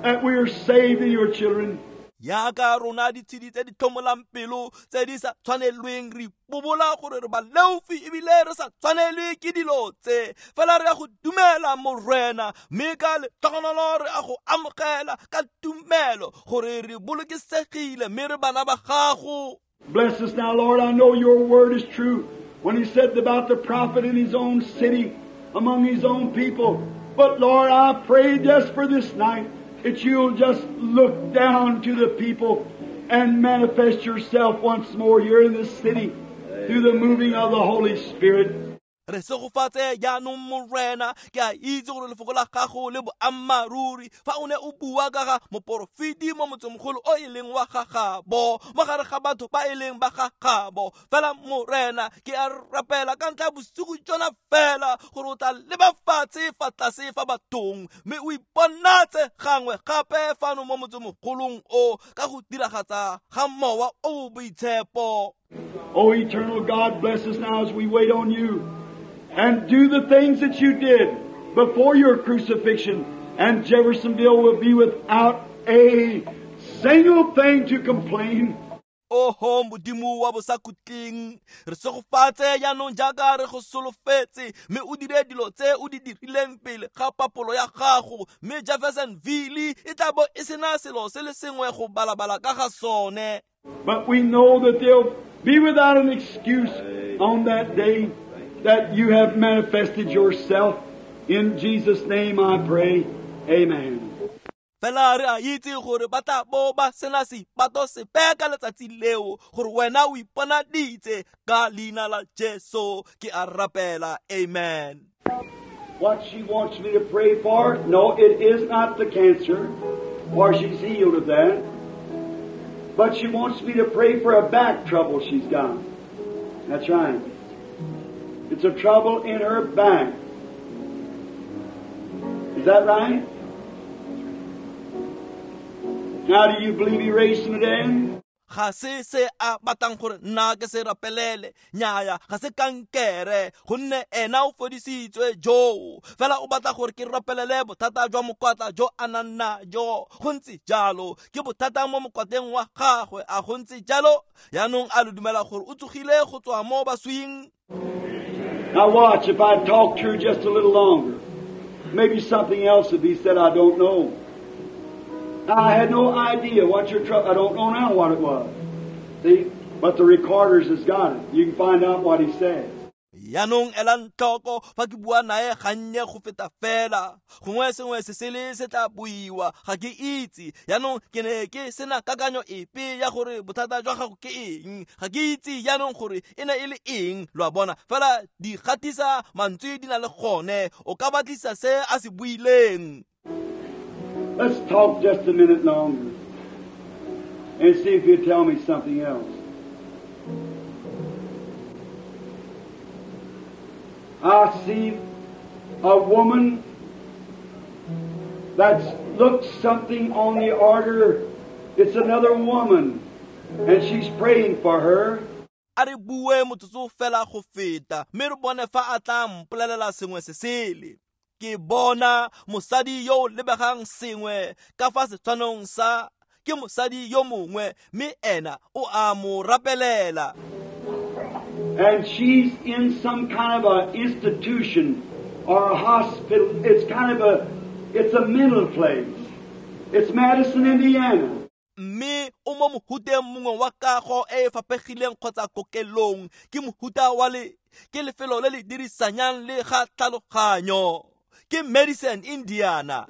that we are saved in your children. Jaaka rona ditshedi tse di tlhomolang pelo tse di sa tshwanelweng re ipobola gore re baleofi ebile re sa tshwanelwe ke dilo tse, fela re ya go dumela Morena, mme ka letlhogonolo re a go amogela ka tumelo gore re bolokesegile mme re bana ba gago. Bless us now, Lord. I know your word is true. When he said about the prophet in his own city, among his own people. But Lord, I pray just for this night that you'll just look down to the people and manifest yourself once more here in this city through the moving of the Holy Spirit. Re segofatse jaanong Morena, ke a itse gore lefoko la gago le boammaaruri fa o ne o bua ka ga moporofeti mo motsemogolo o e leng wa gagabo mo gare ga batho ba e leng ba gagabo. Fela Morena, ke a rapela ka ntlha ya bosigo jona fela gore o tla leba fatshe fa tlase fa bathong mme o iponatse gangwe gape fano mo motsemogolong o ka go diragatsa ga mowa o o boitshepo. O eternal God, bless us now as we wait on you. And do the things that you did before your crucifixion, and Jeffersonville will be without a single thing to complain. Oho Modimo wa bosakhutleng, re segofatse jaanong jaaka re go solofetse, mme o dire dilo tse o di dirileng pele ga papolo ya gago, mme Jeffersonville e tla bo e sena selo se le sengwe go balabala ka ga sone. But we know that they'll be without an excuse on that day that you have manifested yourself. In Jesus' name I pray. Amen. Fela re a itse gore ba tla bo ba sena seipato sepe ka letsatsi leo, gore wena o iponaditse ka leina la Jesu ke a rapela. Amen. What she wants me to pray for, no, it is not the cancer, for she's healed of that. But she wants me to pray for a back trouble she's got. That's right. It's a trouble in her back. Is that right? Now, do you believe he raised from the dead? Ga se se a batlang gore nna ke se rapelele, nnyaya ga se kankere, gonne ena o fodisitswe joo. Fela o batla gore ke rapelele bothata jwa mokwatla jo a nang najo. Go ntse jalo, ke bothata mo mokwatleng wa gagwe, a go ntse jalo? Jaanong a lo dumela gore o tsogile go tswa mo baswing? Now watch, if I talk to her just a little longer, maybe something else would be said I don't know. I had no idea what your trouble. I don't know now what it was. See? But the recorders has got it. You can find out what he said. Jaanong elang tlhoko fa ke bua nae gannye go feta fela, gongwe sengwe se sele se tla buiwa, ga ke itse. Jaanong ke ne ke sena kakanyo epe ya gore bothata jwa gago ke eng, ga ke itse jaanong gore e ne e le eng, lo a bona. Fela di gatisa mantswe di na le gone, o ka batlisa se a se buileng. Let's talk just a minute longer and see if you'll tell me something else. I see a woman that's looked something on the order. It's another woman, and she's praying for her. A re bue motsotso fela go feta, mme re bone fa a tla mpolelela sengwe se sele. Ke bona mosadi yo o lebegang sengwe ka fa setshwanong sa ke mosadi yo mongwe, mme ena o a mo rapelela. And she's in some kind of a institution or a hospital. It's kind of a, it's a mental place. It's Madison, Indiana. Mme o mo mohuteng mongwe wa kago e e fapegileng kgotsa kokelong, ke mohuta wa le ke lefelo le le dirisanyang le ga tlhaloganyo. Ke Madison, Indiana.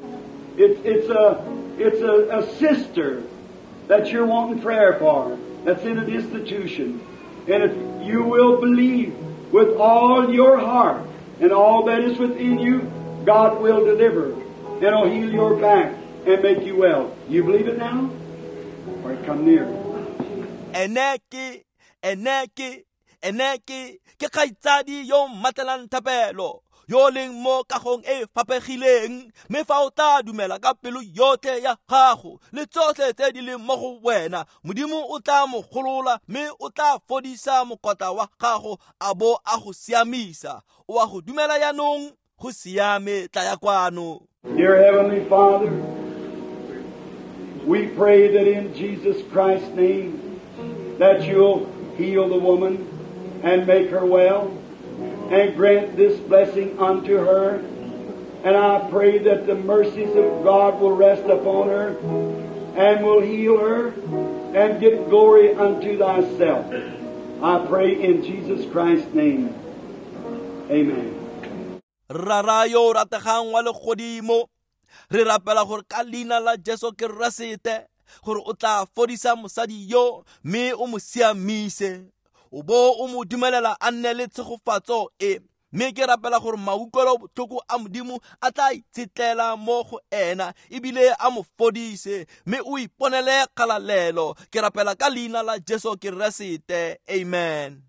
It's a sister that you're wanting prayer for, that's in an institution. And if you will believe with all your heart and all that is within you, God will deliver and will heal your back and make you well. You believe it now? Or come near. Ene ke kgaitsadi yo mmatlelang thapelo, yo leng mo kagong e fapegileng, mme fa o tla dumela ka pelo yotlhe ya gago le tsotlhe tse di leng mo go wena, Modimo o tla mo golola mme o tla fodisa mokotla wa gago a bo a go siamisa. O a go dumela jaanong? Go siame, tlaya kwano. Dear Heavenly Father, we pray that in Jesus Christ's name that you'll heal the woman and make her well and grant this blessing unto her. And I pray that the mercies of God will rest upon her and will heal her and give glory unto thyself. I pray in Jesus Christ's name. Amen. Rara yo rategang wa legodimo, re rapela gore ka leina la Jesu Keresete gore o tla fodisa mosadi yo mme o mo siamise, o bo o mo dumelela a nne le tshegofatso e. Mme ke rapela gore mautlwelo botlhoko a Modimo a tla itshetlela mo go ena ebile a mo fodise, mme o iponele kgalalelo. Ke rapela ka leina la Jesu Keresete. Amen.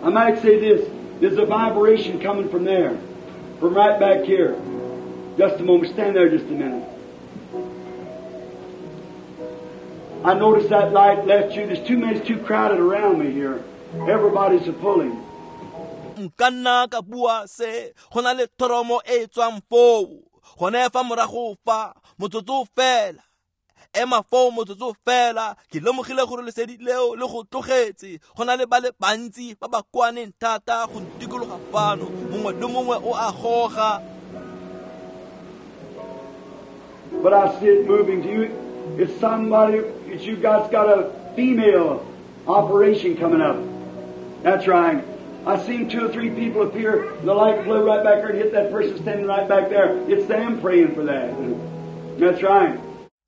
I might say this. There's a vibration coming from there, from right back here. Just a moment. Stand there just a minute. I noticed that light left you. There's too many, it's too crowded around me here. Everybody's a pulling. Nka nna ka bua se, go na le thoromo e tswang foo. Gone fa morago fa, motsotso fela. Ema foo motsotso fela. Ke lemogile gore lesedi leo le go tlogetse. Go na le ba le bantsi ba ba kwaneng thata go ntikologa fano. Mongwe le mongwe o a goga. But I see it moving to you. It's somebody, it's you guys got a female operation coming up. That's right. I seen 2 or 3 people appear. The light flew right back there and hit that person standing right back there. It's them praying for that. That's right.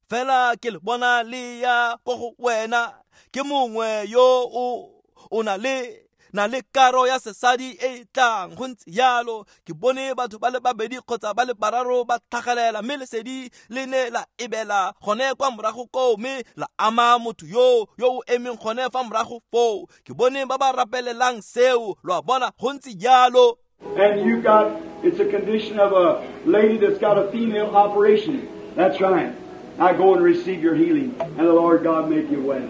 Fela ke le bona le ya ko go wena, ke mongwe yo o na le karo ya sesadi e tlang go ntse yalo. Ke bone batho ba le babedi kgotsa ba le bararo ba tlhagelela, mme lesedi le ne la ebela gone kwa morago koo, mme la ama motho yo o emeng gone fa morago foo. Ke bone ba ba rapelelang seo, lo a bona, go ntse yalo. And you got, it's a condition of a lady that's got a female operation. That's right. Now go and receive your healing, and the Lord God make you well.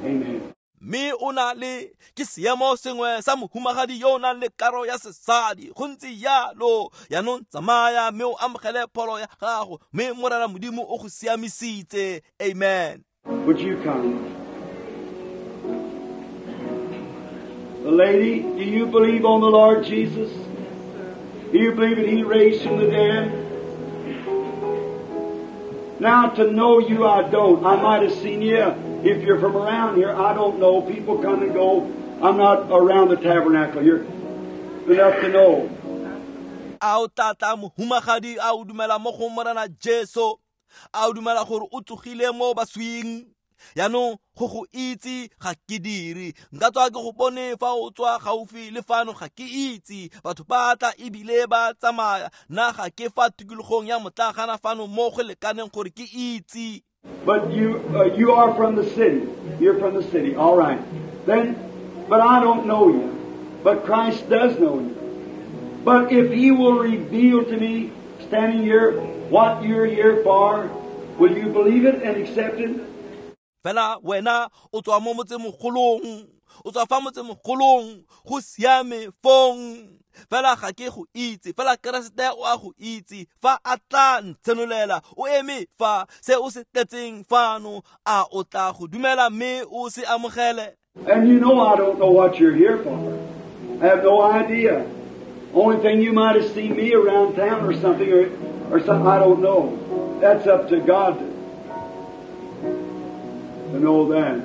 Amen. Mme o na le ke seemo sengwe sa mohumagadi yo o nang le karo ya sesadi, go ntse yalo. Yaanong tsamaya mme o amogele pholo ya gago, mme Morena Modimo o go siamisitse. Amen. Would you come? The lady, do you believe on the Lord Jesus? Do you believe that He raised from the dead? Now, to know you, I don't. I might have seen you. If you're from around here, I don't know. People come and go. I'm not around the tabernacle here enough to know. A o tata mohumagadi, a o dumela mo go Morena Jesu, a o dumela gore o tsogile mo baswing. Yaanong go go itse ga ke dire, nka tswa ke go bone fa o tswa gaufi le fano, ga ke itse. Batho ba tla ebile ba tsamaya, nna ga ke fa tikologong ya motlagana fano mo go lekaneng gore ke itse. But you are from the city. You're from the city. All right. Then, but I don't know you. But Christ does know you. But if He will reveal to me, standing here, what you're here for, will you believe it and accept it? Fela wena o tswa mo motsemogolong, o tswa fa motsemogolong, go siame fong. Fela ga ke go itse, fela Keresete o a go itse. Fa a tla ntshenolela, o eme fa se o se tletseng fano, a o tla go dumela mme o se amogele? And you know I don't know what you're here for. I have no idea. Only thing, you might have seen me around town or something, or something, I don't know. That's up to God to know that.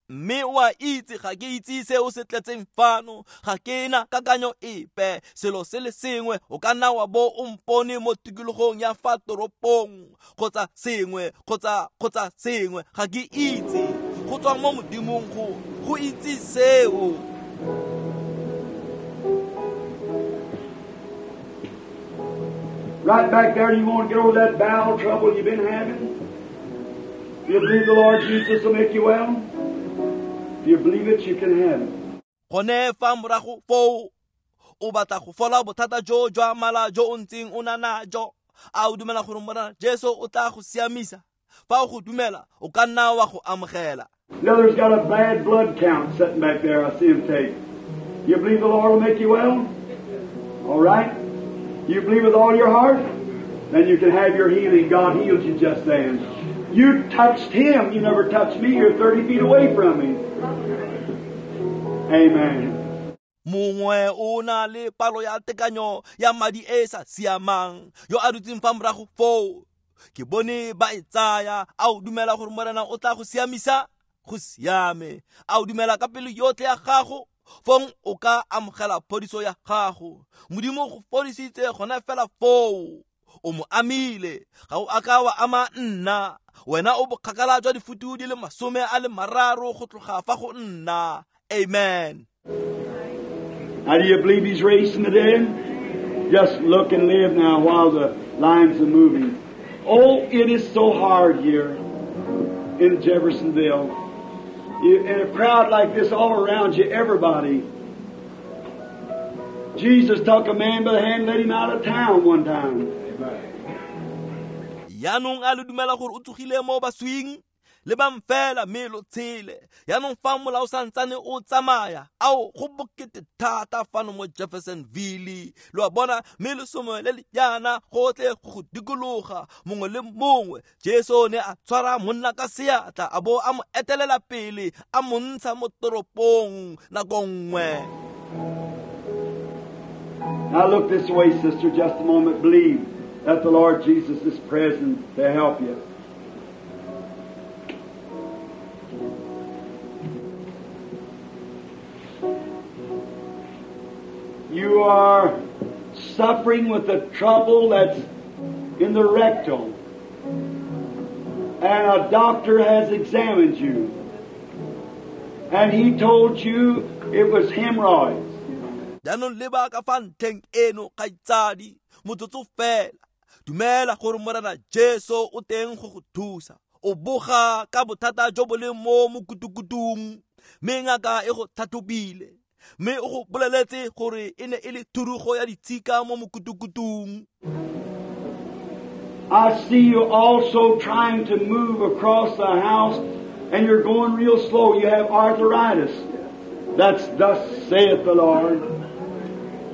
Mme o a itse ga ke itse se o se tletseng fano, ga ke na kakanyo epe. Selo se le sengwe, o ka nna wa bo o mpone mo tikologong ya fa toropong kgotsa sengwe, kgotsa sengwe, ga ke itse. Go tswa mo Modimong go itse seo. Right back there, you want to get over that bowel trouble you've been having? Do you believe the Lord Jesus will make you well? If you believe it, you can have it. Gone fa morago foo, o batla go fola bothata jo jwa mala jo o ntseng o na najo. A o dumela gore Morena Jesu o tla go siamisa? Fa o go dumela, o ka nna wa go amogela. Another's got a bad blood count sitting back there. I see him take. You believe the Lord will make you well? All right. You believe with all your heart? Then you can have your healing. God healed you just then. You touched Him. You never touched me. You're 30 feet away from me. Amen. Mongwe o na le palo ya tekanyo ya madi e sa siamang yo a dutseng fa morago foo. Ke bone ba e tsaya. A o dumela gore Morena o tla go siamisa? Go siame. A o dumela ka pelo yotlhe ya gago? Fong o ka amogela phodiso ya gago. Modimo go fodisitse gona fela foo. O mo amile. Ga o a ka wa ama nna. Wena o bokgakala jwa difutu di le 30 go tloga fa go nna. Amen. Now, do you believe He's raised from the dead? Just look and live now while the lines are moving. Oh, it is so hard here in Jeffersonville. In a crowd like this all around you, everybody. Jesus took a man by the hand and led him out of town one time. Yaanong a le dumela gore o tsogile mo baswing? Lebang fela mme lo tshele. Yaanong fa mola o santsane o tsamaya, ao go bokete thata fano mo Jeffersonville. Lo a bona, mme lesomo le le jaana gotlhe go dikologa mongwe le mongwe. Jesu ne a tshwara monna ka seatla a bo a mo etelela pele a mo ntsha mo toropong nako nngwe. Now look this way, sister, just a moment. Believe that the Lord Jesus is present to help you. You are suffering with the trouble that's in the rectal. And a doctor has examined you. And he told you it was hemorrhoids. Jaanong leba ka fa ntlheng eno kgaitsadi, motsotso fela. Dumela gore Morena Jesu o teng go go thusa. O boga ka bothata jo bo leng mo mokutukutung, mme ngaka e go tlhatlhobile, mme o go boleletse gore e ne e le thurugo ya ditshika mo mokutukutung. I see you also trying to move across the house, and you're going real slow. You have arthritis. That's thus saith the Lord.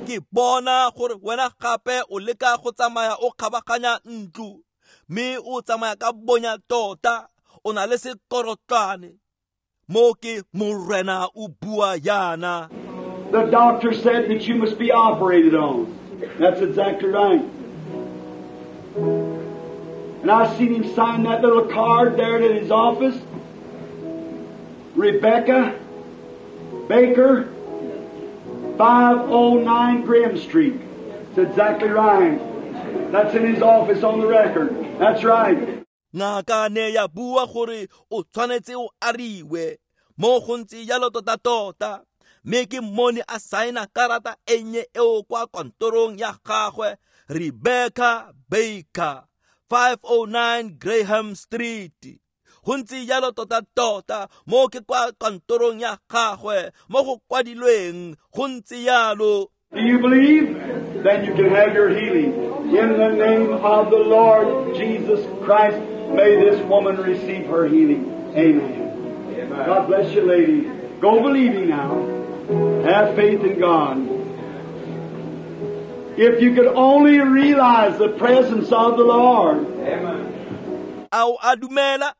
Ke bona gore wena gape o leka go tsamaya o kgabaganya ntlo, mme o tsamaya ka bonya tota, o na le sekorotlwane. Mo ke Morena o bua yana. The doctor said that you must be operated on. That's exactly right. And I seen him sign that little card there at his office. Rebecca Baker, 509 Graham Street. That's exactly right. That's in his office on the record. That's right. Ngaka ne ya bua gore o tshwanetse o ariwe mo go ntse jalo tota-tota, mme ke mmone a saena karata e nnye eo kwa kantorong ya gagwe, Rebecca Baker, 509 Graham Street. Go ntse jalo tota-tota mo ke kwa kantorong ya gagwe mo go kwadilweng, go ntse jalo. Do you believe? Then you can have your healing. In the name of the Lord Jesus Christ, may this woman receive her healing. Amen. Amen. God bless you, lady. Go believing now. Have faith in God. If you could only realize the presence of the Lord. Amen. Ao a dumela,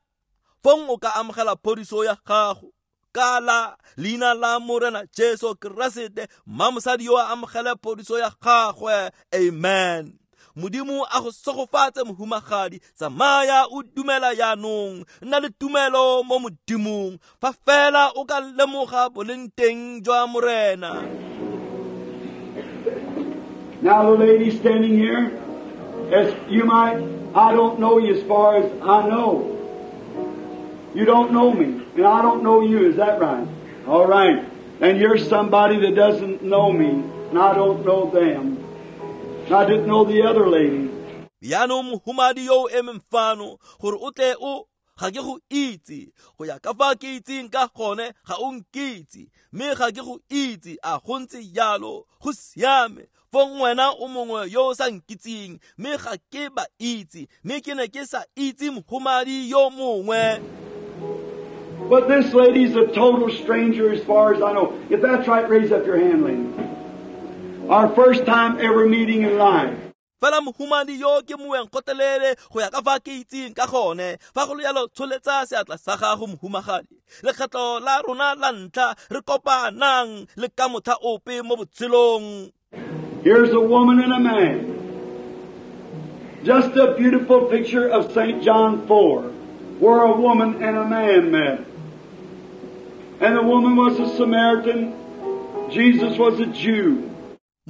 fong o ka amogela phodiso ya gago. Ka la leina la Morena Jesu Keresete, mma mosadi yo a amogele phodiso ya gagwe. Amen. Modimo a go segofatse mohumagadi, tsamaya o dumela jaanong, nna le tumelo mo Modimong, fa fela o ka lemoga boleng teng jwa Morena. Now the lady standing here, as you might, I don't know you as far as I know. You don't know me, and I don't know you. Is that right? All right. And you're somebody that doesn't know me, and I don't know them. And I didn't know the other lady. Jaanong mohumadi yo o emeng fano, gore o tle o, ga ke go itse. Go ya ka fa ke itseng ka gone, ga o nkitse. Mme ga ke go itse, a go ntse jalo, go siame. Fong wena o mongwe yo o sa nkitseng, mme ga ke ba itse, mme ke ne ke sa itse mohumadi yo mongwe. But this lady's a total stranger as far as I know. If that's right, raise up your hand, lady. Our first time ever meeting in life. Fela mohumadi yo ke moeng gotelele go ya ka fa ke itseng ka gone. Fa go le jalo tsholetsa seatla sa gago mohumagadi. Lekgetlo la rona la ntlha re kopanang le ka motlha ope mo botshelong. Here's a woman and a man. Just a beautiful picture of St. John 4, where a woman and a man met. And the woman was a Samaritan. Jesus was a Jew.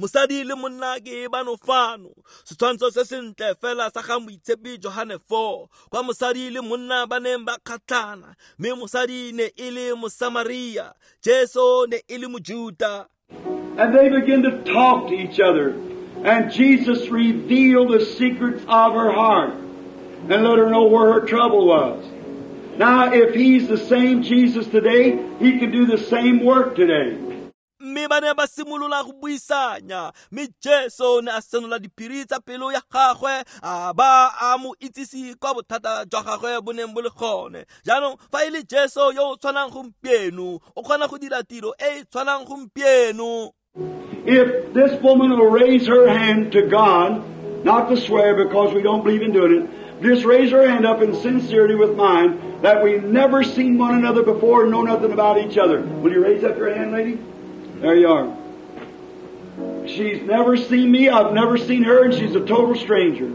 Mosadi le monna ke bano fano. Setshwantsho se sentle fela sa ga moitshepi Johane 4, kwa mosadi le monna ba neng ba kgatlhana, mme mosadi ne e le Mosamaria, Jesu ne e le Mojuta. And they began to talk to each other. And Jesus revealed the secrets of her heart and let her know where her trouble was. Now, if He's the same Jesus today, He can do the same work today. Mme ba ne ba simolola go buisanya, mme Jesu ne a senola diphiri tsa pelo ya gagwe, a ba a mo itsise kwa bothata jwa gagwe bo neng bo le gone. Jaanong fa e le Jesu yo o tshwanang gompieno, o kgona go dira tiro e e tshwanang gompieno. If this woman will raise her hand to God, not to swear because we don't believe in doing it, just raise her hand up in sincerity with mine that we've never seen one another before and know nothing about each other. Will you raise up your hand, lady? There you are. She's never seen me, I've never seen her, and she's a total stranger.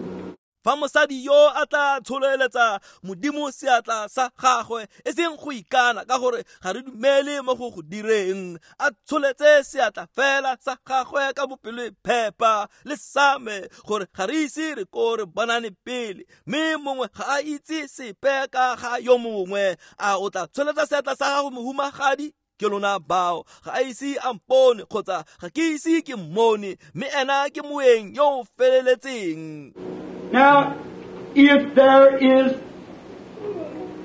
Fa mosadi yo a tla tsholeletsa Modimo seatla sa gagwe, e seng go ikana ka gore ga re dumele mo go go direng, a tsholetse seatla fela sa gagwe ka bopelo phepa le same gore ga re ise re ko re bonane pele, mme mongwe ga a itse sepe ka ga yo mongwe. A o tla tsholetsa seatla sa gago mohumagadi? Ke lona bao, ga a ise a mpone kgotsa ga ke ise ke mmone, mme ena ke moeng yo o feleletseng. Now, if there is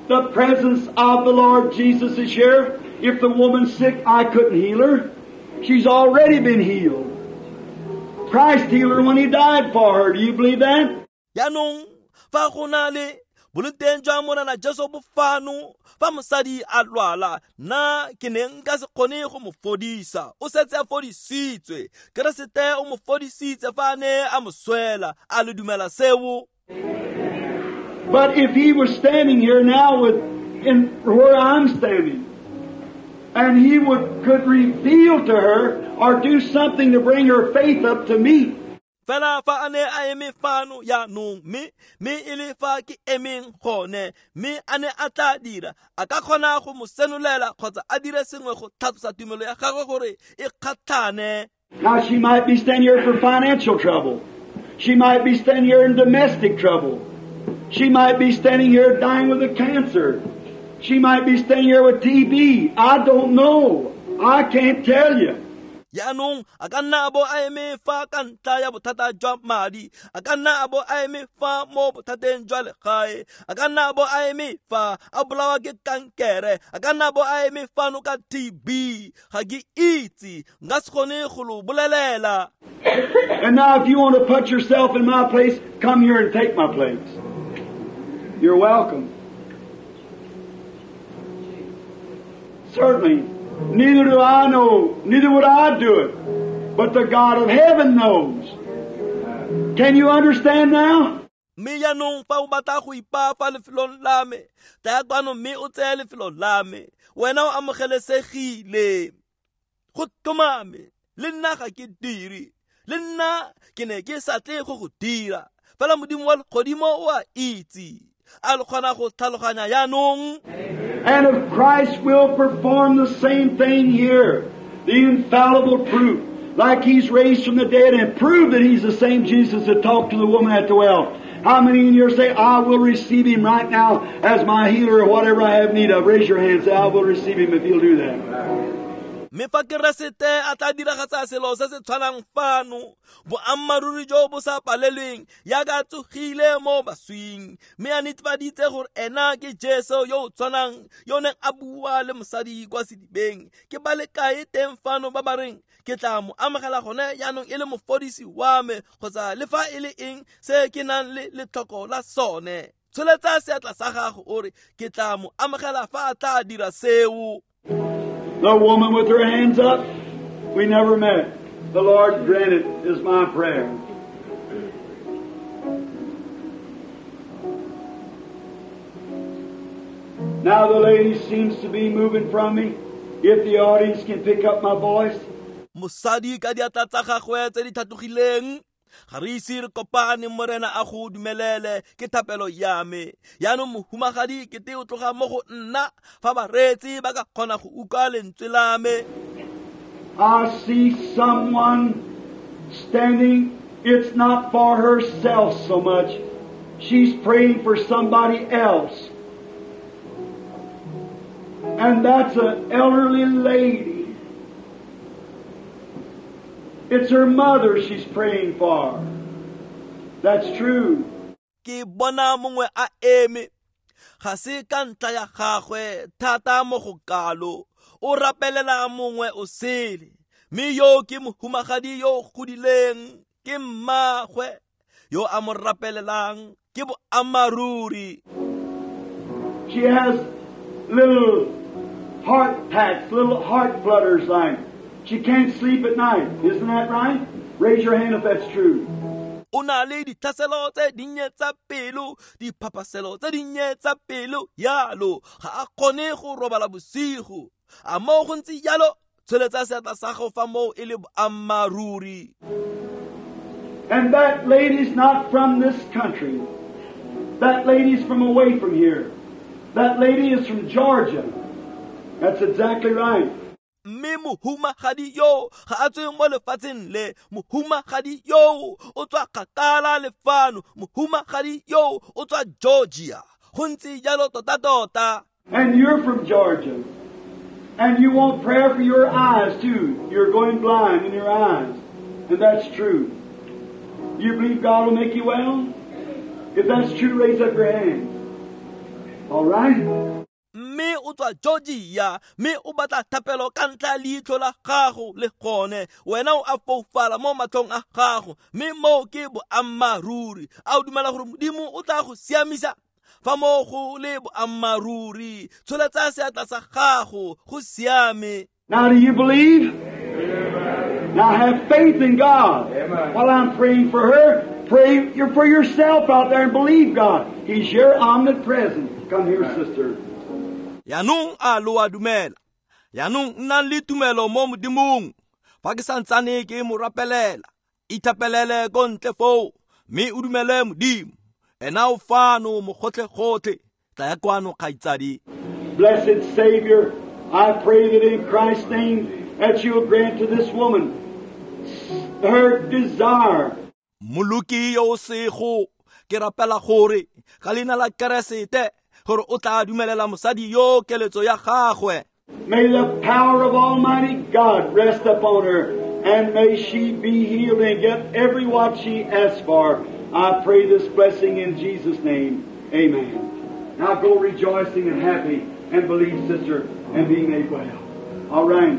the presence of the Lord Jesus is here, if the woman's sick, I couldn't heal her. She's already been healed. Christ healed her when He died for her. Do you believe that? Jaanong fa go na le boloteng jwa Morena Jesu bo fano, fa mosadi a lwala, nna ke ne nka se kgone go mo fodisa. O setse a fodisitswe. Keresete o mo fodisitse fa a ne a mo swela. A le dumela seo? But if He was standing here now in where I'm standing, and He could reveal to her or do something to bring her faith up to me. Fela fa a ne a eme fano jaanong, mme e le fa ke emeng gone, mme a ne a tla dira, a ka kgona go mo senolela kgotsa a dire sengwe go tlhatlosa tumelo ya gagwe gore e kgatlhane. Now she might be standing here for financial trouble. She might be standing here in domestic trouble. She might be standing here dying with a cancer. She might be standing here with TB. I don't know. I can't tell you. Jaanong a ka nna a bo a eme fa ka ntlha ya bothata jwa madi, a ka nna a bo a eme fa mo bothateng jwa legae, a ka nna a bo a eme fa a bolawa ke kankere, a ka nna a bo a eme fano ka TB. Ga ke itse, nka se kgone go lo bolelela. And now if you want to put yourself in my place, come here and take my place. You're welcome. Certainly. Neither do I know, neither would I do it, but the God of heaven knows. Can you understand now? Mme jaanong fa o batla go ipaa fa lefelong la me, tlaya kwano mme o tseye lefelo la me. Wena o amogelesegile. Go tlhomame, le nna ga ke dire, le nna ke ne ke sa tle go go dira. Fela Modimo wa legodimo o a itse. A le kgona go tlhaloganya jaanong? And if Christ will perform the same thing here, the infallible proof, like He's raised from the dead and proved that He's the same Jesus that talked to the woman at the well. How many in here say, I will receive Him right now as my healer or whatever I have need of? Raise your hand and say, I will receive Him if He'll do that. Mme fa Keresete a tla diragatsa selo se se tshwanang fano, boammaaruri jo bo sa palelweng, jaaka tsogile mo baswing, mme a netefaditse gore ena ke Jesu yo o tshwanang yo neng a bua le mosadi kwa sedibeng. Ke ba le kae teng fano ba ba reng ke tla mo amogela gone jaanong e le mofodisi wa me, kgotsa le fa e le eng se ke nang le letlhoko la sone? Tsholetsa seatla sa gago o re ke tla mo amogela fa a tla dira seo. The woman with her hands up, we never met. The Lord grant it is my prayer. Now the lady seems to be moving from me. If the audience can pick up my voice. Mosadi ka diatla tsa gagwe tse di tlhatlogileng, ga re ise re kopane, Morena a go dumelele, ke thapelo ya me. Yaanong mohumagadi kete o tloga mo go nna, fa bareetsi ba ka kgona go utlwa lentswe la me. I see someone standing. It's not for herself so much. She's praying for somebody else. And that's an elderly lady. It's her mother she's praying for. That's true. Ke bona mongwe a eme. Ga se ka ntla ya gagwe thata mo go kalo. O rapelela mongwe o sele. Mme yo ke mohumagadi yo godileng, ke mmagwe yo a mo rapelelang, ke boammaaruri. She has little heart packs, little heart flutters like. She can't sleep at night. Isn't that right? Raise your hand if that's true. O na le ditlhaselo tse dinnye tsa pelo, diphapaselo tse dinnye tsa pelo yalo, ga a kgone go robala bosigo. A mo go ntse jalo, tsholetsa seatla sa gago fa moo e le boammaaruri. And that lady's not from this country. That lady's from away from here. That lady is from Georgia. That's exactly right. Mme mohumagadi yo ga a tswe mo lefatsheng le, mohumagadi yo o tswa kgakala le fano, mohumagadi yo o tswa Georgia. Go ntse jalo tota-tota. And you're from Georgia. And you want prayer for your eyes too. You're going blind in your eyes. And that's true. You believe God will make you well? If that's true, raise up your hand. All right? Mme o tswa Georgia, mme o batla thapelo ka ntla leitlho la gago le gone. Wena o a foufala mo matlhong a gago, mme moo ke boammaaruri. A o dumela gore Modimo o tla go siamisa? Fa moo go le boammaaruri, tsholetsa seatla sa gago, go siame. Now do you believe? Now have faith in God. Amen. While I'm praying for her, pray for yourself out there and believe God. He's here omnipresent. Come here, sister. Yaanong a lo a dumela. Yaanong nnang le tumelo mo Modimong. Fa ke santsane ke mo rapelela, ithapelele ko ntle foo, mme o dumele Modimo. Ena o fano mo gotlhe-gotlhe. Tla ya kwano, kgaitsadi. Blessed Savior, I pray that in Christ's name that you'll grant to this woman her desire. Moloki yo o sego, ke rapela gore ka leina la Keresete gore o tla dumelela mosadi yo keletso ya gagwe. May the power of Almighty God rest upon her, and may she be healed and get every what she asks for. I pray this blessing in Jesus' name. Amen. Now go rejoicing and happy and believe, sister, and be made well. All right.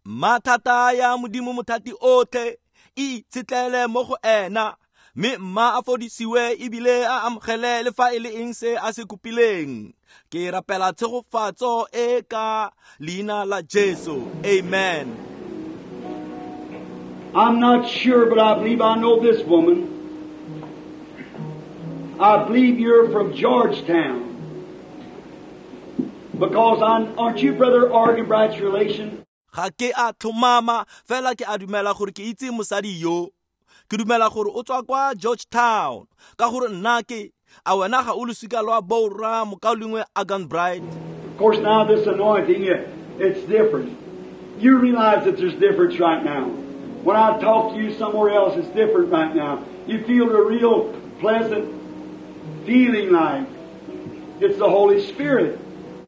Mathata ya Modimo mothati otlhe, e itshetlele mo go ena, mme mma a fodisiwe ebile a amogele le fa e le eng se a se kopileng. Ke rapela tshegofatso e ka leina la Jesu. Amen. I'm not sure, but I believe I know this woman. I believe you're from Georgetown. Because aren't you Brother Arganbright's relation? Ga ke a tlhomama, fela ke a dumela gore ke itse mosadi yo. Ke dumela gore o tswa kwa Georgetown, ka gore nna ke a wena ga o losika lwa borra mokaulengwe Arganbright. Of course, now this anointing, it's different. You realize that there's difference right now. When I talk to you somewhere else, it's different right now. You feel the real pleasant feeling like it's the Holy Spirit.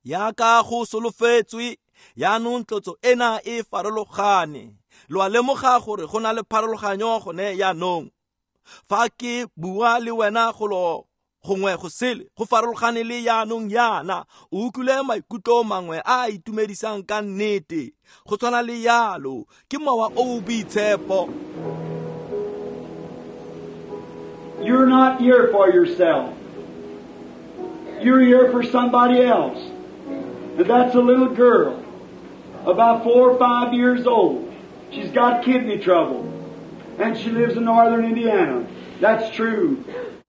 Yaka go solofetswe, yaanong tlotso ena e farologane. Lo a lemoga gore go na le pharologanyo gone yaanong. Fa ke bua le wena golo gongwe go sele, go farologane le yaanong yana. O utlwile maikutlo mangwe a a itumedisang ka nnete. Go tshwana le yalo, ke mowa o o boitshepo. You're not here for yourself. You're here for somebody else. And that's a little girl, about 4 or 5 years old. She's got kidney trouble. And she lives in northern Indiana. That's true.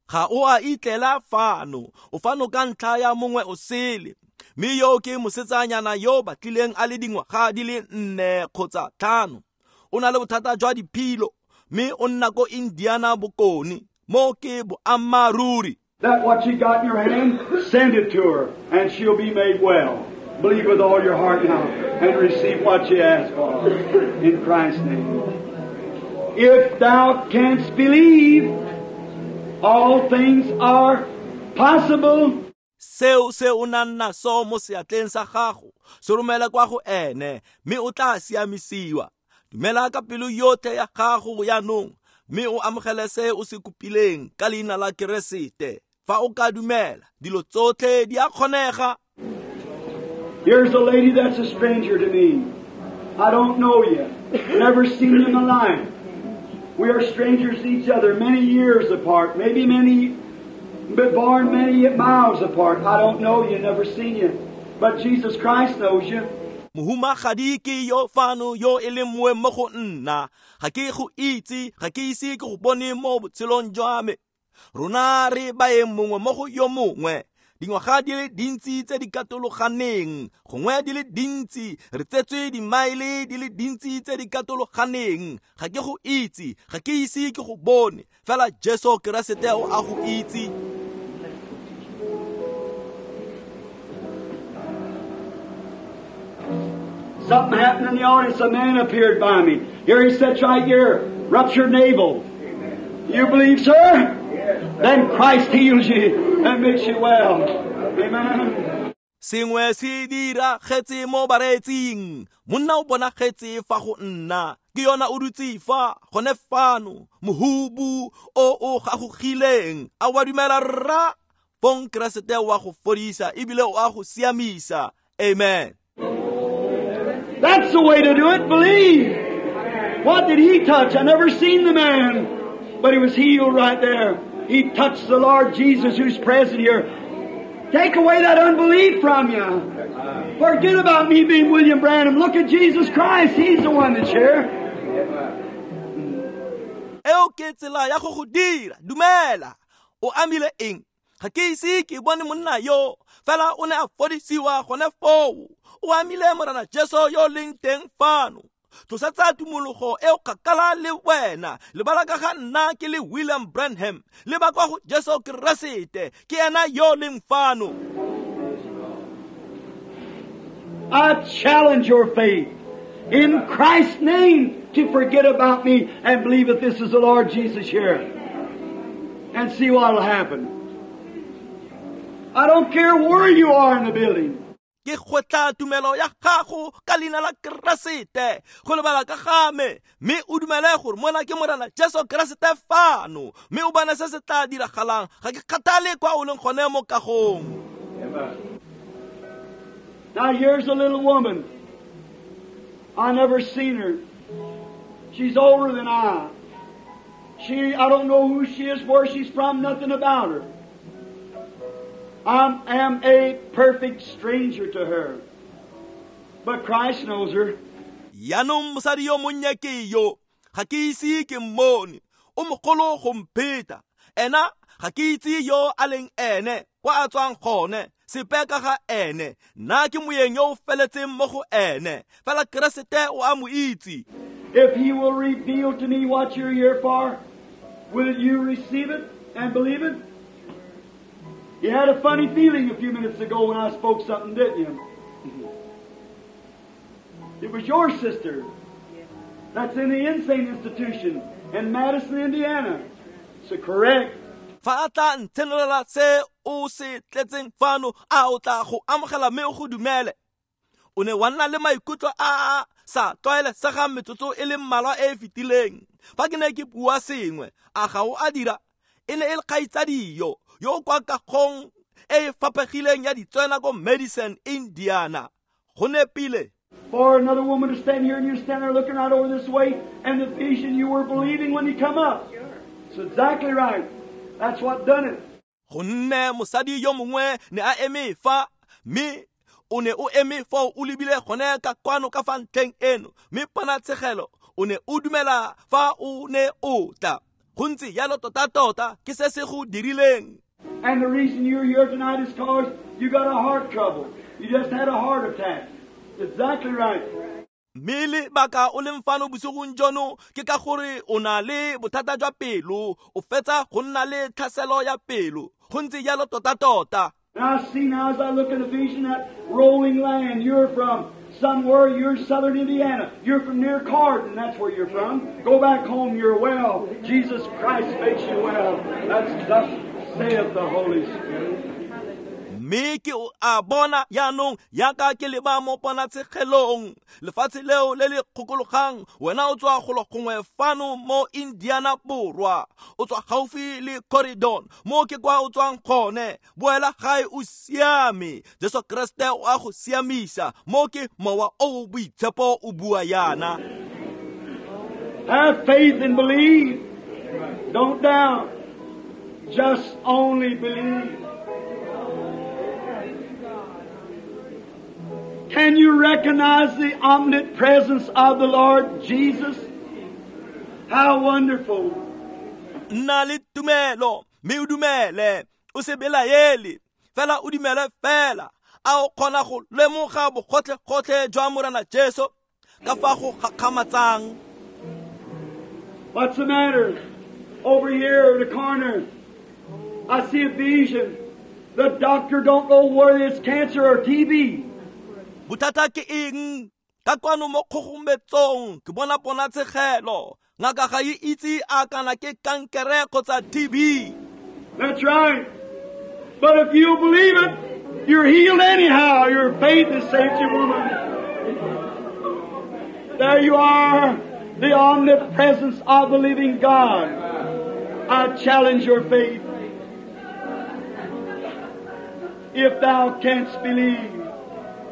Ga o a itlela fano, o fano ka ntlha ya mongwe o sele. Mme yo ke mosetsanyana yo batlileng a le dingwaga di le 4 kgotsa 5. O na le bothata jwa diphilo, mme o nna ko Indiana bokone. Mo ke boammaaruri. That what you got in your hand, send it to her, and she'll be made well. Believe with all your heart now and receive what you ask for in Christ's name. If thou canst believe, all things are possible. Seo se o nang naso mo seatleng sa gago, se romela kwa go ene, mme o tla siamisiwa. Dumela ka pelo yotlhe ya gago jaanong, mme o amogele se o se kopileng ka leina la Keresete. Fa o ka dumela, dilo tsotlhe di a kgonega. Here's a lady that's a stranger to me. I don't know you. Never seen you in my life. We are strangers to each other, many years apart, maybe many, but born many miles apart. I don't know you, never seen you. But Jesus Christ knows you. Mohumagadi ke yo fano yo e leng moeng mo go nna. Ga ke go itse, ga ke ise ke go bone mo botshelong jwa me. Rona re baeng mongwe mo go yo mongwe. Dingwaga di le dintsi tse di katologaneng, gongwe di le dintsi, re tsetswe dimaele di le dintsi tse di katologaneng. Ga ke go itse, ga ke ise ke go bone, fela Jesu Keresete o a go itse. Something happened in the audience. A man appeared by me. Here he sits right here, ruptured navel. You believe, sir? Then Christ heals you and makes you well. Amen. Sengwe se diragetse mo bareetsing. Monna o bonagetse fa go nna. Ke yona o dutse fa gone fano, mohubu o o gagogileng. A wa dumela rra? Fong Keresete wa go fodisa ebile o a go siamisa. Amen. That's the way to do it. Believe. What did he touch? I never seen the man, but he was healed right there. He touched the Lord Jesus who's present here. Take away that unbelief from you. Forget about me being William Branham. Look at Jesus Christ. He's the one that's here. Eo ke tsela ya go go dira. Dumela. O amile eng? Ga ke ise ke bone monna yo, fela o ne a fodisiwa gone foo. O amile Morena Jesu yo leng teng fano. Tlosetsa tumologo e o kgakala le wena. Lebala ka ga nna ke le William Branham. Leba kwa go Jesu Keresete, ke ena yo leng fano. I challenge your faith in Christ's name to forget about me and believe that this is the Lord Jesus here. And see what will happen. I don't care where you are in the building. Ke kgotla tumelo ya gago ka leina la Keresete go lebala ka ga me, mme o dumele gore mona ke Morena Jesu Keresete fano, mme o bone se se tla diragalang. Ga ke kgathale kwa o leng gone mo kagong. Now here's a little woman. I never seen her. She's older than I. I don't know who she is, where she's from, nothing about her. I am a perfect stranger to her. But Christ knows her. Yaanong mosadi yo monnye ke yo, ga ke ise ke mmone, o mogolo go mpheta. Ena ga ke itse yo a leng ene, kwa a tswang gone, sepe ka ga ene. Nna ke moeng yo o feletseng mo go ene, fela Keresete o a mo itse. If he will reveal to me what you're here for, will you receive it and believe it? You had a funny feeling a few minutes ago when I spoke something, didn't you? It was your sister that's in the insane institution in Madison, Indiana. So correct. Fa a tla nthenolela se o se tletseng fano, a o tla go amogela mme o go dumele. O ne wa nna le maikutlo a a sa tlwaelesegang metsotso e le mmalwa e e fetileng. Fa ke ne ke bua sengwe, a ga o a dira? E ne e le kgaitsadi yo yo kwa kagong e e faphegileng ya ditswena ko Madison, Indiana. Go nepile. For another woman to stand here and you stand there looking right over this way, and the vision you were believing when you come up. It's exactly right. That's what done it. Gonne mosadi yo mongwe ne a eme fa, mme o ne o eme foo o lebile gone ka kwano ka fa ntlheng eno, mme ponatshegelo O ne o dumela fa o ne o tla. Go ntse jalo tota-tota ke se se go dirileng. And the reason you're here tonight is because you got a heart trouble. You just had a heart attack. Exactly right. Mme lebaka o leng fano bosigong jono ke ka gore o na le bothata jwa pelo, o fetsa go nna le tlhaselo ya pelo. Go ntse jalo tota-tota. And I see now as I look at the vision that rolling land. You're from somewhere, you're southern Indiana. You're from near Cardin, that's where you're from. Go back home, you're well. Jesus Christ makes you well. That's thus saith the Holy Spirit. Mme ke a bona jaanong yaka ke leba mo ponatshegelong lefatshe leo le le kgokologang. Wena o tswa golo gongwe fano mo Indiana Borwa, o tswa gaufi le Corridon, mo ke kwa o tswang gone. Boela gae o siame, Jesu Kriste o a go siamisa. Mo ke mowa o o boitshepo o bua yana. Have faith and believe. Don't doubt. Just only believe. Can you recognize the omnipresence of the Lord Jesus? How wonderful. Nna le tumelo, mme o dumele, o se belaele, fela o dumele fela. A o kgona go lemoga bogotlhe-gotlhe jwa Morena Jesu ka fa go gakgamatsang? What's the matter? Over here in the corner, I see a vision. The doctor don't know whether it's cancer or TB. Bothata ke eng? Ka kwano mo kgogometsong ke bona ponatshegelo. Ngaka ga e itse a kana ke kankere kgotsa TB. That's right. But if you believe it, you're healed anyhow. Your faith has saved you, woman. There you are, the omnipresence of the living God. I challenge your faith. If thou canst believe.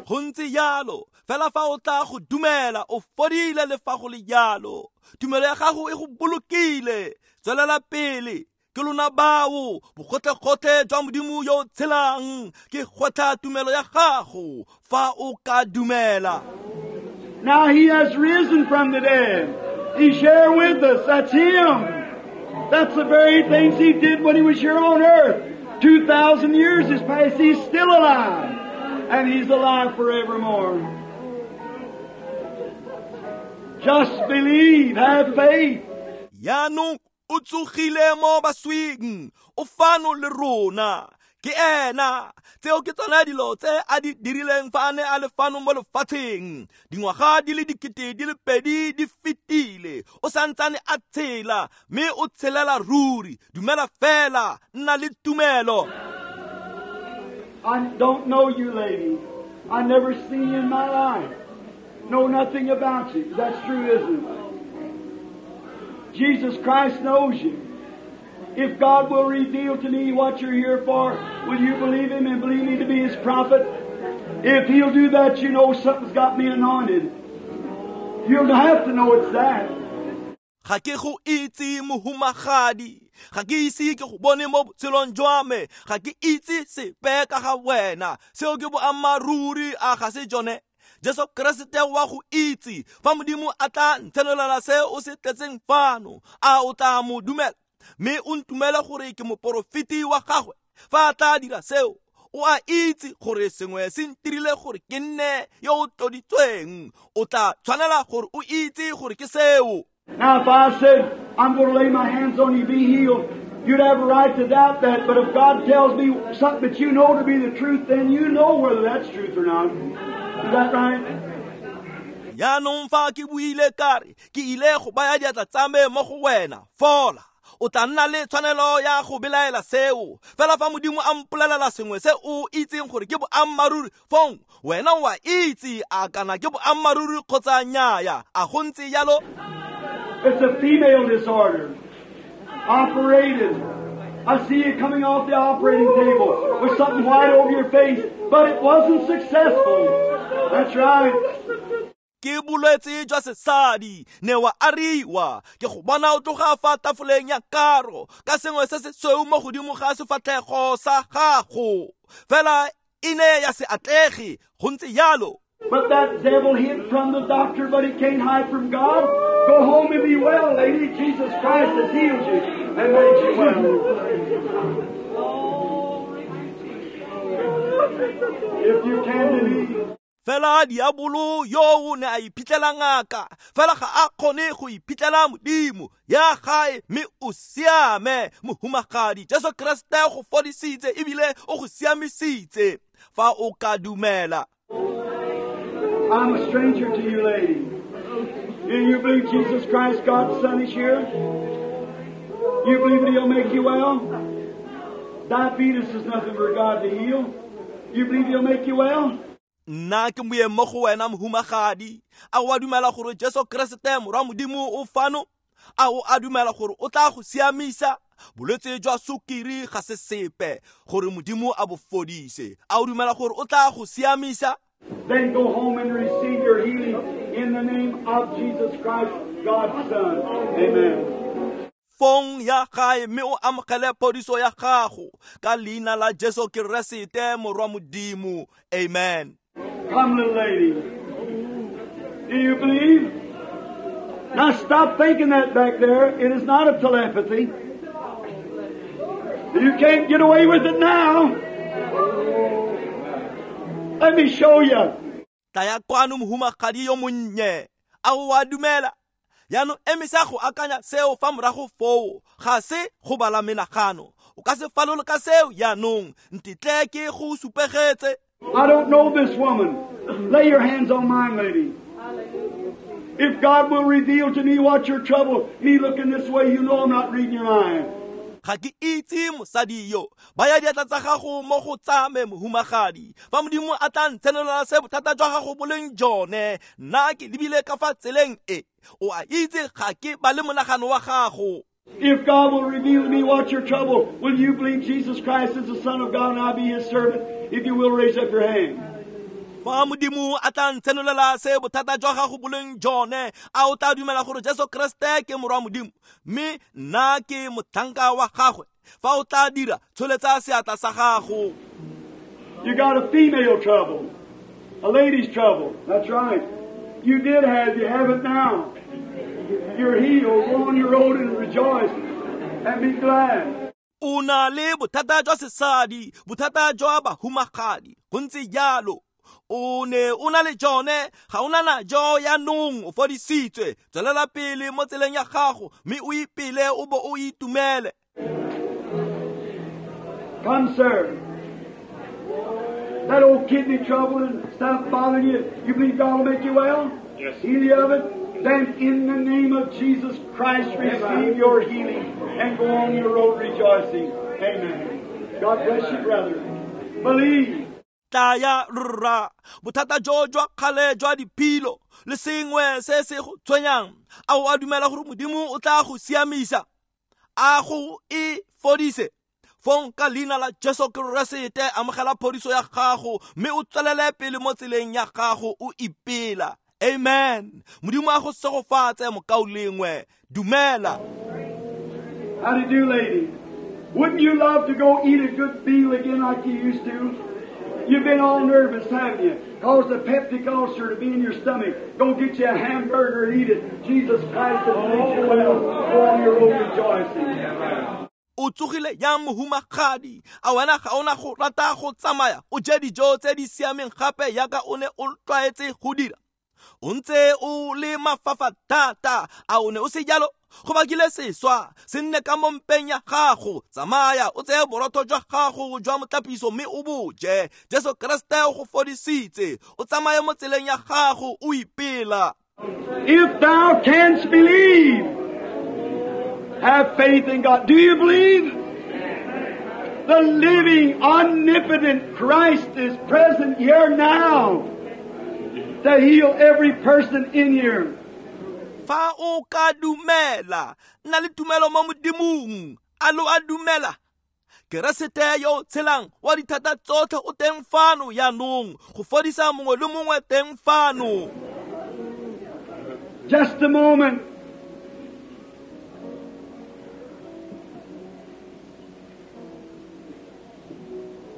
Go ntse jalo, fela fa o tla go dumela, o fodile le fa go le jalo. Tumelo ya gago e go bolokile. Tswelela pele, ke lona bao bogotlhe-gotlhe jwa Modimo yo o tshelang. Ke gwetlha tumelo ya gago fa o ka dumela. Now He has risen from the dead. He's here with us. That's Him. That's the very things He did when He was here on earth. 2,000 years has passed. He's still alive. And He's alive forevermore. Just believe, have faith. Jaanong o tsogile mo baswing, o fano le rona. Ke ena, tseo ke tsona dilo tse a di dirileng fa a ne a le fano mo lefatsheng. Dingwaga di le 2000 di fetile, o santsane a tshela, mme o tshelela ruri. Dumela fela, nna le tumelo. I don't know you, lady. I never seen you in my life. Know nothing about you. That's true, isn't it? Jesus Christ knows you. If God will reveal to me what you're here for, will you believe Him and believe me to be His prophet? If He'll do that, you know something's got me anointed. You'll have to know it's that. Ga ke go itse mohumagadi, ga ke ise ke go bone mo botshelong jwa me, ga ke itse sepe ka ga wena. Seo ke boammaaruri, a ga se jone? Jesu Kriste wa go itse. Fa Modimo a tla ntshenolela se o se tletseng fano, a o tla mo dumela mme o ntumele gore ke moporofeti wa gagwe? Fa a tla dira seo, o a itse gore sengwe se ntirile gore ke nne yo o tloditsweng. O tla tshwanela gore o itse gore ke seo. Now, if I said, I'm going to lay my hands on you, be healed, you'd have a right to doubt that. But if God tells me something that you know to be the truth, then you know whether that's truth or not. Is that right? Jaanong fa ke buile ka re, ke ile go baya diatla tsa me mo go wena, fola. O tla nna le tshwanelo ya go belaela seo. Fela fa Modimo a mpolelela sengwe se o itseng gore ke boammaaruri, fong wena o a itse a kana ke boammaaruri kgotsa nnyaa. A go ntse jalo? It's a female disorder. Operated. I see you coming off the operating table with something white over your face, but it wasn't successful. That's right. Ke bolwetse jwa sesadi, ne wa ariwa. Ke go bona o tloga fa tafoleng ya karo ka sengwe se se sweu mo godimo ga sefatlhego sa gago. Fela e ne ya se atlege, go ntse jalo. But that devil hid from the doctor, but he can't hide from God. Go home and be well, lady. Jesus Christ has healed you and made you well. If you can believe. Fela diabolo yo o ne a iphitlhela ngaka, fela ga a kgone go iphitlhela Modimo. Ya gae mme o siame, mohumagadi. Jesu Kriste go fodisitse ebile o go siamisitse fa o ka dumela. I'm a stranger to you, lady. Do you believe Jesus Christ, God's Son, is here? You believe that He'll make you well? Diabetes is nothing for God to heal. You believe He'll make you well? Nna ke moeng mo go wena mohumagadi. A o a dumela gore Jesu Kriste morwa Modimo o fano? A o a dumela gore o tla go siamisa? Bolwetse jwa sukiri ga se sepe gore Modimo a bo fodise. A o dumela gore o tla go siamisa? Then go home and receive your healing in the name of Jesus Christ, God's Son. Amen. Fong ya gae mme o amogele phodiso ya gago ka leina la Jesu Keresete morwa Modimo. Amen. Come, little lady. Do you believe? Now stop thinking that back there. It is not a telepathy. You can't get away with it now. Let me show you. Tlaya kwano mohumagadi yo monnye. A o a dumela? Jaanong emisa go akanya seo fa morago foo. Ga se go bala menagano. O ka se falole ka seo jaanong. Ntitle ke go supegetse. I don't know this woman. Lay your hands on mine, lady. If God will reveal to me what your trouble, me looking this way, you know I'm not reading your mind. Ga ke itse mosadi yo. Baya diatla tsa gago mo go tsa me mohumagadi. Fa Modimo a tla ntshenolela se bothata jwa gago bo leng jone, nna ke lebile ka fa tseleng e. O a itse ga ke ba le monagano wa gago. If God will reveal to me what your trouble, will you believe Jesus Christ is the Son of God and I be His servant? If you will, raise up your hand. Fa Modimo a tla ntshenolela se bothata jwa gago bo leng jone, a o tla dumela gore Jesu Kriste ke morwa Modimo mme nna ke motlhanka wa gagwe? Fa o tla dira, tsholetsa seatla sa gago. You got a female trouble, a lady's trouble. That's right. You did have, you have it now. You're healed. Go on your road and rejoice and be glad. O na le bothata jwa sesadi, bothata jwa bahumagadi. Go ntse jalo. O ne o na le jone, ga o na najo jaanong, o fodisitswe. Tswelela pele mo tseleng ya gago mme o ipele o bo o itumele. Come, sir. That old kidney trouble and stop bothering you. You believe God will make you well? Yes. Heal you of it? Then in the name of Jesus Christ, receive your healing and go on your road rejoicing. Amen. God bless you, brother. Believe. Tlaya rra, bothata jo jwa kgale jwa diphilo le sengwe se se go tshwenyang, a o a dumela gore Modimo o tla go siamisa, a go e fodise? Fong ka leina la Jesu Keresete amogela phodiso ya gago mme o tswelele pele mo tseleng ya gago o ipela. Amen. Modimo a go segofatse mokaulengwe. Dumela. How do you do, lady? Wouldn't you love to go eat a good meal again like you used to? You've been all nervous, haven't you? Caused a peptic ulcer to be in your stomach. Go get you a hamburger and eat it. Jesus Christ has made you well. Go on your road rejoicing. O tsogile yang mohumagadi? A wena ga ona go rata go tsamaya o je dijo tse di siameng gape yaka o ne o tlwaetse go dira? O ntse o le mafafa thata, a o ne o se jalo? Go bakile seswa se nne ka mo mpeng ya gago. Tsamaya o tseye borotho jwa gago jwa motlapiso mme o bo je. Jesu Kriste o go fodisitse. O tsamaye mo tseleng ya gago o ipela. If thou canst believe, have faith in God. Do you believe? The living, omnipotent Christ is present here now to heal every person in here. Fa o ka dumela, nna le tumelo mo Modimong. A lo a dumela? Keresete yo tshelang wa dithata tsotlhe o teng fano jaanong go fodisa mongwe le mongwe teng fano. Just a moment.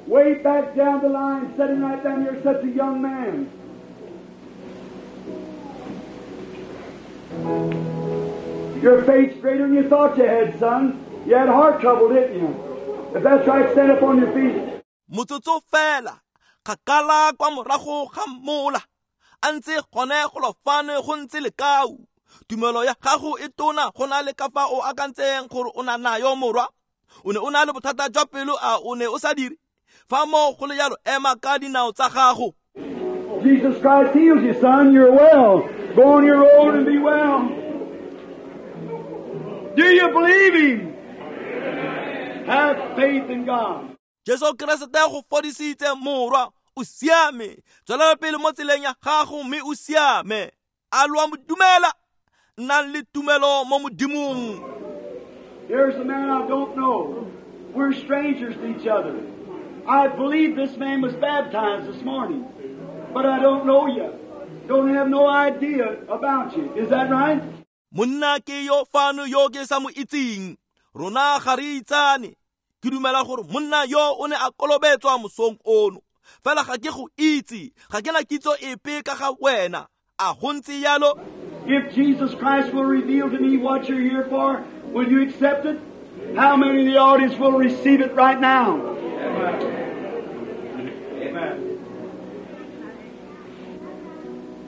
Way back down the line, sitting right down here, such a young man. Your faith's greater than you thought you had, son. You had heart trouble, didn't you? If that's right, stand up on your feet. Motsotso fela, kgakala kwa morago ga mola, a ntse gone golo fano go ntse lekau. Tumelo ya gago e tona go na le ka fa o akantseng gore o na nayo morwa. O ne o na le bothata jwa pelo, a o ne o sa dire? Fa mo go le jalo, ema ka dinao tsa gago. Jesus Christ heals you, son. You're well. Go on your road and be well. Do you believe Him? Have faith in God. Jesu Keresete go fodisitse morwa, o siame. Tswelela pele mo tseleng ya gago mme o siame. A lo a mo dumela? Nnang le tumelo mo Modimong. Here's a man I don't know. We're strangers to each other. I believe this man was baptized this morning, but I don't know you. Don't have no idea about you. Is that right? Monna ke yo fano yo ke sa mo itseng. Rona ga re itsane. Ke dumela gore monna yo o ne a kolobetswa mosong ono. Fela ga ke go itse, ga ke na kitso epe ka ga wena. A go ntse jalo? If Jesus Christ will reveal to me what you're here for, will you accept it? How many in the audience will receive it right now? Amen. Amen.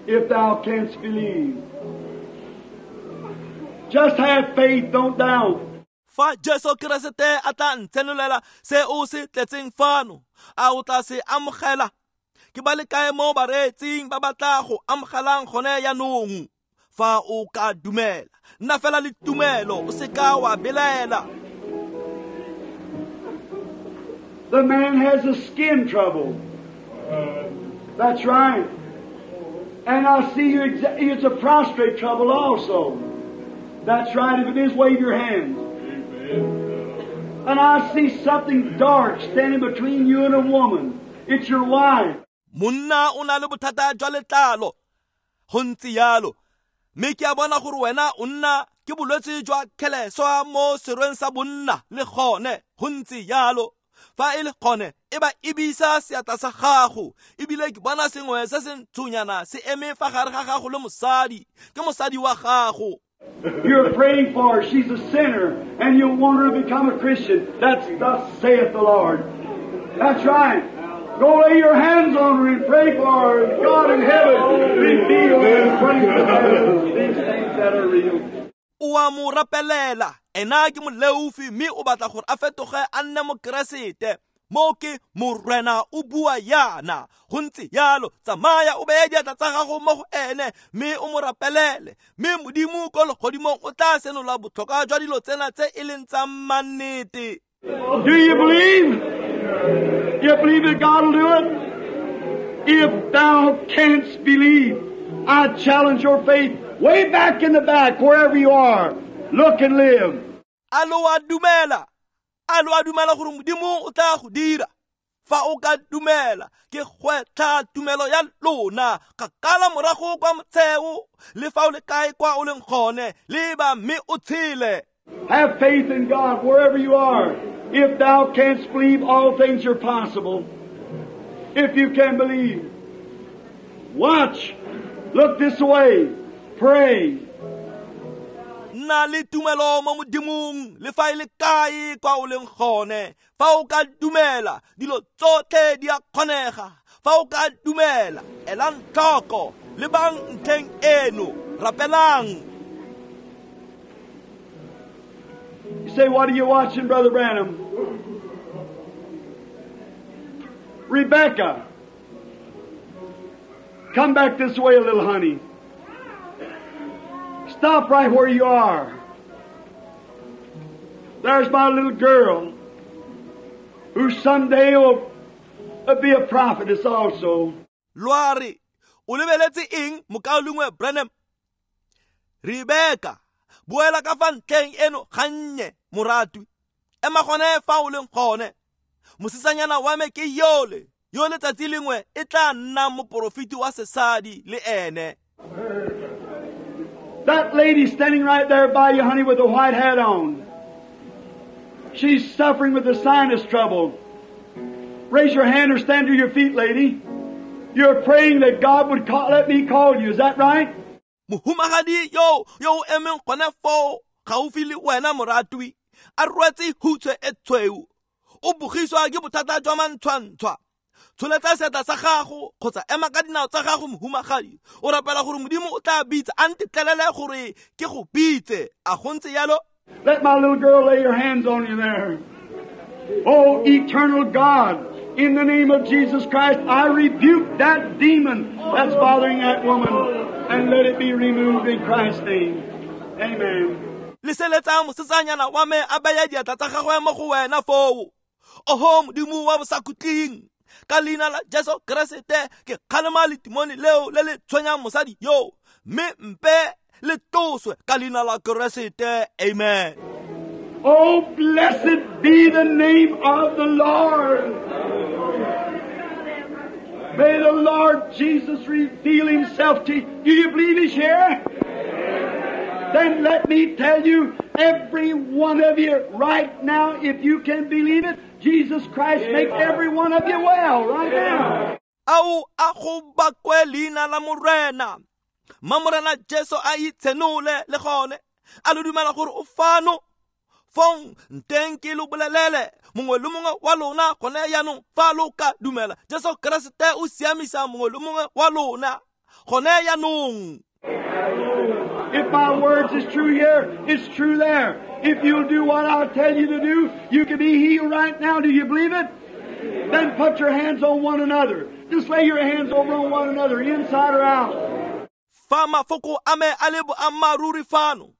If thou canst believe. Just have faith, don't doubt. Fa Jesu Keresete a tla ntshenolela se o se tletseng fano, a o tla se amogela? Ke ba le kae mo bareetsing ba ba tla go amogelang gone jaanong? Fa o ka dumela, nna fela le tumelo, o se ka wa belaela. The man has a skin trouble. That's right. And I see you, it's a prostrate trouble also. That's right. If it is, wave your hands. And I see something dark standing between you and a woman. It's your wife. Monna o na le bothata jwa letlalo. Go ntse jalo. Mme ke a bona gore wena o nna ke bolwetse jwa kgeleswa mo serweng sa bonna le gone. Go ntse jalo. Fa e le gone, e ba ebisa seatla sa gago. Ebile ke bona sengwe se se ntshonyana se eme fa gare ga gago le mosadi. Ke mosadi wa gago. You're praying for her. She's a sinner, and you want her to become a Christian. That's thus saith the Lord. That's right. Go lay your hands on her and pray for her. God in heaven, reveal and bring to her these things that are real. O a mo rapelela. Ena ke moleofi mme o batla gore a fetoge a nne mokeresete. Mo ke morena o bua yana. Go ntse jalo, tsamaya o beye diatla tsa gago mo go ene mme o mo rapelele. Mme Modimo ko legodimong o tla senola botlhokwa jwa dilo tsena tse e leng tsa mannete. Do you believe? You believe that God will do it? If thou canst believe, I challenge your faith way back in the back, wherever you are. Look and live. A lo a dumela? A lo a dumela gore Modimo o tla go dira? Fa o ka dumela, ke gwetlha tumelo ya lona. Kgakala morago kwa motsheo, le fa o le kae kwa o leng gone, leba mme o tshele. Have faith in God wherever you are. If thou canst believe, all things are possible. If you can believe. Watch. Look this way. Pray. Nna le tumelo mo Modimong, le fa e le kae kwa o leng gone. Fa o ka dumela, dilo tsotlhe di a kgonega. Fa o ka dumela, elang tlhoko, lebang ntlheng eno, rapelang. You say, what are you watching, Brother Branham? Rebecca, come back this way a little, honey. Stop right where you are. There's my little girl who someday will be a prophetess also. Loare, o lebeletse eng mokaulengwe Branham? Rebecca, boela ka fa ntlheng eno gannye, moratwi. Ema gone fa o leng gone. Mosetsanyana wa me ke yole, yo letsatsi lengwe e tla nna moporofeti wa sesadi le ene. That lady standing right there by you, honey, with the white hat on. She's suffering with the sinus trouble. Raise your hand or stand to your feet, lady. You're praying that God would let me call you. Is that right? Mohumagadi yo yo emeng gone foo, gaufi le wena moratwi, a rwetse hutswe e tshweu, o bogiswa ke bothata jwa mantshwantshwa. Tsholetsa seatla sa gago kgotsa ema ka dinao tsa gago mohumagadi, o rapela gore Modimo o tla bitsa, a ntetlelele gore ke go bitse. A go ntse yalo? Let my little girl lay her hands on you there. Oh, eternal God, in the name of Jesus Christ, I rebuke that demon that's bothering that woman, and let it be removed in Christ's name. Amen. Leseletsa mosetsanyana wa me a baya diatla tsa gagwe mo go wena foo. Oho Modimo wa bosakhutleng, ka leina la Jesu Keresete ke kgalema letimone leo le le tshwenyang mosadi yo, mme mpe le tloswe ka leina la Keresete. Amen. Oh, blessed be the name of the Lord. May the Lord Jesus reveal Himself to you. Do you believe He's here? Then let me tell you, every one of you right now, if you can believe it, Jesus Christ make every one of you well right now. Ao a go bakwe leina la Morena. Ma Morena Jesu a itshenole le gone. A lo dumela gore o fano. Fong nteng ke lo bolelele mongwe le mongwe wa lona gone jaanong, fa lo ka dumela Jesu Keresete o siamisa mongwe le mongwe wa lona gone jaanong. If my words is true here, it's true there. If you'll do what I tell you to do, you can be healed right now. Do you believe it? Then put your hands on one another. Just lay your hands over on one another, inside or out. Fa mafoko a me a le boammaaruri fano,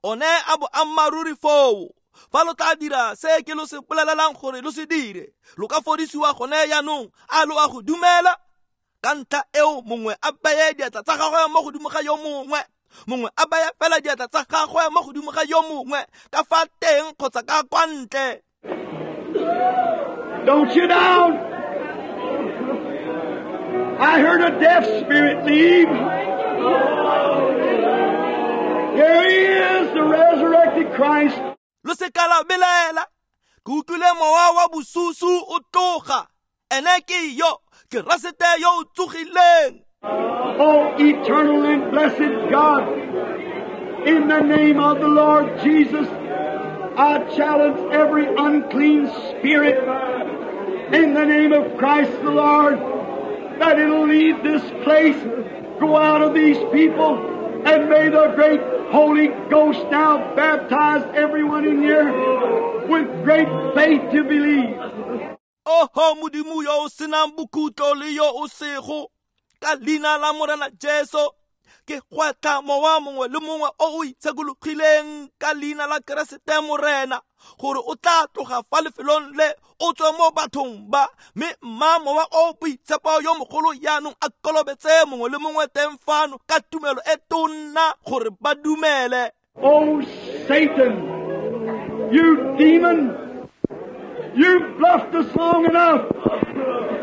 one a boammaaruri foo. Fa lo tla dira se ke lo se bolelelang gore lo se dire, lo ka fodisiwa gone jaanong. A lo a go dumela? Ka ntlha eo mongwe a beye diatla tsa gagwe mo godimo ga yo mongwe, mongwe a baya fela diatla tsa gagwe mo godimo ga yo mongwe, ka fa teng kgotsa ka kwa ntle. Don't you down. I heard a deaf spirit leave. Here he is, the resurrected Christ. Lo se ka la belaela, ke utlwile mowa wa bosusu o tloga. Ene ke yo, Keresete yo o tsogileng. Oh, eternal and blessed God, in the name of the Lord Jesus, I challenge every unclean spirit in the name of Christ the Lord, that it'll leave this place, go out of these people, and may the great Holy Ghost now baptize everyone in here with great faith to believe. Oho Modimo yo o senang bokhutlo le yo o sego, ka leina la Morena Jesu ke gwetlha mowa mongwe le mongwe o o itshekologileng ka leina la Keresete Morena, gore o tla tloga fa lefelong le o tswe mo bathong ba, mme mma mowa o boitshepo yo mogolo jaanong a kolobetse mongwe le mongwe teng fano ka tumelo e tonna gore ba dumele. Oh Satan, you demon, you've bluffed us long enough.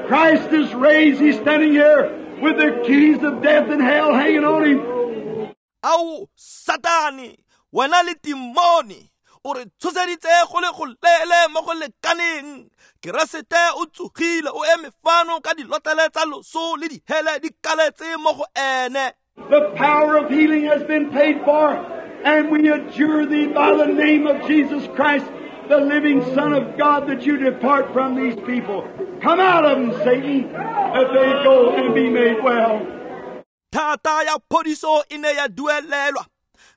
Christ is raised, He's standing here with the keys of death and hell hanging on him. Ao Satane, wena le timone, o re tshoseditse go le go lele mo go lekaneng. Keresete o tsogile, o eme fano ka dilotlele tsa loso le dihele di kaletse mo go ene. The power of healing has been paid for, and we adjure thee by the name of Jesus Christ, the living Son of God, that you depart from these people. Come out of them, Satan, that they go and be made well. Thata ya phodiso e ne ya duelelwa,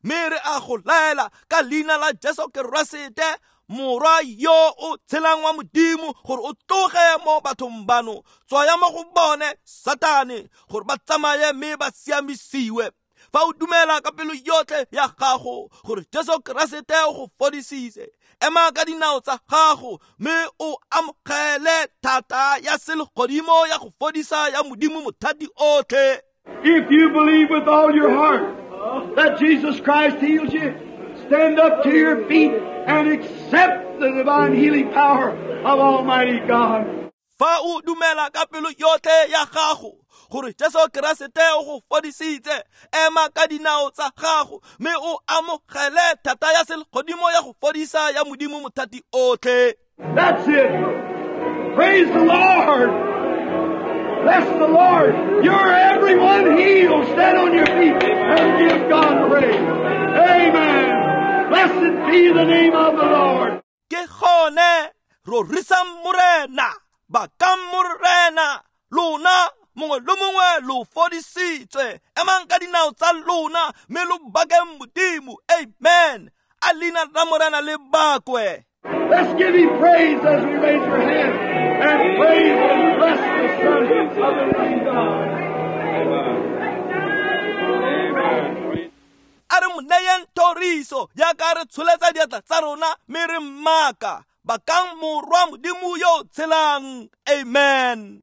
mme re a go laela ka leina la Jesu Keresete, morwa yo o tshelang wa Modimo, gore o tloge mo bathong bano. Tswaya mo go bone, Satane, gore ba tsamaye mme ba siamisiwe. Fa o dumela ka pelo yotlhe ya gago gore Jesu Keresete o go fodisitse, ema ka dinao tsa gago mme o amogele thata ya selegodimo ya go fodisa ya Modimo mothati otlhe. If you believe with all your heart that Jesus Christ heals you, stand up to your feet and accept the divine healing power of Almighty God. Fa o dumela ka pelo yotlhe ya gago gore Jesu Keresete o go fodisitse, ema ka dinao tsa gago mme o amogele thata ya selegodimo ya go fodisa ya Modimo mothati otlhe. That's it. Praise the Lord. Bless the Lord. You're everyone healed. Stand on your feet and give God praise. Amen. Blessed be the name of the Lord. Ke gone rorisang Morena, bakang Morena, lona mongwe le mongwe lo fodisitswe. Emang ka dinao tsa lona mme lo bakeng Modimo. Amen. A leina la Morena le bakwe. Let's give him praise as we raise our hands and praise and bless the Son of the living God. Amen. A re mo neyeng thoriso jaaka re tsholetsa diatla tsa rona mme re mmaka. Bakang morwa Modimo yo o tshelang. Amen.